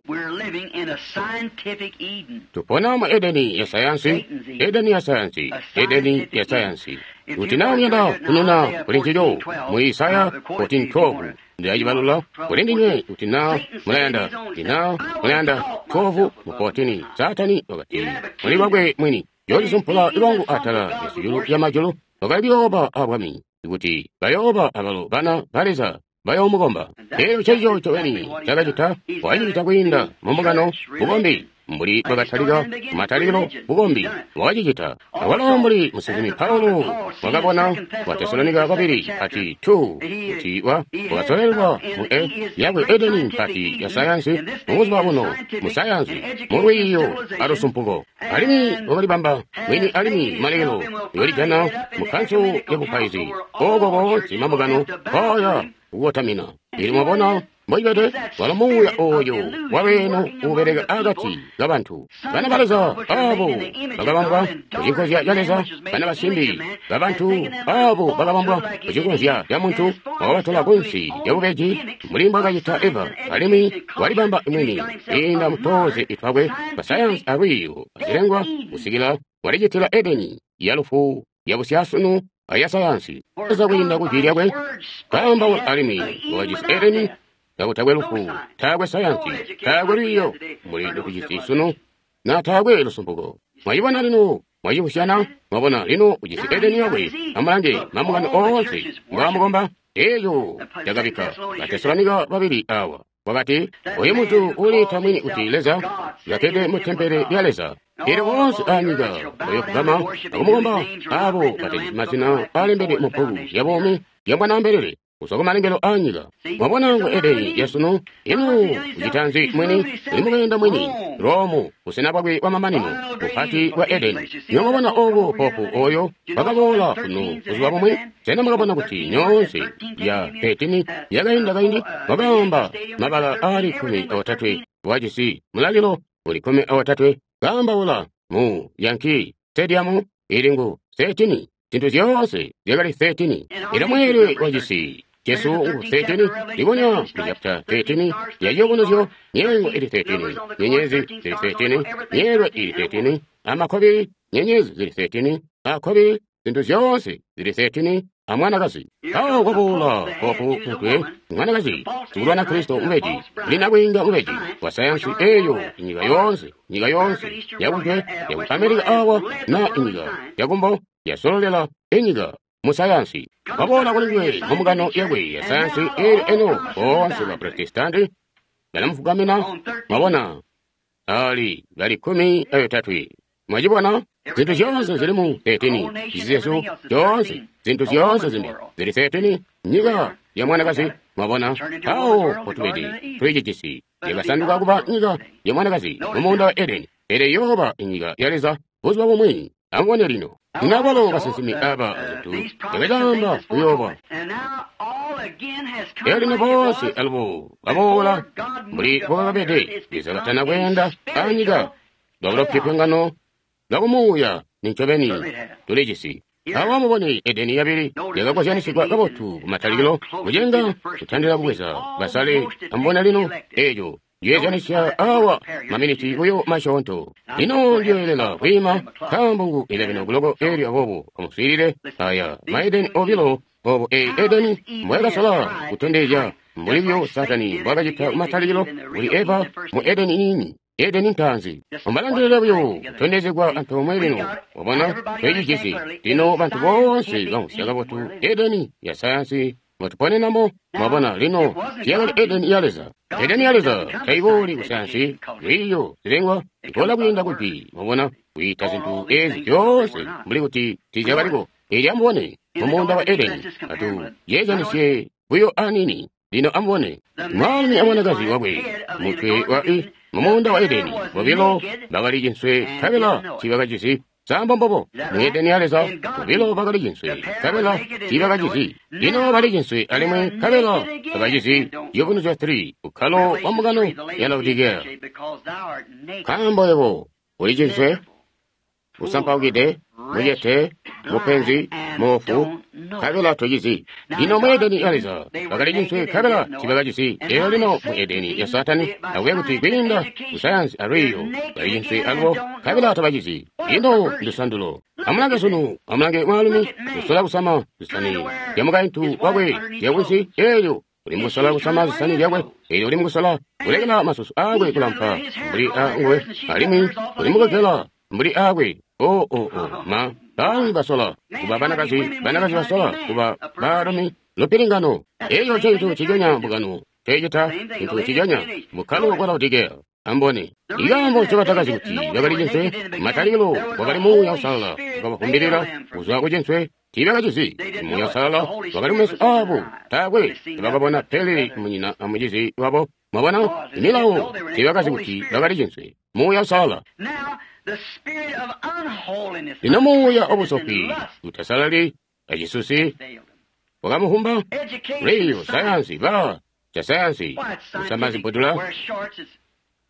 A: Tupona mu Edeni ya sayansi, Edeni ya sayansi, Edeni ya sayansi. Kuti naa muyanda kununa kuli ncico mu Isaya fourteen twelve ndilacibalula kuli ndinywe. Kuti naa mulayanda, kuti naa mulayanda twelve mu fourteen, Saatani wakati muli lwakwe mwini, yoolisumpula lwangu atala lyasijulu lya majulu, wakali kuyooba abwami, kuti bayooba abalo bana ba Leza bayoomukomba. Eeyo ncencico ncobeni cakacita, wakacicita kwiinda mumbungano bukombi mbuli bwakatalika kumatalikilo bukombi wakacicita. Awalo mbuli musinsimi Paulo wakabona wa Tesalonika babili ati two kuti wa wakasolelwa mu e yakwe Edeni mpati ya sayansi mubuzuba buno mu sayansi mu lwiiyo alusumpuko, alimwi wakalibamba mwini alimwi malekelo yolijana mu kanso ya bupaizi oko koonse mambungano koya kukotamina. Ili mwabona mbocibede walo muuya oyo walweeno uubeleka akati kabantu bana ba Leza abo bakabambwa kucinkozya ca Leza, bana basimbi babantu abo bakabambwa kucinkozya ca muntu, wakabatola kunsi lyabubeji mbuli mbwakacita Eva, alimwi walibamba mwini kwiinda mutoze itwakwe basayansi alwiiyo azilengwa kusikila walicitila Edeni yalufu yabusyasunu aya sayansi. Leza kwiinda kujwi lyakwe kaambaula alimwi wakajisi Edeni kakutakwe lufu, taakwe sayansi, taakwe lwiiyo mbuli lutujisi sunu, na taakwe lusumpuko. Mwayibona lino, mwayibusyana, mwabona lino ujisi Edeni yakwe. Amulange mambungano oonse ngaamukomba. Eeyo yakabikka Batesalonika babili awa wakati, oyu muntu uliita mwini kuti Leza yakede mu tempele lya Leza. Elyo boonse anyika bayokugama akumukomba abo batajisi mazina alembedwe mu bbuku lya buumi lya Mwanaambelele kuzwa kumalengelo anyika. Mwabona ngu Edeni yasunu ino kucita nzi mwini uli mukeenda mwini Romu busena bwakwe bwamamanino bupati bwa Edeni. Nyo mwabona obo popu oyo wakaboola kuno buzuba bumwi. Sena mwakabona kuti nyoonse ya petini yakainda kaindi wakaamba mabala aali kkumi aotatwe wajisi mulalilo uli kkumi aotatwe kaambaula mu Yankee Stadium ili ngu thirteen. Zintu zyoonse zyakali thirteen. Ino mweelwe wacisi Jesu ngu thirteen, libonya mu chapter thirteen ya Ciyubunuzyo, myeengo ili thirteen, nyenyezi zili thirteen, myeelwe ili thirteen, amakobili nyenyezi zili thirteen, akobili zintu zyoonse zili thirteen, a mwanakazi. Awo kwaboola popu mutwe mwanakazi sikulwana Kristo mubeji linabwinga mubeji wa sayansi eyo inyika yoonse nyika yoonse yakujwe yaku Amerika awa na inyika yakumbo yasololela inyika mu sayansi. Waboola kuli ngwe mu yakwe ya sayansi eli eno bonse ba Protestanti balamufukamina mwabona ali bali kumi ayotatwe. Mwachibona zintu zyoonse zili mu thirteen, zizesu zyoonse zintu zyoonse zimbi zili thirteen, nyika ya mwanakazi. Mwabona awo potubedi tulicijisi yakasanduka kuba nyika ya mwanakazi mu muunda wa Edeni, pele yoba inyika ya Leza buzuba bumwi. Amubone lino nabalo basinsimi aba zintu yakacaamba kuyoba elino bonse alubo baboola mbuli bwakabede Leza katana kweenda anyika lwabulopyopyongano lwakumuuya nincobeni tulijisi. Awa mubone Edeni yabili yakakozyanisigwa kabotu kumatalikilo kucenga kutandila kubweza basale. Amubone lino ejo yeezyanisya awa maminiti buyo masyoonto. Lino ndiyoyelela kwiima nkaambo ngu eleven o'clock elyo aboobo amuswiilile aya maedeni obilo obo e Edeni mbwayakasola kutondezya mbuli byo Satani mbwakacita kumatalikilo kuli Eva mu Edeni niini. Edeni ntaanzi umbalangilile buyo kutondezegwa antoomwe lino. Wabona twecijisi lino bantu bonse bamvwisya kabotu Edeni ya sayansi mwatuponenamo. Mwabona lino tiyakali Edeni ya Leza. Edeni ya Leza taiboli kusayansi lwiyo zilengwa ikola kwiinda kupi. Mwabona kuita zintu ezi zyoonse mbuli kuti tizyakaliko. Eli amubone mu muunda wa Edeni atu yeezyanisye buyo anini. Lino amubone mwaalumi amwanakazi wakwe mutwe wa i mu muunda wa Edeni bobilo bakali cinswe nkabela tiibakajisi sambo mbobo. Mu Edeni ya Leza bobilo bakali cinswe nkabela tiibakajisi. Lino bali cinswe alimwi nkabela tabajisi. Ciyubunuzyo three ukkalo wa mbungano ya Laodikea. Nkaambo yebo uli cinswe usampaukide mucete mupenzi moofu nkabela tocizi. Lino mu Edeni ya Leza bakali cinswe nkabela tiibakajisi. Eyo lino mu Edeni ya Satani akuya kuti kwiinda kusayansi alwiyo bali cinswe alubo nkabela tabacizi. Lino ndusandulo. Amulange sunu, amulange mwaalumi usola kusama zisani zya mukaintu wakwe zyakunsi elyo uli mukusola kusama zisani zyakwe elyo uli mukusola kulekela masusu aakwe kulampa mbuli anguwe alimwi uli mukugela mbuli aakwe. Oh, oh, oh, ma baalumi basola kuba banakazi, banakazi basola kuba baalumi. Lupilingano eyo cintu cijonya mbungano cecita cintu cijonya mukkalo wa Laodikea. Ambone ikaambo ncobatakazi kuti bakali cinswe matalikilo wakali Muuya Uusalala wakabafumbilila kuzwa ku cinswe. Tiibakacizi Muuya Uusalala wakali mumeso aabo, taakwe tebakabona pele munyina amucizi wabo. Mwabona imilawo tiibakazi kuti bakali cinswe Muuya Uusalala. Lino muuya obusopi utasalali acisusi wakamuhumba lwiyo sayansi ba ca sayansi kusama zibbudula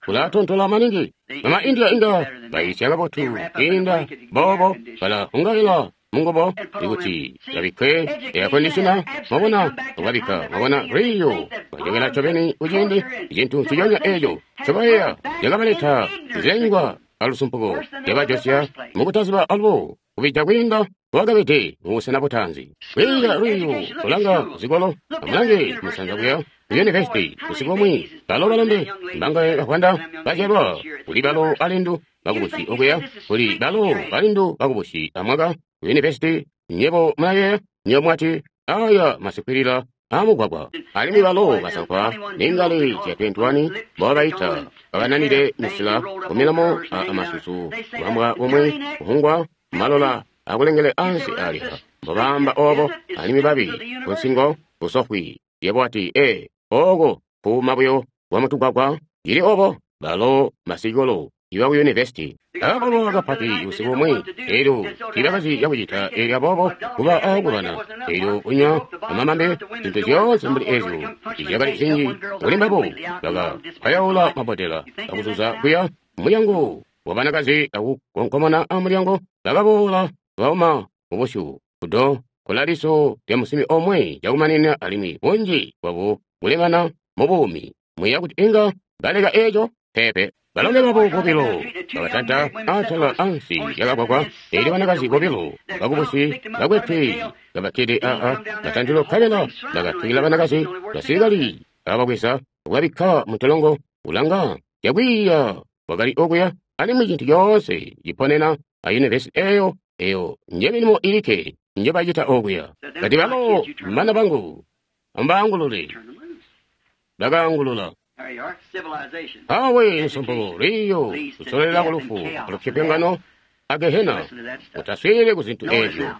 A: kulatontola maningi. Mama India inga baisya kabotu inda bobo balahungaila mungubo ikuti babikke air conditioner. Mwabona ukabikka mwabona lwiyo bajokela ncobeni kuciindi icintu nciconya eco ncobayeeya cakabaleta zilengwa alusumpuko lyabajosya mukutaziba alubo kubija kwiinda bwakabede mubusena butaanzi. Kwiiya lwiyo kulanga zikolo amulange musanza kuya ku yunivesiti busiku bumwi balo balombe mbangaye bavwanda bazyalwa kuli balo balindu bakubusi okuya kuli balo balindu bakubusi amwaka ku yunivesiti. Nyebo mulayeeya nyebo mwati aya masikwilila amugwagwa alimwi balo basankwa ningale zya twenty-one bobaita babananile misila kumilomo a amasusu kubambwa bumwi kuhungwa malola akulengele ansi aliha mbobamba obo alimwi babi kunsingo busofwi. Yebo ati e oko puuma buyo bwamutugwagwa ili obo balo masikolo iba ku university. Abalwa kapati usiku umwi, elyo tiibakazi cakucita, elyo aboobo kuba aakulwana, elyo kunywa amamambe, zintu zyoonse mbuli ezyo izyakali zinji kuli mbabo, baka payaula mabotela akuzuza kuya mulyango wa banakazi akukonkomona amulyango, bakaboola bauma mubusyu kudo kulaliso lya musimi omwe cakumanina, alimwi bunji bwabo kulemana mu buumi. Mwiya kuti inga baleka eco pepe. Balombe babo bobilo bakatanta atala ansi yakagwagwa, elyo banakazi bobilo bakubusi bakwetwe kabakkede aa matantilo kabela bakatwila banakazi basilikali ababweza kubabikka muntolongo. Kulanga yakwiiya wakali okuya, alimwi cintu coonse ciponena a university eyo, eyo nje milimo ilikke nje bacita okuya. Kati balo bana bangu ambaangulule, bakaangulula. Awe nsumbu lwiiyo lusololela kulufu alupyopyongano a Gehena. Utaswiilile ku zintu ezyo.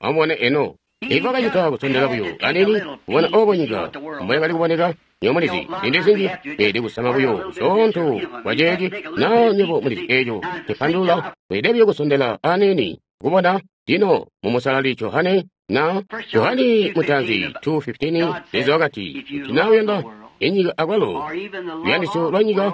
A: Amubone eno. Ivo bakacita kusondela buyo anini kubona obo nyika mboyakali kuboneka. Nywebo mulizi ziindi zinji beelede kusama buyo kusyoonto kwa ceeci, na nywebo mulizi eco cipandulula. Beelede buyo kusondela anini kubona. Lino mu Musalali Johane na Johane mutaanzi two fifteen, Leza wakati, kuti na uyanda inyika akwalo luyandisyo lwa nyika,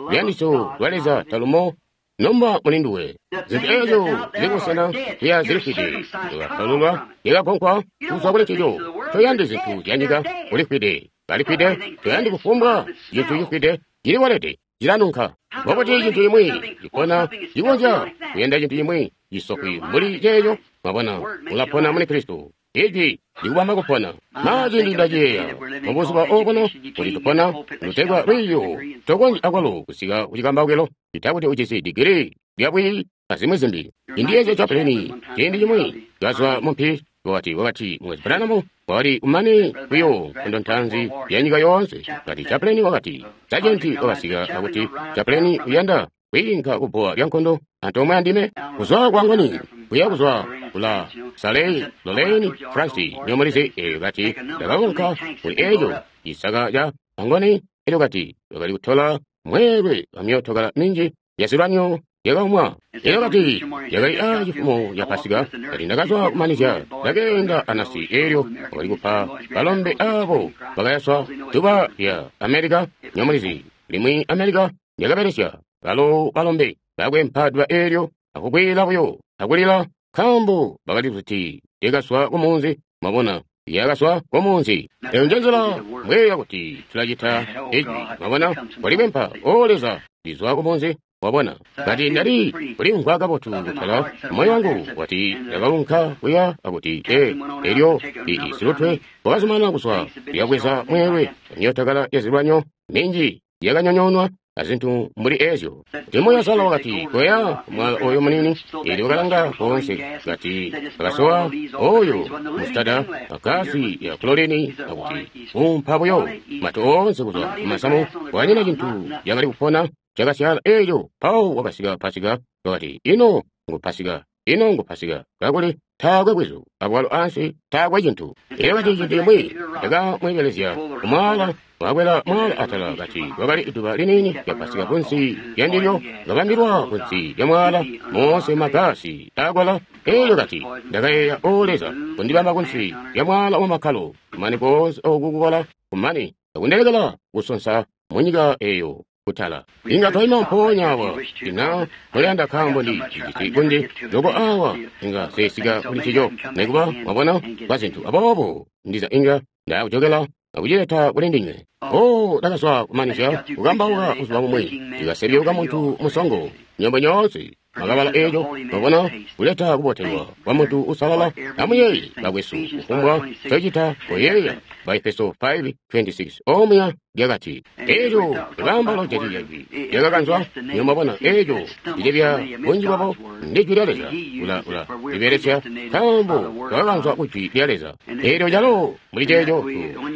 A: luyandisyo lwa Leza talumo nomba muli nduwe. Zintu ezo zili kusena kuya zilifwide, yakapalulwa, yakakonkwa kuzwa kuli ncico. Toyandi zintu zya nyika, ulifwide, balifwide. Toyandi kufumbwa cintu cifwide, cilibolede, cilanunka. Mbobuti cintu cimwi cipona cikonzya kuyanda cintu cimwi cisokwi mbuli ceeco? Mwabona, ulapona muli Kristo. Ijwi likubamba kupona. Ma ciindi ndaciyeeya mubuzuba obuno kuti tupona lutegwa lwiiyo, tokonzyi akwalo kusika kucikambaukilo cita kuti ujisi digiri lya bwiiyi azimwi zimbi. Indiyeezya Chaplin ciindi cimwi kazwa mumpi, wakati wakati Mukwesu Branham wakali kumane buyo nkondo ntaanzi ya nyika yoonse. Kati Chaplin wakati sajenti wakasika akuti Chaplin uyanda kwiinka kubbowa lya nkondo antoomwe andime kuzwa kwangoni kuya kuzwa kula Salei Lorraine France nyomulizi. Elyo kati ndakakonka kuli eco cisaka ca angoni. Elyo kati wakali kutola mweelwe wa myootokala minji ya zilwanyo yakaumwa. Elyo kati yakali a cifumo ya Pasika. Kati ndakazwa kumanizya ndakeenda anasi. Elyo wakali kupa balombe abo bakayaswa duba lya America nyomulizi limwi America lyakabelesya balo balombe bakwempa duba elyo akukwila buyo akulila nkaambo bakali kuti lyakaswa kumunzi. Mwabona, lyakaswa kumunzi. Eyo nje nzila mbweya kuti tulacita ijwi. Mwabona, walikwempa o Leza lizwa kumunzi. Wabona, kati ndali kulimvwa kabotu kutala moyo wangu wati ndakaunka kuya akuti e elyo isilutwe wakazumana kuzwa lyabweza mweelwe myootokala ya zilwanyo minji yakanyonyoonwa azintu mbuli ezyo. Kuti Muuya Uusalala wakati koya mwala oyo munini. Elyo wakalanga koonse kati akasowa oyo musitada agasi ya klorini akuti umpa buyo matu oonse kuzwa kumasamu. Kwanyina cintu yakali kupona cakasyaala. Elyo Paul wakasika Pasika wakati ino ngu Pasika, ino ngu Pasika, kakuli taakwe bwizu abwalo ansi taakwe cintu. Elyo kati cintu cimwi cakamwebelezya kumwala wakwela mwala atala. Kati kwakali iduba liniini lya Pasika kunsi lya ndilyo kabambilwa kunsi lya mwala moonse magasi akwala. Elyo kati ndakayeeya, o Leza, kundibamba kunsi lya mwala wa makkalo kumane koonse oku kukola kumane akundelekela kusonsa munyika eyo kutala. Inga twaima mpoonya awa tina muliyanda nkaambo ndi cijisi kunji loko awa inga sesika kuli ncico nekuba mwabona kwa zintu aboobo ndiza inga ndakujokela akucileta kuli ndinywe. O ndakazwa kumanizya kukambauka buzuba bumwi ndikasebyuka muntu musongo nyombo nyoonse makabala eco. Mwabona, kuleta kubotelwa kwa muntu usalala. Amuyeeye bakwesu, kufumbwa ncocita koyeeya ba Efeso five twenty-six omuya lyakati eco likaamba lojati jwi lyakakanzwa. Nyo mwabona eco lilebya bunji bwabo ndi jwi lya Leza ula ula libelesya nkaambo twakakanzwa ku jwi lya Leza. Elyo calo muli ceeco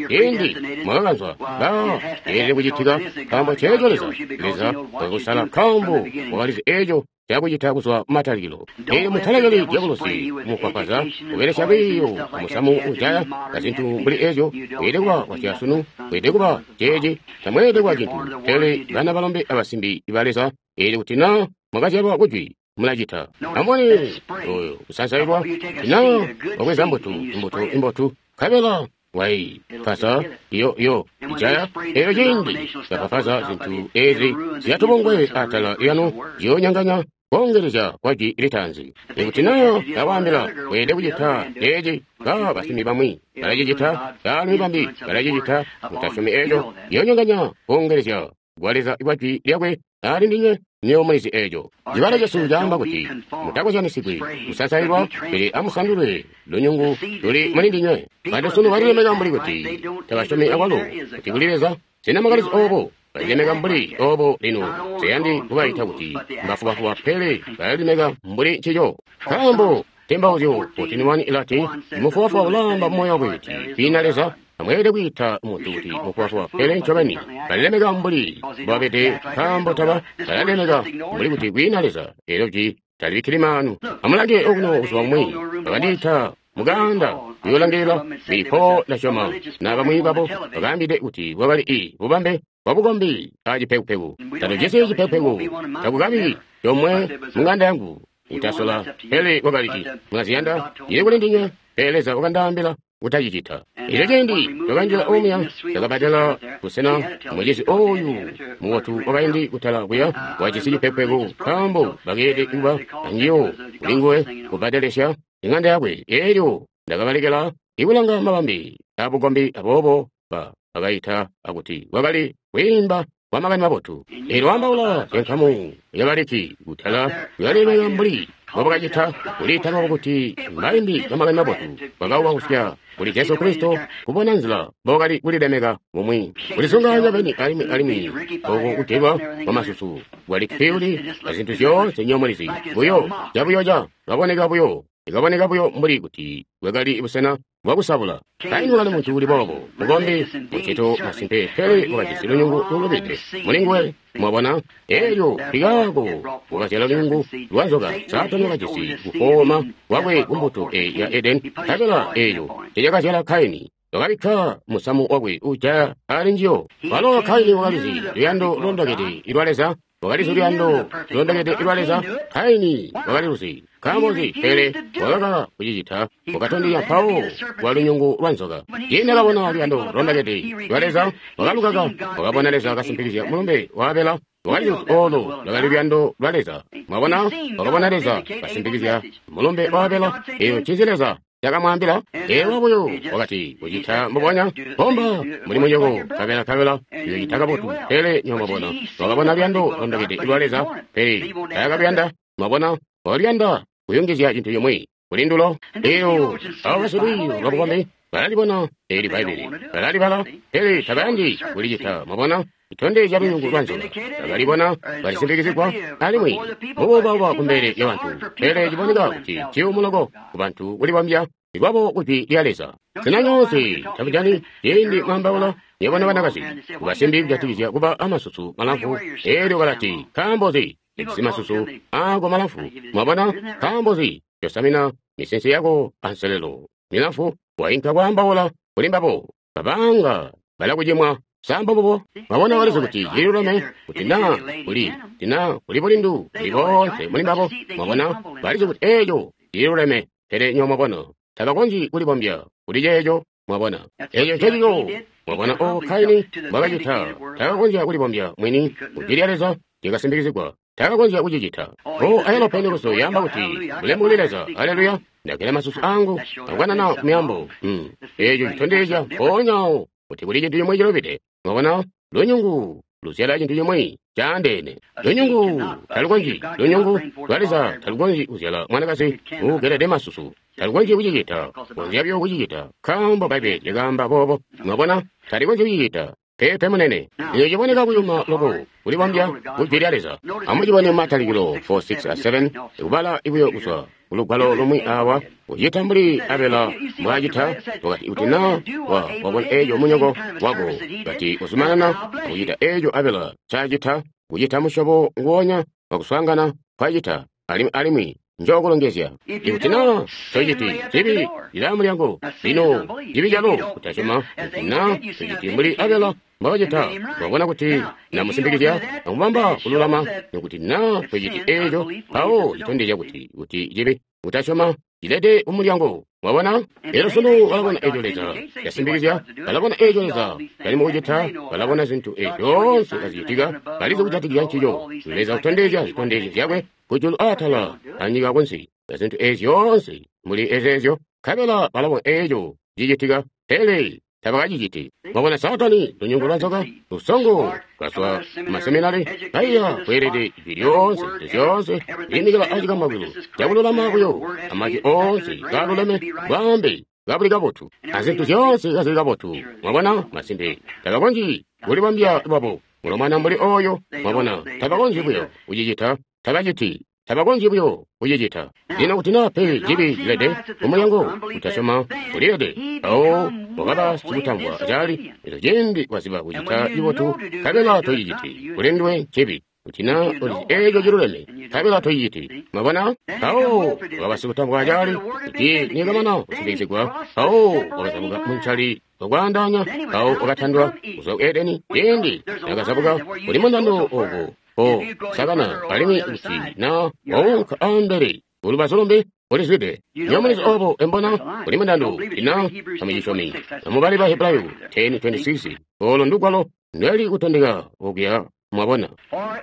A: ciindi mwakakanzwa ba yeelede kucitika nkaambo ceeco Leza Leza wakakusala nkaambo wakalizi eco cakucita kuzwa kumatalikilo. Eelyo mutalekeli dyabulusi kumukwapaza kubelesya lwiiyo amusamu ujaya azintu mbuli ezyo. Weelede kuba wasyasunu, weelede kuba ceeci, tamweelede kuba cintu. Pele bana balombe abasimbi ba Leza, eelyo kuti naa mwakazyalwa kujwi, mulacita. Amubone oyo kusansailwa, kuti naa wabweza mbuto, imbuto imbotu, nkabela waipasa iyo iyo ijaya. Eelyo ciindi yapapaza zintu ezi ziyatubongwe atala lyanu ziyoonyanganya koongelezya kwa jwi litaanzi. Ikuti naa ndawaambila weelede kucita ceeci, ba basimbi bamwi balacicita, baalumi bambi balacicita, mutasyomi eeco, ziyoonyanganya koongelezya kwa Leza kwa jwi lyakwe ali ndinywe. Nywebo mulizi eeco. Cibalo cesu caamba kuti mutakozyanisigwi kusansailwa, pele amusandulwe lunyungu luli muli ndinywe. Bantu sunu balilemeka mbuli kuti tabasyomi akwalo kuti kuli Leza. Sena mwakalizi oobo? Balilemeka mbuli oobo lino. Nsiyandi kubaita kuti mbafubafuba, pele balilemeka mbuli ncico. Nkaambo tembauzyo fourteen one ilati, mufubafuba ulaamba mumoyo wakwe kuti kwiina Leza. Amweelede kwiita muntu kuti mufubafuba, pele ncobeni balilemeka mbuli mbobabede, nkaambo taba balalemeka mbuli kuti kwiina Leza. Eelyo jwi talibikkili maanu. Amulange okuno buzuba bumwi bakandiita mukaanda kuyoolangilila bilipo ndasyoma na bamwi babo bakaambide kuti bwakali i bubambe bwabukombi a cipekupeku. Tatujisi cipekupeku, takukabi comwe mung'anda yangu utasola, pele kwakali ci mulaziyanda ili kuli ndinywe, pele Leza wakandaambila kutacicita. Elyo ciindi twakanjila omuya, twakabbatela busena mucizi oyu mubotu wakaindi kutala kuya wajisi cipekupeku, nkaambo bakeelede kuba anjiyo kulinguwe kubbadelesya ing'anda yakwe. Elyo ndakabalekela ikulanga mabambe abukombi, aboobo ba bakaita akuti kwakali kwiimba kwa makani mabotu. Eelyo ambaula zyankamu yabaliki kutala kuyalemeka mbuli mbobakacita kuliita lwabo kuti mbaimbi ba makani mabotu, bakaubausya kuli Jesu Kristo kubona nzila mbobakali kulilemeka bumwi, kulisunganya beni alimwi alimwi oku kutelwa kwa masusu kwali fiuli azintu zyoonse nyomulizi buyo cabuyoca kaboneka buyo ikaboneka buyo mbuli kuti bwakali busena bwakusabula. Kaini wakali muntu uli boobo, mukombi mucito masimpe, pele wakajisi lunyungu lulubide mulinguwe. Mwabona, eelyo likaako wakazyala lunyungu lwa nzoka. Saatani wakajisi kufooma kwakwe kumbuto eyi ya Edeni, nkabela eeyo cecakazyala Kaini. Wakabikka musamu wakwe ujaya ali njiyo. Walo Kaini wakalizi luyando lulondokede lwa Leza, wakalizi luyando lulondokede lwa Leza. Kaini wakaliluzi. Nkaambo nzi? Pele wakakaka kucicita, wakatondezya mpawo kwa lunyungu lwa nzoka. Ciindi akabona luyando lulondokede lwa Leza, wakalukaka. Wakabona Leza kasimpikizya mulumbe wa Abela, wakalizi kuti olo lwakali luyando lwa Leza. Mwabona, wakabona Leza kasimpikizya mulumbe wa Abela. Eyo ncinzi Leza cakamwaambila? Ewa buyo wakati kucita mbubonya bomba muli munyoko kabela kabela uyocita kabotu. Pele nyo mwabona, wakabona luyando lulondokede lwa Leza, pele taakaluyanda. Mwabona, wakaluyanda kuyungizya cintu cimwi kuli ndulo. Eyo abo basilwiiyo lwabukombi balalibona eli Bbaibbele, balalibala, pele tabayandi kulicita. Mwabona, itondezya lunyungu lwa nzoka. Bakalibona balisimpikizigwa alimwi mubuubauba kumbele lyabantu, pele ciboneka kuti ciyumu loko kubantu kulibambya lwabo kujwi lya Leza. Sena nyoonse tabujani ciindi mwambaula nyebona banakazi kubasimbi kujatikizya kuba amasusu malamfu? Eelyo kalati, nkaambo nzi ejisi masusu aako malamfu? Mwabona, nkaambo nzi yosamina misense yako anselelo milamfu? Wainka kwaambaula kuli mbabo, babanga balakucimwa. Samba bubo mwabona, walizi kuti cililuleme kuti naa kuli tina kuli bulindu kuli boonse muli mbabo. Mwabona, balizi kuti eeco cililuleme, pele nyo mwabona tabakonzyi kulibombya kuli ceeco. Mwabona, eeco ncecico. Mwabona obo Kaini mbwakacita, takakonzya kulibombya mwini kujwi lya Leza lyakasimpikizigwa, takakonzya kucicita. O ayalo Pentekoste yaamba kuti bulemu kuli Leza, haleluya, ndagela masusu angu akukanana myaambo. Hmm. Eeco citondezya mpoonyawo kuti kuli cintu cimwi cilubide. Mwabona, lunyungu luzyala cintu cimwi caandeene. Lunyungu talukonzyi, lunyungu lwa Leza talukonzyi kuzyala mwanakazi uugelede masusu. Talukonzyi kucicita, konzya buyo kucicita, nkaambo Bbaibbele lyakaamba boobo. Mwabona, talikonzyi kucicita. Peepe munene, eyo ciboneka kuyuma loko kulibombya kujwi lya Leza. Amucibone Matalikilo four six a seven, kubala buyo kuzwa kulugwalo lumwi awa, kucita mbuli Abela mbwaacita. Wakati kuti naa wa wabona eeco munyoko wako, kati uzumanana kucita eeco Abela ncaacita, kucita musyobo nguwonya wakuswaangana twacita, alimwi alimwi njookulongezya. Ikuti na tociti cibi cila mulyango, lino cibi calo kutasyoma. Ikuti na tociti mbuli Abela mbwakacita, wabona kuti namusimpikizya akubamba kululama. Ikuti na tociti eeco, mpawo citondezya kuti kuti cibi kutasyoma cilede kumulyango. Mwabona? Elyo sunu balabona eco Leza yasimpikizya, balabona eco Leza cali mukucita, balabona zintu ezyo zyoonse kazicitika, balizi kujatikizya ncico. Leza kutondezya zitondezyo zyakwe kujulu aatala anyika kunsi, zintu ezi zyoonse mbuli ezeezyo, nkabela balabona eco cicitika, pele tabakaciciti. Mwabona Saatani, lunyungu lwa nzoka, lusongo kazwa maseminari, kaiya kweelede ijwi lyoonse, zintu zyoonse, liimikila acikambakwilo cakululama buyo, amajwi oonse kaaluleme, bwaambe kabuli kabotu, azintu zyoonse kazili kabotu. Mwabona, masimpe tabakonzyi kulibambya lwabo mulomwana mbuli oyo. Mwabona, tabakonzyi buyo kucicita, tabaciti. Tabakonzyi buyo kucicita. Lino kuti naa pe cibi cilede kumulyango, kutasyoma kulilede, mpawo wakaba sikutamvwa cali. Eco ciindi waziba kucita cibotu, nkabela tociciti, kuli nduwe ncibi. Kuti naa ulizi eeco ciluleme, nkabela tociciti. Mwabona? Mpawo wakaba sikutamvwa cali. Kuti nikamana kusimpikizigwa, mpawo wakazabuka muncali wakwaandaanya, mpawo wakatandwa kuzwa ku Edeni. Ciindi nakazabuka kuli mundando ooko o sakana, alimwi kuti na waunka ambele kulubazu lumbi ulizwide. Nyomulizi obo embona kuli mundando ina tamucisyomi. Amubali ba Hebrayo ten twenty-six olo ndugwalo ndweli kutondeka okuya. Mwabona,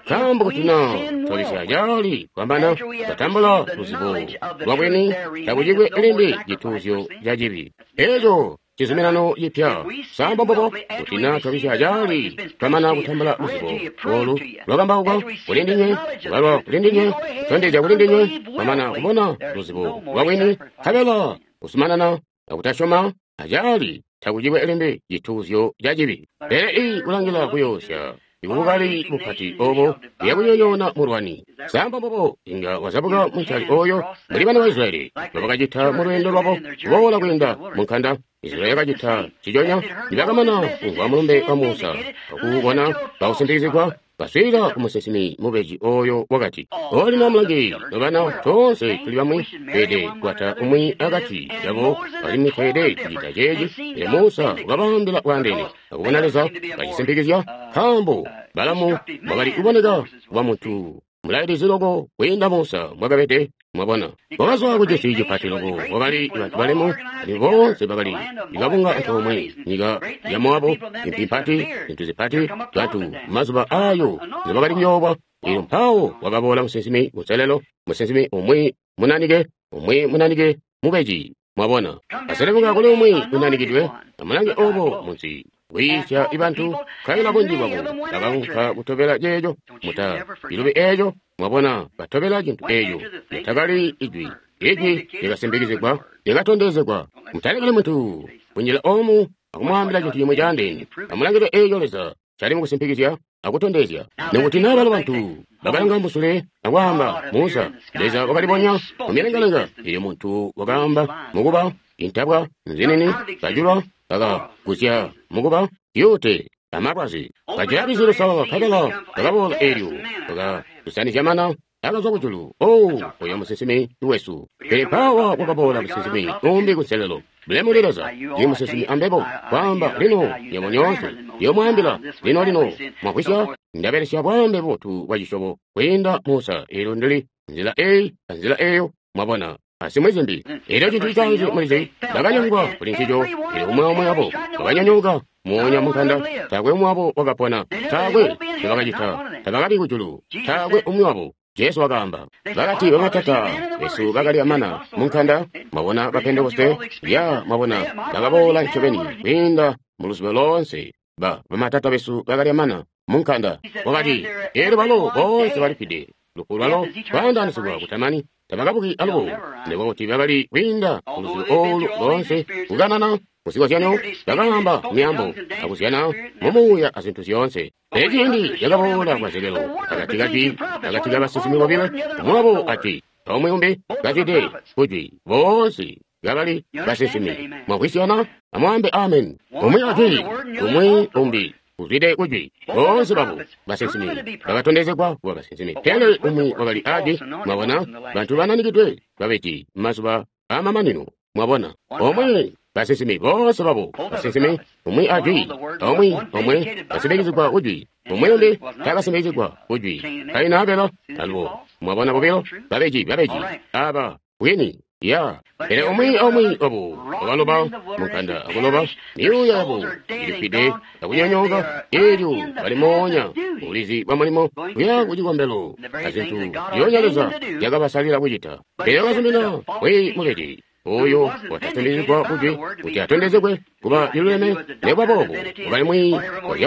A: nkaambo kuti na twabisya cali kwambana twatambula luzibo lwa bwini, takucikwe limbi cituuzyo ca cibi. Eco cizuminano cipya samba mbobo. Kuti na twabisya cali twamana kutambula luzibo olu lwakambaukwa kuli ndinywe, kubalwa kuli ndinywe, kutondezya kuli ndinywe, twamana kubona luzibo lwa bwini, nkabela kuzumanana akutasyoma acali, takucikwe limbi cituuzyo ca cibi. Pele ii kulangila kuyoosya ibukali bupati obo buyakunyonyoona mulwani. Samba mbobo inga wazabuka muncali oyo mbuli bana ba Israyeli mbobakacita mu lweendo lwabo kuboola kwiinda mu nkanda. Israyeli yakacita ciconya nibakamana kumvwa mulumbe wa Musa akuubona kawusimpikizigwa, baswiilila ku musinsimi mubeji oyo wakati, olino amulangi nobana, toonse tuli bamwi, tweede kukwata umwi akati yabo, alimwi tweede kucita ceeci. Pele Musa wakabaambila bwaandeene akubona Leza kacisimpikizya, nkaambo Balamu wakali kuboneka kuba muntu mulailizi loko kwiinda Musa mbwakabede. Mwabona, wakazwa ku cisi cipati loko, wakali bantu balemu, alimwi boonse bakali ikabunga antoomwe, nyika ya Moabu, impi mpati, zintu zipati, bantu mazuba ayo nzibakali kuyoowa. Elyo mpawo wakaboola musinsimi kunselelo, musinsimi umwi munanike, umwi munanike mubeji. Mwabona, aselemuka kuli umwi unanikidwe, amulange obo munsi kwiisya ibantu, nkabela bunji bwabo bakaunka kutobela ceeco. Muta cilubi eeco. Mwabona, batobela cintu eeco litakali ijwi. Ijwi lyakasimpikizigwa, lyakatondezegwa. Mutalekeli muntu kunjila omu akumwaambila cintu cimwe caandeene. Amulangile eeco Leza cali mukusimpikizya akutondezya. Nikuti naa balo bantu bakalanga musule akwaamba, Musa, Leza wakalibonya mumilengalenga. Elyo muntu wakaamba mukuba intabwa nzinini kajulwa bakagusya mukuba zyuute amalwazi. Kajula lwizi lusalala, nkabela bakaboola elyo bakalusanizya mana akazwa kujulu. Oh, oyo musinsimi wesu. Pele mpaawa kwakaboola musinsimi umbi kunselelo. Bulemu kuli Leza, ndi musinsimi ambebo, kwaamba lino nywebo nyoonse ndiyomwaambila lino lino mwakwisya ndabelesya bwaambe bubotu bwa cisyobo kwiinda Musa. Elyo ndili nzila eyi anzila eyo, mwabona, asimwi zimbi. Elyo cintu citaanzi mulizi, bakanyongwa kuli ncico. Elyo umwi omwe wabo wakanyonyooka moonya munkanda. Taakwe umwi wabo wakapona, taakwe ncobakacita, tabakabi kujulu, taakwe umwi wabo. Jesu wakaamba, bakati bamatata besu bakali amana munkanda. Mwabona ba Pentekoste ya, mwabona, bakaboola ncobeni kwiinda mu luzibo loonse. Ba bamatata besu bakali amana munkanda. Wakati, elyo balo boonse balifide, lufu lwalo lwaandaanisigwa kutamani, tabakabuki alubo. Nikuba kuti bakali kwiinda mu luzibo olu loonse, kukanana muzikozyanyo, bakaamba myaambo akuzyana mumuuya azintu zyoonse. Pele ciindi cakaboola kwa Zekelo akati kajwi akati kabasinsimi bobilo, umwi wabo ajwi omwe umbi kazwide kujwi, boonse kabali basinsimi. Mwamvwisyana? Amwaambe amen. Umwi ajwi, umwi umbi kuzwide kujwi. Boonse babo basinsimi bakatondezegwa kuba basinsimi, pele umwi wakali ajwi. Mwabona, bantu bananikidwe babeji mazuba amamanino. Mwabona, omwe basinsimi boonse babo basinsimi, umwi ajwi, omwe omwe basindikizigwa kujwi, umwi umbi takasindikizigwa kujwi. Kaini Abelo alubo. Mwabona bobilo babeji babeji aba bwini ya. Pele umwi omwe wabo wakaloba munkanda akuloba myuuya yabo ilifwide akunyonyooka, elyo bali moonya ubulizi bwa mulimo kuya kucikombelo azintu zyoonya Leza zyakabasalila kucita. Pele wakazumina mwi mubeji oyo watatondezegwa kujwi kuti atondezegwe kuba liluleme. Nekuba boobo wakali mwi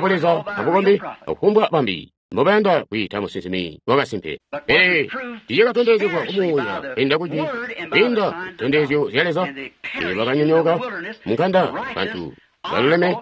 A: wa Leza abukombi akufumbwa bambi mbobayanda kwiita musinsimi wakasimpe. Pele tiicakatondezegwa kumuuya kwiinda kujwi, kwiinda zitondezyo zya Leza. Pele bakanyonyooka munkanda, bantu baluleme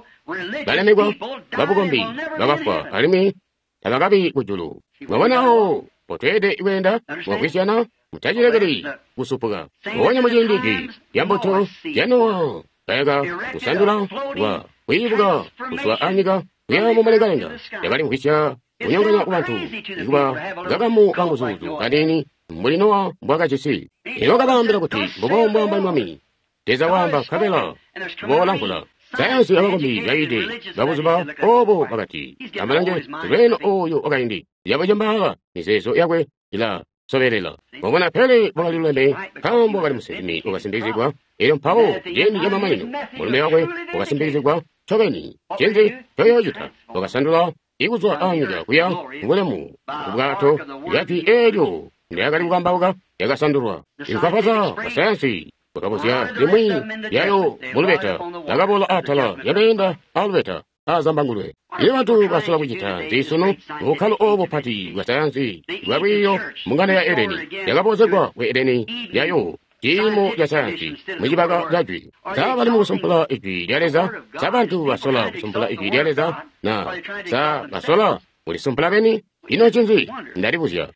A: balemekwa babukombi bakafwa alimwi tabakabi kujulu. Mwabona awo potweede kweenda mwakwisyana, mutacilekeli kusupuka. Mpoonya muciindi jwi lya mbuto lya Nowa kayaka kusandula kwa kwiibuka kuzwa anyika kuya mumulengalenga, yakalimvwisya kunyonganya kubantu ikuba kakamu kanguzuuzu kaniini mbuli Nowa mbwakajisi. Elo kabaambila kuti mbubo mbwaamba Mwami Leza waamba, nkabela kuboola mvula. Sayansi abakombi baide babuzuba obo bakati, amalange lweno oyo wakaindi yabucembaala mizeezo yakwe ila sobelela. Mwabona, pele wakali luleme nkaambo wakali musinsimi wakasimbikizigwa. Elyo mpawo ciindi camamanino mulumbe wakwe wakasimbikizigwa ncobeni. Ncinzi ncoyoocita? Wakasandula ikuzwa anyika kuya kubulemu kubwato bwajwi eelyo ndyakali kukambauka lyakasandulwa. Ikufafaza kwa sayansi kwakabuzya limwi lyayo mulubeta lakaboola atala lyameenda alubeta azambangulwe. Iyo bantu basola kucita nzisunu bukkalo obo bupati bwa sayansi bwa lwiiyo mungano ya Edeni yakaboozegwa ku Edeni yayo ciimo ca sayansi mucibaka ca jwi. Sa bali mukusumpula ijwi lya Leza? Sa bantu basola kusumpula ijwi lya Leza? Na sa basola kulisumpula beni? Ino ncinzi? Ndalibuzya.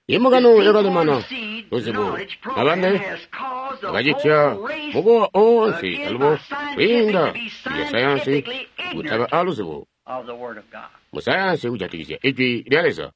A: Imbungano yakalemana luzibo abambe bakacitya mukowa oonse alubo kwiinda lya sayansi kutaba aluzibo musayansi kujatikizya ijwi lya Leza,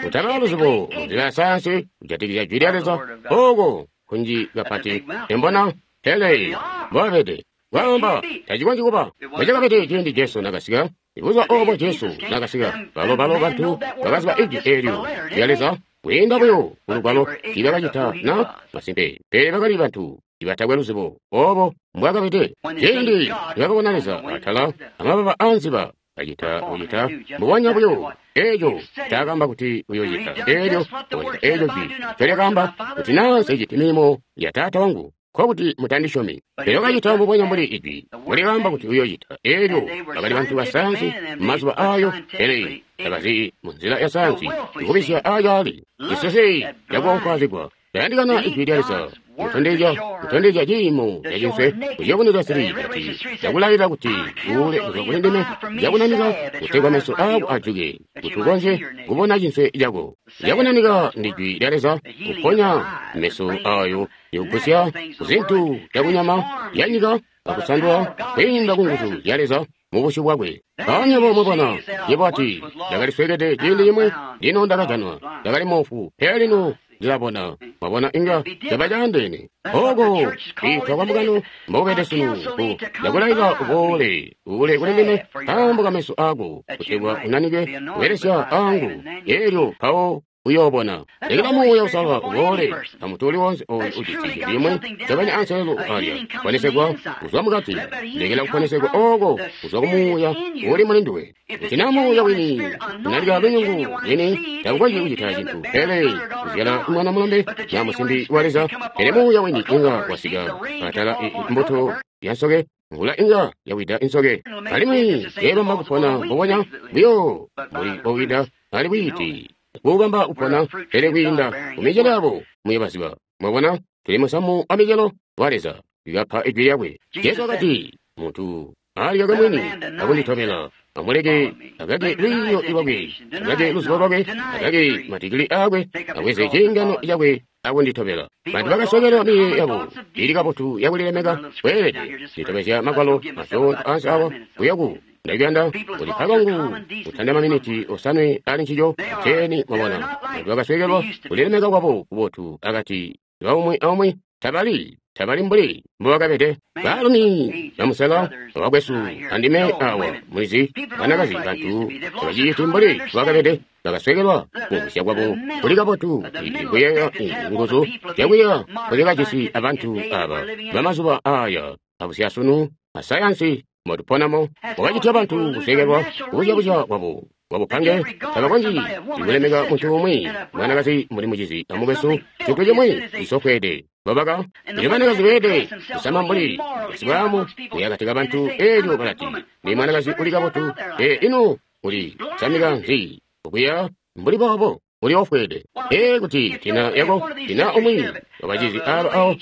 A: kutaba aluzibo munzila ya sayansi kujatikizya ijwi lya Leza. Oko kunji kapati embona pele mbobabede kwaamba tacikonzyi kuba mbocakabede ciindi Jesu nakasika. Ibuzuba obo Jesu nakasika, balo balo bantu bakaziba ijwi eelyo lya Leza kwiinda buyo kulugwalo tiibakacita na masimpe, pele bakali bantu ibatakwe luzibo obo mbwakabede. Ciindi nibakabona Leza atala amababa aanziba kacita kucita mbubonya buyo eeco ncaakaamba kuti uyoocita, eelyo wakacita eeco jwi ncolyakaamba kuti naa nseciti milimo ya Taata wangu nkokuti mutandisyomi. Pele wakacita mbubonya mbuli ijwi mbulikaamba kuti uyoocita. Eelyo bakali bantu ba sayansi mumazuba aayo, pele tabazi munzila ya sayansi ikubisya aacaali cisese cakuonkwazigwa. Tayandikana ijwi lya Leza kutondezya kutondezya ciimo cacinswe kuciyobuneka sili kati cakulayilila kuti uule kuzwa kuli ndime cakunanika kutegwa meso aako ajuke kuti ukonzye kubona cinswe cako. Cakunanika ndi jwi lya Leza kuponya meso aayo likugusya kuzintu zyakunyama yanyika akusandula kwiinda kunguzu zya Leza mubusyu bwakwe. Mpoonya mwabona yebo ati ndakaliswekede ciindi cimwe, lino ndakajanwa, ndakali moofu, pele lino ndilabona. Mwabona inga caba caandeene. Oko kwiitwa kwa mbungano mbokubede sunu ku ndakulailila uboole uule kuli ndime nkaambo kameso aako kutegwa unanike kubelesya aangu, eelyo mpawo uyoobona. Lekela Muuya Uusalala uboole amuntu uli wonse ooyo ujisi cintu cimwe cabanya anselelo alya kuponesegwa kuzwa mukati. Lekela kuponesegwa ooko kuzwa kumuuya uli muli nduwe. Kuti naa muuya wini unalika lunyungu lwini takukonzyi kucita cintu pele kuzyala mwana mulombe naa musimbi wa Leza. Pele muuya wini inga wasika atala mbuto yansoke, mvula inga yawida insoke, alimwi yeebamba kupona mbubonya buyo mbuli bowida ali bwiiti kuubamba kupona, pele kwiinda kumicelo yabo muyobaziba. Mwabona, tuli musamu wa micelo wa Leza ikapa ijwi lyakwe. Jesu wakati, muntu alikake mwini akunditobela, amuleke akake lwiiyo lwakwe, akake luzibo lwakwe, akake madigili aakwe, abweze ciingano cakwe akunditobela. Bantu bakasokela miyeeyo yabo ili kabotu yakulilemeka kweelede litobezya magwalo masyoonto ansi awa kuyaku Ndakuyanda kuti kwangu kutanda maminiti osanwe ali ncico teni mwabona. Bantu bakasweekelwa kulilemeka kwabo kubotu akati kaumwi aumwi tabali tabali mbuli mbubakabede. Baalumi bamusela abakwesu andime awa mulizi banakazi bantu tabaciciti mbuli mbubakabede. Bakasweekelwa kumvwisya kwabo kuli kabotu kuyeeya nguzu zyakuyeeya nkozikajisi abantu aba bamazuba aya abusyasunu asayansi motuponamo wakacitya bantu kusweekelwa kubuzyabuzya kwabo kwabupange tabakonzyi kulemeka muntu umwi mwanakazi mbuli mucizi amukwesu cintu cimwi cisofweede babaka elyo banakazi beede kusama mbuli basibwaamu kuya akati kabantu elyo balati ni mwanakazi uli kabotu e ino uli samika nzi okuya mbuli boobo uli ofweede e kuti tina yako tina umwi wabacizi aba awo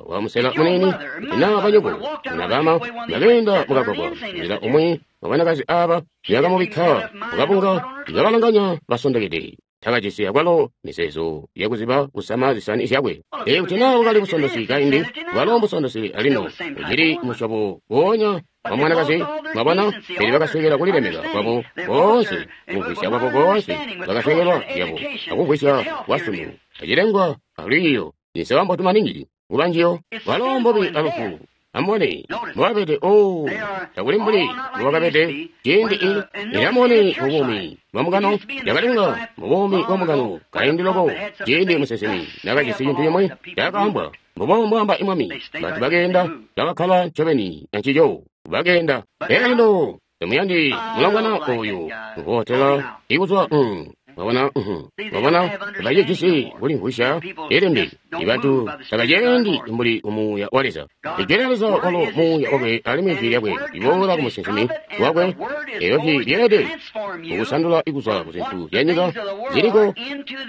A: wa musela munini tina banyoko na bama bakeenda mukagwagwa nzila umwi wabanakazi aba yakamubikka mukabunga ikabalanganya basondokede takajisi akwalo mizeezo yakuziba kusama zisani zyakwe. E kuti naa wakali busondosi kaindi walo mbusondosi alino ucili musyobo woonya wa mwanakazi mwabona. Pele bakasweekelwa kulilemeka kwabo koonse kumvwisya kwabo koonse bakasweekelwa zyabo akumvwisya kwasunu acilengwa alwiiyo ninsewa mbotu maningi kuba njiyo walo mbobi alufu. Amubone mbobabede o takuli mbuli mbobakabede ciindi i ilamubone mubuumi bwa mugano yakalinga mubuumi bwa mugano kaindi loko ciindi musinsimi nakajisi cintu cimwi cakaambwa mbubo mbwaamba imwami. Bantu bakeenda bakakkala ncobeni ancico bakeenda. Pele lino temuyandi mulongwana oyu ngotela ikuzwa mwabona mwabona tabacijisi kulimvwisya ilimbi ibantu tabaceendi mbuli umuuya wa Leza. Ijwi lya Leza walo muuya wakwe alimwi ijwi lyakwe liboola ku musinsimi wakwe elyo jwi lyeelede kukusandula ikuzwa ku zintu zya nyika ziliko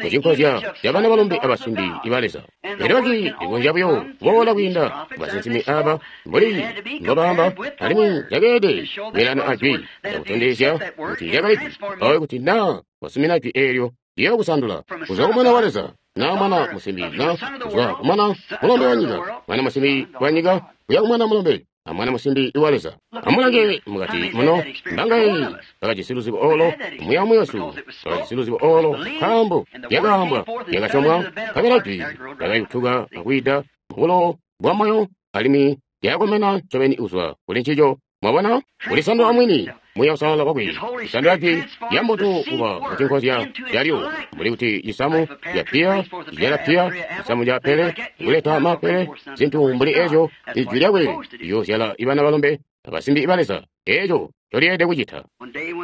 A: kucinkozya zya bana balombe abasimbi iba Leza. Elyo jwi likonzya buyo kuboola kwiinda ku basinsimi aba mbuli mbobaamba alimwi lyakeelede kweelana ajwi lyakutondezya kuti lyakali jwi oyo kuti naa wasumina jwi eelyo liyokusandula kuzwa kumwana wa Leza na mwana musimbi na kuzwa kumwana mulombe wa nyika mwana musimbi wa nyika kuya kumwana mulombe amwana musimbi wa Leza. Amulange mukati muno mbangayi bakajisi luzibo olo muya muyesu bakajisi luzibo olo nkaambo lyakaambwa lyakasyomwa nkabela jwi lyakayutuka akwiida mubulo bwa moyo alimwi lyakomena ncobeni kuzwa kuli ncico. Mwabona kulisandula mwini muya usalala wakwe kusandula jwi lya mbuto kuba mucinkozya lyalyo mbuli kuti cisamu ca piya cizyala piya cisamu ca pele kuleta mapele zintu mbuli ezyo ijwi lyakwe liyoozyala ibana balombe abasimbi iba Leza eeco ncolyeelede kucita.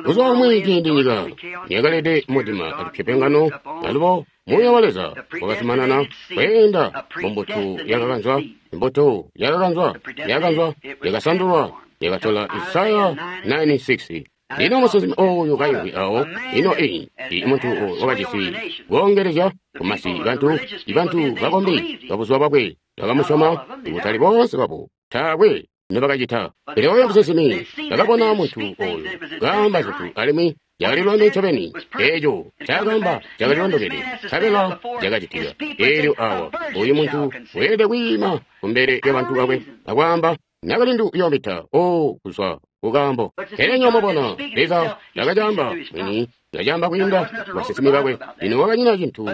A: Buzuba bumwi ciindi nyika niyakalede mudima alupyopyongano alubo muuya wa Leza wakazumanana kweenda mumbuto yakakanzwa imbuto yakakanzwa yakakanzwa yakasandulwa yakatola Isaya nine six. Lino musinsimi oyu kaimvwi awo ino iyi i muntu wakajisi koongelezya kumasi bantu ibantu bakombi babuzuba bwakwe bakamusyoma kutali boonse babo taakwe nobakacita. Pele oyo musinsimi bakabona muntu oyu kaamba zintu alimwi yakalilwame ncobeni eeco cakaamba cakalilondokede nkabela cakacitika. Eelyo awa oyu muntu weelede kwiima kumbele lyabantu bakwe akwaamba nakalindu uyoomita o kuzwa kukaambo. Pele nyomubona Leza nakacamba mwini nakacamba kwiinda basinsimi bakwe. Lino wakanyina cintu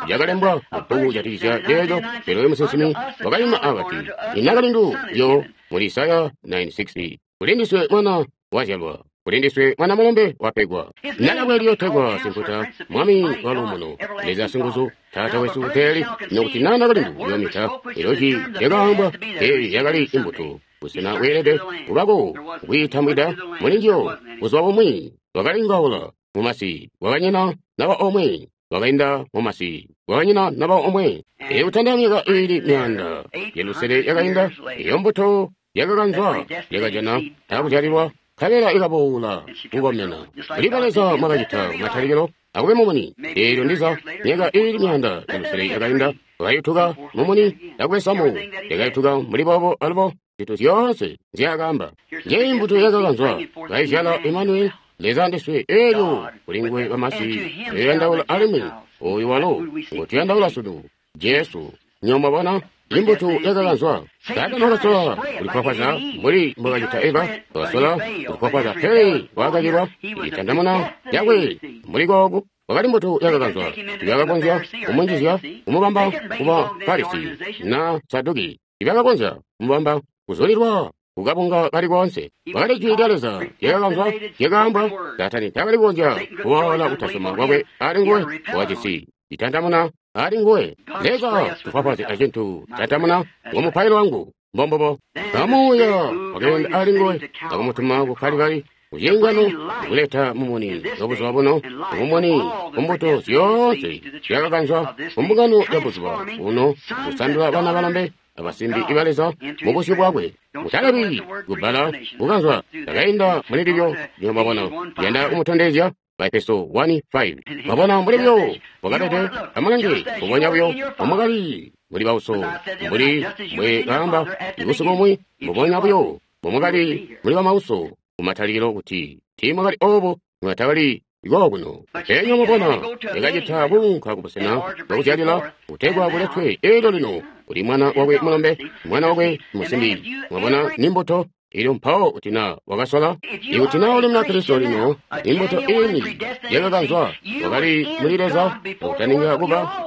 A: cakalembwa mubbuku jatikizya ceeco. Pele oyu musinsimi wakayima akati inakalindu yo muli Isaya nine six kulindiswe mwana wazyalwa kulindiswe mwana mulombe wapegwa nalakwe liyotegwa simputa mwami waluumuno Leza singuzu taata wesu uteeli. Nokuti na nakalindu uyoomita elyo jwi lyakaambwa eyi yakali imbuto busena bweelede kubako kwiitambwida mulinjiyo. Buzuba bumwi wakalingaula mumasi wakanyina naba omwe wakainda mumasi wakanyina naba omwe. Eyo myaka iili myaanda yelusele yakainda eyo mbuto yakakanzwa yakajana akuzyalilwa nkabela ikaboola kukomena. Kuliba Leza mwakacita kumatalikilo akube mumuni. Eelyo ndiza myaka iili myaanda yelusele yakainda wakayutuka mumuni akube samu yakayutuka mbuli boobo alubo zintu zyoonse nzyaakaamba. Njeyi mbuto yakakanzwa kaizyala Emmanuel Leza ndiswe. Eelyo kuli nguwe bamasi tuyoyandaula alimwi oyu walo ngotuyandaula sunu Jesu. Nyomwabona Imbuto yakakanzwa. Saatani wakasola kulikwakwaza mbuli mbwakacita Eva, wakasola kulikwakwaza, pele wakakilwa icitandamuna cakwe mbuli kooku. Wakali mbuto yakakanzwa, tibakakonzya kumunjizya kumubamba kuba Farisi na Saduki, tibakakonzya kumubamba kuzulilwa kukabunga kali koonse. Wakali jwi lya Leza lyakakanzwa, lyakaambwa. Saatani taakali kukonzya kuwala kutasoma kwakwe ali nguwe, wakajisi citandamuna ali nguwe. Leza tufwafwaze acintu citandamuna ngo mupailo wangu. Mbombobo. Amuuya wakeenda ali nguwe akumutuma ku Kalibali kucingano kuleta mumuni wabuzuba buno, mumuni kumbuto zyoonse zyakakanzwa kumbungano ya buzuba buno, kusandula bana balombe abasimbi iba Leza mu busyu bwakwe. Mutalebi kubbala kukanzwa takainda muli lilyo. Lino mwabona, yanda kumutondezya Baefeso one five. Mwabona mbuli buyo bwakabede, amulange mbubonya buyo mbomwakali muli bauso, mbuli mbwe kaamba ibusiku bumwi, mbubonya buyo mbomwakali muli bamauso kumatalikilo, kuti tiimwakali obo mwatakali kokuno. Penya mwabona yakacita kuunka kubusena bwakuzyalila kutegwa kuletwe eelyo lino kuli mwana wakwe mulombe, mwana wakwe musimbi. Mwabona ni mbuto ilyo mpawo kuti na wakasola, ikuti na uli Munakristo lino, imbuto ini yakakanzwa wakali muli Leza akutaninga kuba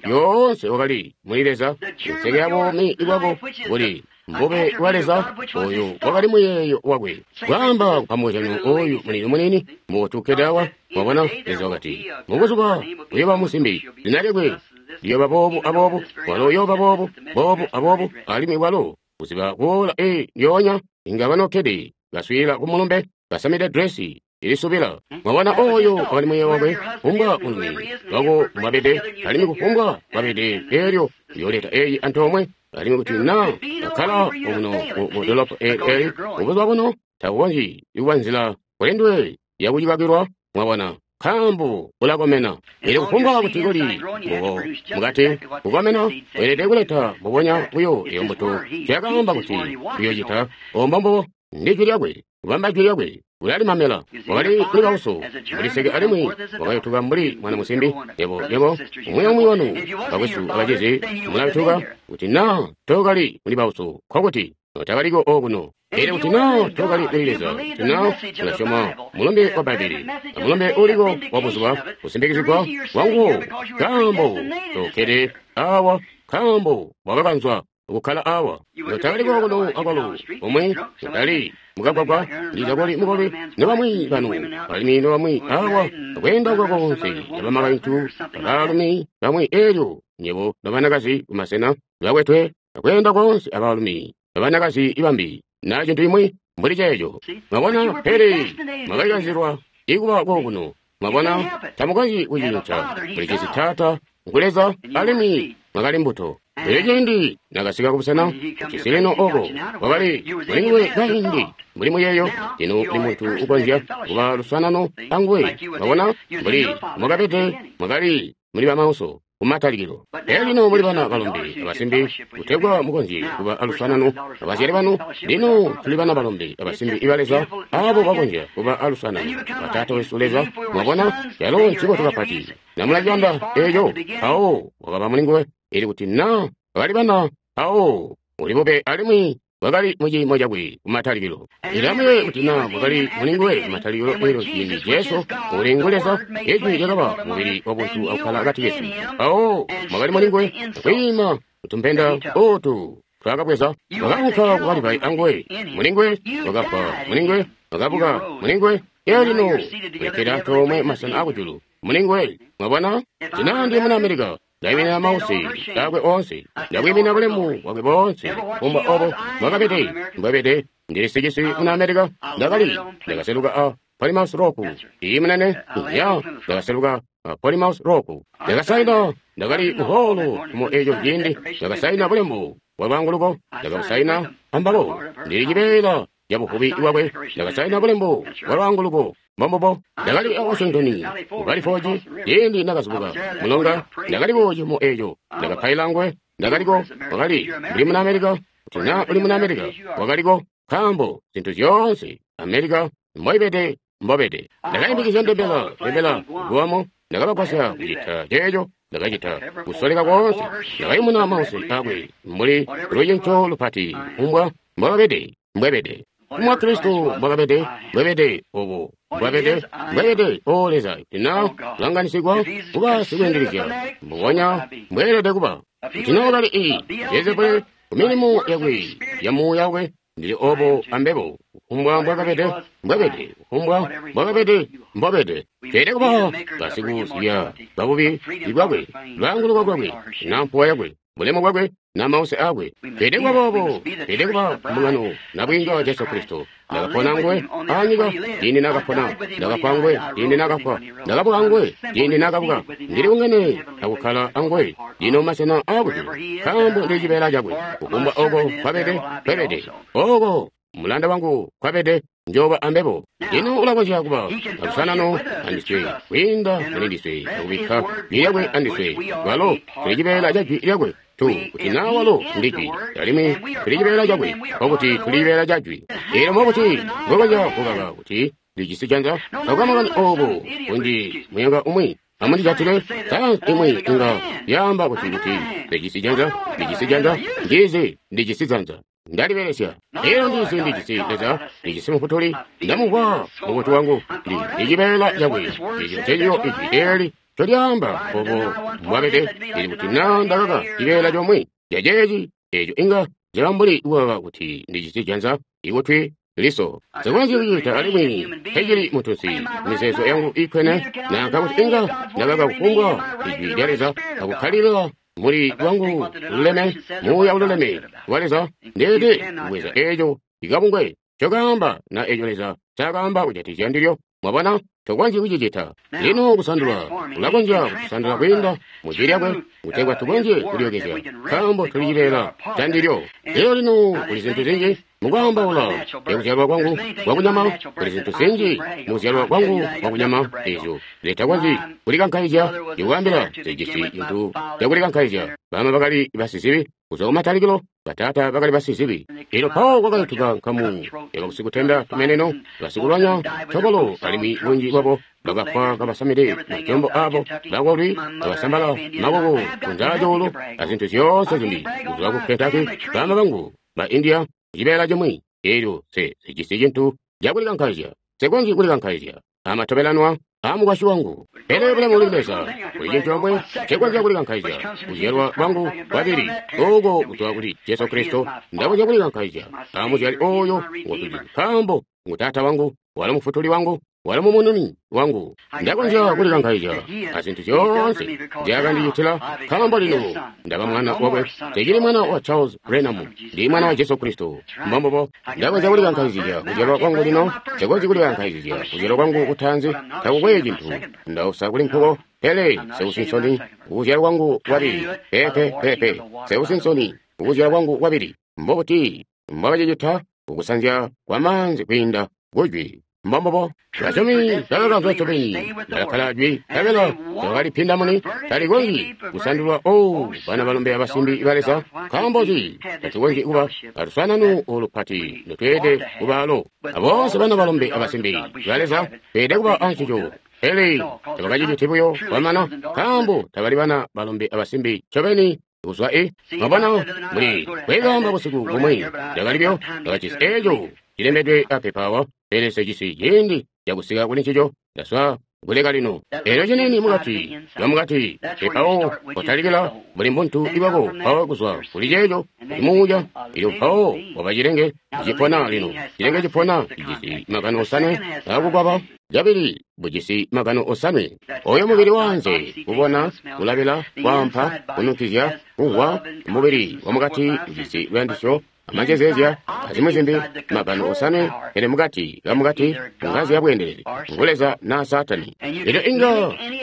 A: yoonse, wakali muli Leza. Inseke ya buumi bwako buli mbube bwa Leza, oyo wakali muyeeyo wakwe. Kwaamba kupamuzyano oyu munini munini mutukkede awa, mwabona Leza wakati mubuzuba uyoba musimbi, zina lyakwe liyoba boobu aboobu, walo uyoba boobu boobu aboobu, alimwi walo kuziba kuola e lyoonya inga banokkede baswiila ku mulumbe basamide dresi ilisubila. Mwabona oyo wakali muyeeyo wakwe, kufumbwa mulumi wako mbwabede, alimwi kufumbwa mbwabede, eelyo uyooleta eyi antoomwe. Alimwi kuti na kakkala omuno mu dolopo eli mubuzuba buno, takukonzyi kuba nzila kuli nduwe yakucikakilwa, mwabona, nkaambo ulakomena. Elyo kufumbwa kuti kuli mbubo mukati kukomena, weelede kuleta mbubonya buyo eyo mbuto zyakaamba kuti uyocita. Ombo mbubo ndi jwi lyakwe, kubamba jwi lyakwe, ulalimamela. Wakali muli bauso muliseke alimwi wakayutuka mbuli mwana musimbi. Yebo, yebo, umwi umwi wanu bakwesu abacizi mulayutuka kuti na tokali muli bauso, nkokuti notakaliko okuno. Pele kuti na tokali muli Leza, kuti na ulasyoma mulumbe wa Bbaibbele, amulumbe uliko wa buzuba kusimbikizigwa kwanguwo, nkaambo tokkede awa, nkaambo wakakanzwa kukkala awa. Notakaliko kuno akwalo omwe, notali mukagwagwa, ndiza koli mukolwi, nobamwi banu, alimwi nobamwi awa, akweenda kwa konse, abamakaintu, abaalumi bamwi, eelyo nyebo nobanakazi kumasena bakwetwe, akweenda konse abaalumi, abanakazi ibambi, na cintu imwi mbuli ceeco. Mwabona, pele mwakalikanzilwa ikuba kokuno. Mwabona, tamukonzyi kucinca. Mulijisi Taata ngu Leza, alimwi mwakali mbuto. Pele ciindi nakasika kubusena ujisi lino oko wakali mulinguwe kaindi mbuli muyeeyo, lino uli muntu ukonzya kuba luswanano anguwe. Mwabona, mbuli mwakabede, mwakali muli bamauso kumatalikilo. Pele lino muli bana balombe abasimbi, kutegwa mukonzye kuba aluswanano abazyali banu. Lino tuli bana balombe abasimbi iba Leza, abo bakonzya kuba aluswanano ba Taata wesu Leza. Mwabona, calo ncibotu kapati. Namulaciyanda eeco, mpawo wakaba mulinguwe. Ili kuti na bakali bana, mpawo uli bube alimwi wakali muciimo cakwe kumatalikilo. Ilamuye kuti na mwakali mulinguwe kumatalikilo, elyo ciindi Jesu uli ngu Leza, ijwi lyakaba mubili wabuntu akukkala akati kesu. Mpawo mwakali mulinguwe akwiima kutumpenda otu twakabweza, wakaunka kukalibai anguwe, mulinguwe wakafwa, mulinguwe wakabuka, mulinguwe elyo lino mulikkede antoomwe masena akujulu mulinguwe. Mwabona, tinandi muna Amerika, ndaiminina mausi akwe oonse, ndakwiimina bulemu bwakwe boonse, kufumbwa obo mwakabede mbwabede. Ndili sicisi muna Amerika, ndakali ndakaseluka a Plymouth Rock iyi munene ya ndakaseluka a Plymouth Rock, ndakasaina, ndakali muholo mu eco ciindi, ndakasaina bulembu bwa lwaanguluko, ndakabusaina ambabo. Ndili cibeela ca buvubi bwakwe, ndakasaina bulembu bwa lwaanguluko. Mbombubo, ndakali a Washington ku Valley Forge ciindi ndakazubuka mulonga, ndakaliko cimo eco, ndakapaila nguwe, ndakaliko, wakali mbuli muna Amerika, kuti na uli muna Amerika, wakaliko, nkaambo zintu zyoonse Amerika mboibede mbobede. Ndakaimbikizya ndembela, ndembela guwamo, ndakabagwasya kucita ceeco. Ndakacita kusoleka koonse. Ndakayumuna mause akwe mbuli lucinco lupati umbwa mbwakabede mbwebede. Mwa Kristo mbwakabede mbwebede obo mbwabede mbwebede o Leza tina kulanganisigwa kuba sikweendelezya mbubonya mbweelede kuba. Kuti naa kali iyi Beelzebule ku milimo yakwe ya muuya wakwe ndili obo ambebo kufumbwa mbwakabede mbwabede kufumbwa mbwakabede mbwabede. Tweelede kuba basikuzibya babubi bwakwe lwaanguluko lwakwe na mpuwa yakwe bulemu bwakwe na mause akwe. Tweelede kuba boobo. Tweelede kuba mbungano nabwiinga wa Jesu Kristo. Ndakapona nguwe anyika ciindi naakapona, ndakafwa nguwe ciindi naakafwa, ndakabuka nguwe ciindi naakabuka. Ndili bungene akukkala anguwe lino masena aakujulu, nkaambo ndili cibeela cakwe. Kufumbwa oko nkwabede nkwebede, oko mulanda wangu nkwabede njoba ambebo. Lino ulakonzya kuba alusanano andiswe kwiinda muli ndiswe akubikka jwi lyakwe andiswe. Walo tuli cibeela ca jwi lyakwe tu kuti naa walo ndi jwi alimwi tuli cibeela cakwe nkokuti tuli cibeela ca jwi. Eelyo mbokuti mbwekonzya kukaka kuti ndijisi janza takuka makani oobo kunji muyanga umwi amundijatile sayansi imwi inga yaamba kuti kuti ndijisi janza ndijisi janza ndizi ndijisi janza ndalibelesya. Eelyo ndizi ndijisi Leza ndijisi Mufutuli ndamumvwa mukutu wangu ndi ndi cibeela cakwe. Eeco ncencico ijwi eeli ncolyaamba obo mbwabede. Ili kuti naa ndakaka cibeela comwe caceeci eeco inga caba mbuli kukaka kuti ndijisi janza ikutwi liso. Nsikonzyi kucita alimwi mpecili muntunsi mizeezo yangu iikwene nanka kuti inga ndakaka kufumbwa ijwi lya Leza akukkalilila muli lwangu luleme muuya ululeme wa Leza. Ndeelede kubweza eeco ikabungwe ncokaamba na eeco Leza ncaakaamba kujatikizya ndilyo. Mwabona, tokonzyi kucicita. Lino kusandula ulakonzya kutusandula kwiinda mu jwi lyakwe kutegwa tukonzye kulyookezya nkaambo tuli cibeela ca ndilyo. Elyo lino kuli zintu zinji mukwaambaula kuzyalwa kwangu kwakunyama, kuli zintu zinji mukuzyalwa kwangu kwakunyama eezyo zitakonzyi kulikankaizya. Ndikwaambila zijisi cintu cakulikankaizya. Bama bakali basizibi kuzwa kumatalikilo, bataata bakali basizibi. Elyo mpawo kwakayutuka nkamu yabasikutenda tumeneno, basikulwanya tobolo, alimwi bunji bwabo bakafwa kabasamide majombo aabo, bakolwi kabasambala makoko kunzaa cuulu azintu zyoonse zimbi kuzwa ku Kentucky. Bama bangu ba India cibeela cimwi. Eelyo se sijisi cintu cakulikankaizya, nsikonzyi kulikankaizya amatobelanwa amukwasyi wangu. Pele bulemu kuli Leza, kuli cintu comwe ncekonzya kulikankaizya, kuzyalwa kwangu kwabili ooko kuzwa kuli Jesu Kristo. Ndakonzya kulikankaizya amuzyali ooyo ngotuzi, nkaambo ngu Taata wangu, walo Mufutuli wangu, walo Mumununi wangu. Ndakonzya kulikankaizya azintu zyoonse nzyaakandicitila, nkaambo lino ndaba mwana wakwe. Nsichili mwana wa Charles Branham, ndi mwana wa Jesu Kristo. Mbombubo. Ndakonzya kulikankaizya kuzyalwa kwangu lino, nsikonzyi kulikankaizya kuzyalwa kwangu kutaanzi, takukwe cintu ndausa kuli nkuko. Pele nseusi nsoni kukuzyalwa kwangu kwabili. Pepe pepe, nseusi nsoni kukuzyalwa kwangu kwabili. Mbobuti mbwakacicita? Kukusanzya kwamaanzi kwiinda kujwi. Mbombubo. Basyomi bakakanzwa ncobeni, bakakkala jwi, nkabela bakalipinda muni. Talikonzyi kusandulwa. O bana balombe abasimbi ba Leza, nkaambo nzi tatukonzyi kuba alusananu olupati lotweelede kubaalo? Aboonse bana balombe abasimbi ba Leza tweelede kuba ancico. Pele tabakaciciti buyo kwamana, nkaambo tabali bana balombe abasimbi ncobeni kuzwa e. Mwabona, muli kwekamba busiku bumwi ndakalibyo ndakajisi eeco cilembedwe apepa, pele nsejisi ciindi cakusika kuli ncico. Ndaswa kuleka lino. Eelyo cinini mukati lwamukati mpawo kotalikila buli muntu ibako, mpawo kuzwa kuli ceeco kuli muuya. Elyo mpawo waba cilenge cipona lino. Cilenge cipona cijisi magano osanwe akukwaba cabili bujisi magano osanwe. Oyo mubili wanze kubona, kulabila, kwaampa, kununkizya, kumvwa. Mubili wamukati ujisi luyandisyo, amanjezeezya, azimwi zimbi, magano osanwe. Pele mukati kamukati ngazi yabweendelezi ngu Leza naa Saatani. Elyo inga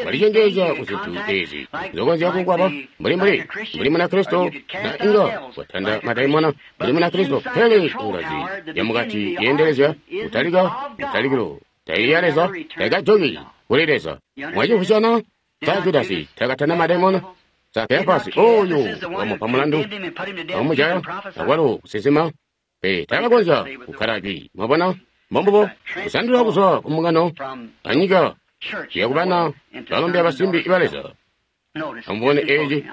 A: walicengeezya ku zintu eezi zokonzya kukwaba mbuli mbuli mbuli Munakristo, na inga watanda madaimona mbuli Munakristo. Pele ngazi yamukati yeendelezya kutalika mutalikilo taili ya Leza, taikajoki kuli Leza. Mwacimvwisyana? Sa Judasi takatanda madaimona? Sa Keyafasi oyo wamupa mulandu akumujaya akwalo kusinsima? Pe takakonzya kukkala jwi. Mwabona? Mbombubo. Kusandula kuzwa ku mbungano anyika kuya kubana balombe abasimbi ba Leza. Amubone eci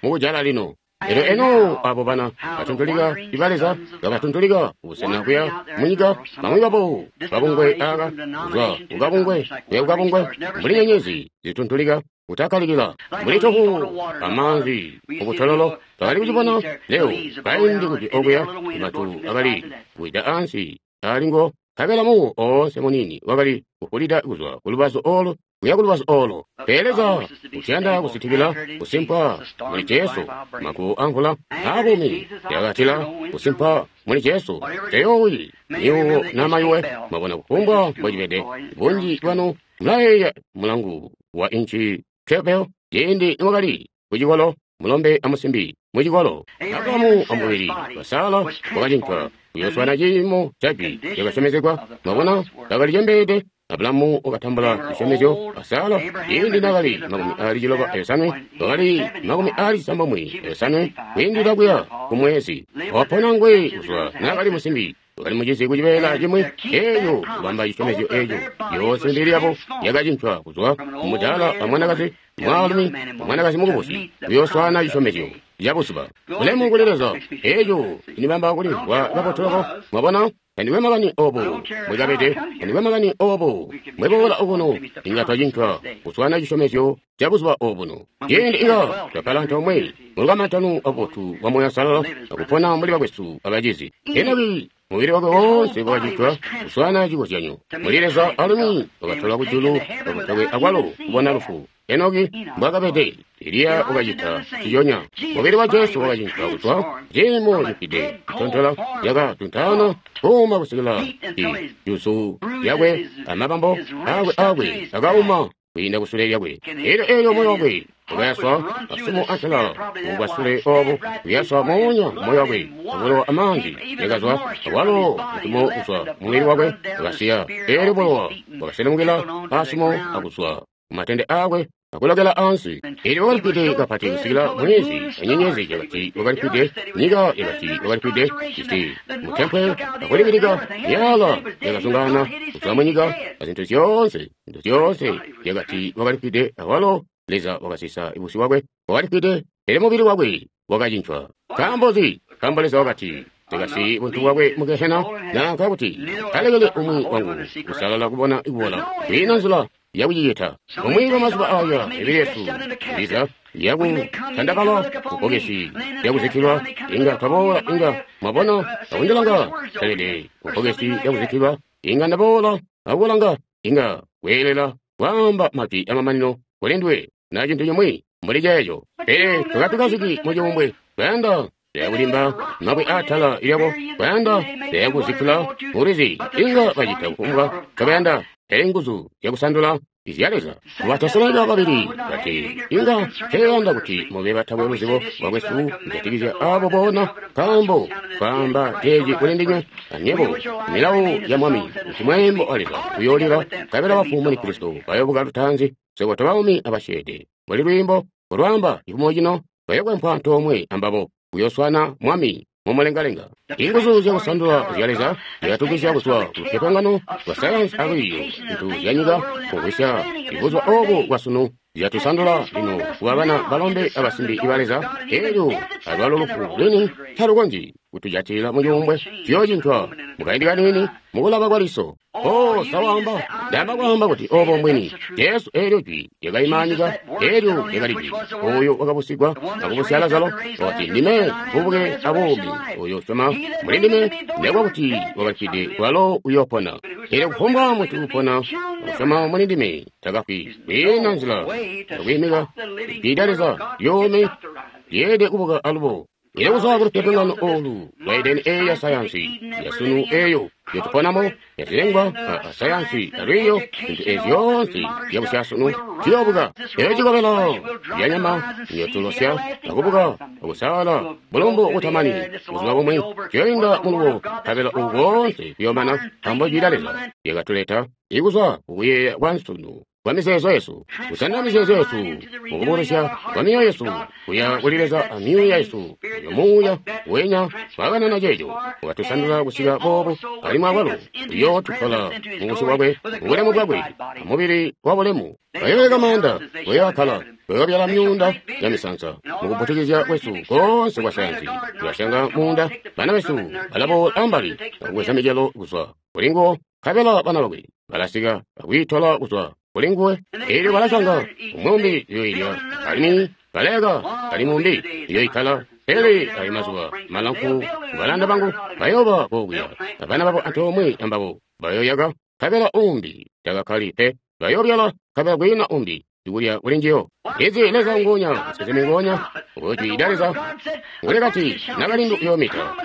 A: mukujala lino. Elyo eno abo bana batuntulika iba Leza bakatuntulika kubusena kuya munyika, bamwi babo kabungwe aka kuzwa kukabungwe kuya kukabungwe, mbuli nyenyezi zituntulika kutakkalikila mbuli tohu amaanzi kubutololo. Twakali kucibona leo kaindi kuti okuya matu akali kuwida ansi alingo, nkabela muwo oonse muniini wakali kufulida kuzwa kulubazu olo kuya kulubazu olo. Pele Leza utiyanda kusitikila kusimpa muli Jesu, maguwo amvula aabumi yakatila kusimpa muli Jesu. Teyoowi niwo namayuwe. Mwabona kufumbwa mbocibede. Bunji bwanu mulayeeya mulangu wa inchi twelve ciindi niwakali kucikolo, mulombe amusimbi mucikolo. Abrahamu amubili wa Sara wakacincwa kuyoswana ciimo caci cakasyomezegwa. Mwabona bakali cembeede. Abulahamu wakatambula cisyomezyo a Sara ciindi naakali makumi aali ciloba ayosanwe, wakali makumi aali cisambomwe ayosanwe kwiindila kuya kumwezi. Wapona ngwe kuzwa naakali musimbi, wakali mucizi kucibeela cimwi eeco kubamba cisyomezyo eeco. Yoonse mibili yabo yakacincwa kuzwa kumudaala amwanakazi mwaalumi amwanakazi mukubusi kuyooswana cisyomezyo cabuzuba. Bulemu kuli Leza! Eeco cinibamba kulimvwa kabotu loko. Mwabona? Tandikwe makani obo mwikabede, tandikwe makani obo mweboola okuno, inga twacincwa kuswana cisyomezyo ca buzuba obuno. Ciindi inga twakkala antoomwe mulukamantano abotu bwa Moya Uusalala akupona mbuli bakwesu abacizi. Enoki mubili wakwe woonse wakacincwa kuswana cikozyanyo muli Leza, alimwi wakatolwa kujulu kakutakwe akwalo kubona lufu. Enoki mbwakabede. Eliya wakacita ciyonya. Mubili wa Jesu wakacincwa kuzwa ciimo cifwide citontola cakatuntaana kuuma kusikila juzu lyakwe amabambo akwe akwe akauma kwiinda kusule lyakwe. Elyo elyo moyo wakwe wakayaswa masumo antela mubwasule obo, kuyaswa moonya moyo wakwe abulowa amaanzi yakazwa awalo mutumo kuzwa mubili wakwe wakasiya. Elyo bulowa bwakaselemukila asumo akuzwa kumatende akwe akulokela ansi. Elyo wakalifwide kapati kusikila mwezi anyenyezi yakati wakalifwide, nyika yakati wakalifwide, isi mutempwe akulibilika, myala yakazungana kuzwa munyika, azintu zyoonse, zintu zyoonse yakati wakalifwide. Awalo Leza wakasisa busyu bwakwe, wakalifwide, pele mubili wakwe wakacincwa. Nkaambo nzi? Nkaambo Leza wakati tekasi buntu bwakwe mu gehena, nanka kuti talekele umwi wangu kusalala kubona kubola. Kwiina nzila yakucicita. Bumwi bwa mazuba aya mibili yesu ndiza yakutandabala kubbokesi lyakuzikkilwa, inga twaboola, inga mwabona akundilanga talede kubbokesi lyakuzikkilwa, inga ndaboola akukulanga, inga kweelela kwaamba majwi amamanino kuli nduwe na cintu cimwi mbuli ceeco. Pele tukatukaziki mucuumbwe, twayanda lyakulimba mabwe aatala lyako, twayanda lyakuzikkila mulwizi, inga bacita kufumbwa ncobayanda. Pele nguzu zyakusandula izya Leza. Batesalonika babili bati inga teeyanda kuti mube batakwe luzibo lwakwesu kujatikizya abo boona, nkaambo twaamba ceeci kuli ndinywe anywebo milawo ya Mwami, kuti mweembo wa Leza uyoolila, nkabela bafu muli Kristo bayoobuka lutaanzi. Swebo tobaumi abasyeede mbuli lwiimbo ulwaamba cifumo cino, bayokwempwa antoomwe ambabo kuyoswana Mwami mumulengalenga. Inguzu zyakusandula zya Leza zyakatugwisya kuzwa kulupyopyongano lwa sayansi alwiiyo zintu zyanyika kugwisya ibuzuba obu bwasunu zyatusandula lino kuba bana balombe abasimbi iba Leza. Elyo alwalo lufu lwini talukonzyi kutujatilila mucuumbwe, tuyoocincwa mukaindi kaniini mukulaba kwa liso. O sawaamba, ndaamba kwaamba kuti obo mbwini. Jesu eelyo jwi lyakaima anyika, eelyo lyakali jwi. Oyo wakabusigwa akubusya Lazaro, wakati, ndime bubuke abuumi, oyo usyoma muli ndime nekuba kuti wakalifwide kwalo uyoopona. Eelyo kufumbwa muntu upona akusyoma muli ndime takafwi. Kwiina nzila yakwiimika ijwi lya Leza lyuumi lyeelede kubuka alubo. Elyo kuzwa kulupyopyongano olu lwa Edeni eyo ya sayansi yasunu eyo yotuponamo yazilengwa a sayansi alwiiyo zintu ezi zyoonse zyabusyasunu ziyoobuka. Eyo cikobela zyanyama niyotulosya akubuka akusala bulumbu butamani. Buzuba bumwi tuyoinda muluwo, nkabela ubu boonse buyoomana, nkaambo jwi lya Leza lyakatuleta ikuzwa kukuyeeya kwa nsunu kwa mizeezo yesu, kusandula mizeezo yesu mukubulusya kwa mioyo yesu kuya kuli Leza a mioyo yesu uyo muuya wenya twakanana ceeco wakatusandula kusika boobo, alimwi awalo uyootutola mubusyu bwakwe mubulemu bwakwe amubili wa bulemu. Bayoyeka maanda, bayookkala Tuyobyala myuunda ya misansa mukuputikizya kwesu koonse kwa sayansi. Tulasyanga muunda, bana besu balaboola ambali akubweza micelo kuzwa kuli nguwo, nkabela bana bakwe balasika akwiitola kuzwa kuli nguwe. Eelyo balasyanga umwi uyoilya, alimwi balayaka alimwi umbi uyoikkala. Pele ayo mazuba malamfu balanda bangu bayooba kokuya, abana babo antoomwe ambabo bayoyaka, nkabela umbi takakkali pe. Bayobyala nkabela kwiina umbi ikulya kuli njiyo. Izi Leza nguonya, musinsimi nguonya, jwi lya Leza ngulikati nakalindu uyoomita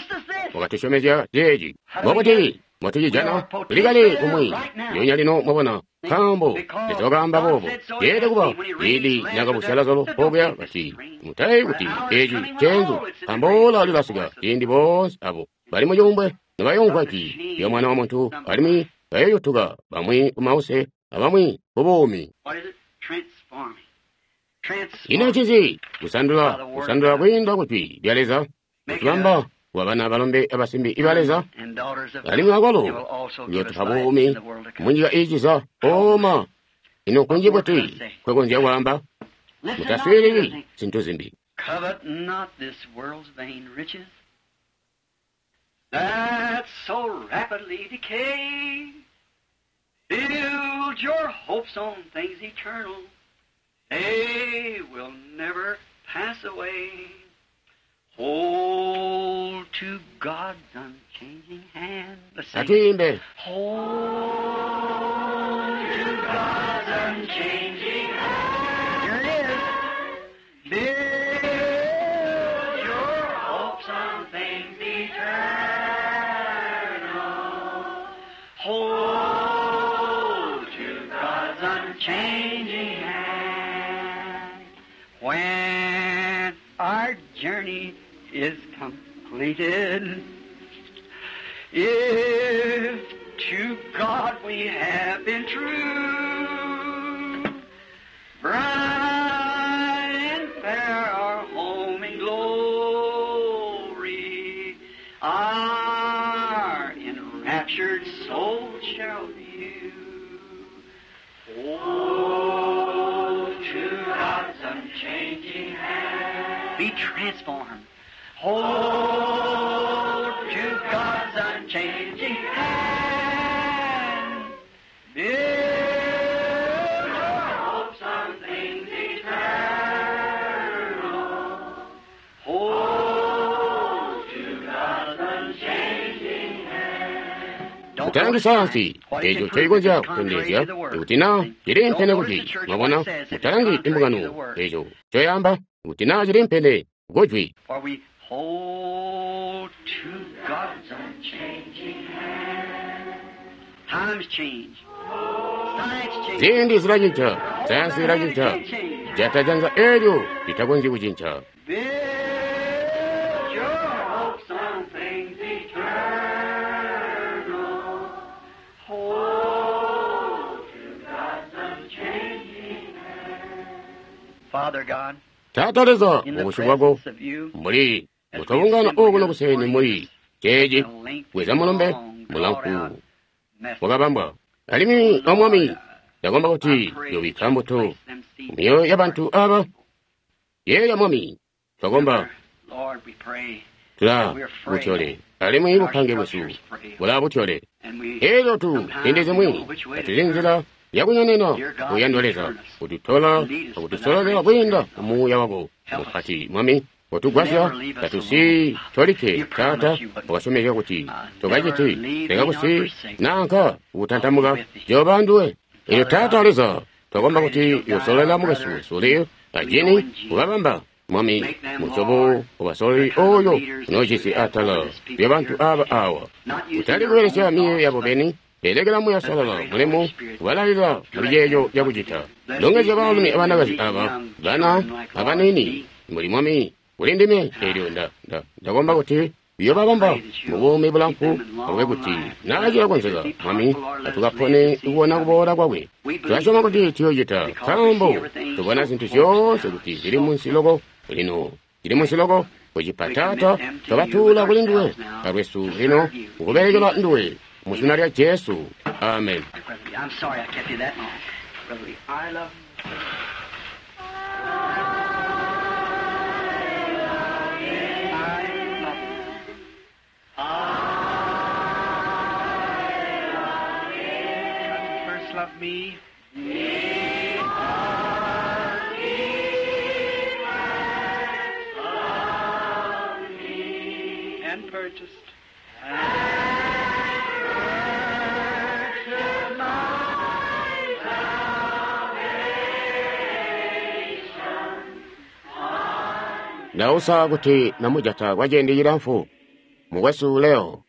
A: wakatusyomezya ceeci. Mbobuti mbotucijana? Tulikale kumwi ndyoonya lino, mwabona, nkaambo Leza wakaamba boobo. Yeelede kuba ciindi nakabusya Lazaro okuya kati, mutayeeyi kuti eci nceenzu, nkaambo oora lilasika ciindi boonse abo bali mucuumbwe nobayoomvwa jwi lya Mwana wa Muntu, alimwi bayoyutuka, bamwi kumause abamwi kubuumi. Ino ncinzi? Kusandula, kusandula kwiinda ku jwi lya Leza, kutubamba kuba bana balombe abasimbi iba Leza, alimwi akwalo uyootupa buumi munyika iiciza. Oma, ino nkunji buti nkwekonzya kwaamba? Mutaswiilili zintu zimbi.
B: Covet not this world's vain riches that so rapidly decay. Build your hopes on things eternal. They will never pass away. Hold to God's unchanging hand. Let's sing it.
A: Atuimbe.
B: Hold to God's unchanging hand. Here it is. Build your hopes on things eternal. Hold to God's unchanging hand. When our journey is completed, if to God we have been true, bright and fair our home in glory, our enraptured soul shall view. Hold to God's unchanging hand. Be transformed. Hold to God's unchanging hand. Build your hopes on things eternal. Hold to God's unchanging hand. Don't
A: Mutalangi
B: notice
A: sayansi
B: what it
A: eco
B: can prove
A: ncoikonzya
B: is contrary
A: kutondezya
B: to the word.
A: kuti naa ciliimpene
B: Don't
A: kujwi.
B: notice the church
A: Mwabona,
B: what it says if it's
A: mutalangi
B: contrary to the
A: imbungano
B: word.
A: eco ncoyaamba kuti naa ciliimpene kujwi.
B: For we hold to God's unchanging hand. Times change. Science changes.
A: Ziindi zilacinca, sayansi ilacinca, jata janza eelyo litakonzyi kucinca.
B: Build your hopes on things eternal. Hold to God's unchanging hand. Father God,
A: Taata Leza,
B: in the
A: mubusyu bwako
B: presence of you,
A: mbuli mutwabungana okuno kuseni muli ceeci bweza mulumbe mulamfu wakabambwa. Alimwi o Mwami, ndakomba kuti yobikka mbuto mumyoyo yabantu aba. Yeeya Mwami, twakomba
B: Lord, we pray
A: tula butyole, alimwi bupange bwesu bula butyole.
B: and we
A: Eelyo tu ziindi zimwi tatuzi nzila yakunyonena kuyandwa Leza kututola akutusololera kwiinda mumuuya wako mupati. Mwami, kotugwasya tatusi tolikke. Taata, wakasyomezya kuti tokaciti leka kusi nanka kutantamuka jehova nduwe. Eelyo Taata Leza, twakomba kuti yosololela mukwesu wesu Leo ajini kukabamba Mwami musyobo wabasololi oyo unoojisi atala lyabantu aba awa, kutali kubelesya miyeeyo yabo beni, belekela Muuya Salala mulimo kubalalila muli ceeco cakucita. Longezya baalumi abanakazi aba, bana abaniini, muli Mwami kuli ndime. Eelyo nda nda ndakomba kuti biyobabamba mubuumi bulamfu, akube kuti naa cilakonzeka Mwami atukapone kubona kuboola kwakwe. Tulasyoma kuti tuyoocita, nkaambo tubona zintu zyoonse kuti zili munsi loko lino, zili munsi loko kucipa. Taata, twabatuula kuli nduwe alwesu lino kukubelekela nduwe mu zina lya Jesu, amen.
B: Brother Lee, I'm sorry I kept you that long. Brother Lee, I love
C: me. And purchased.
A: Ndausa kuti namujata kwa ciindi cilamfu. Mukwesu Leo,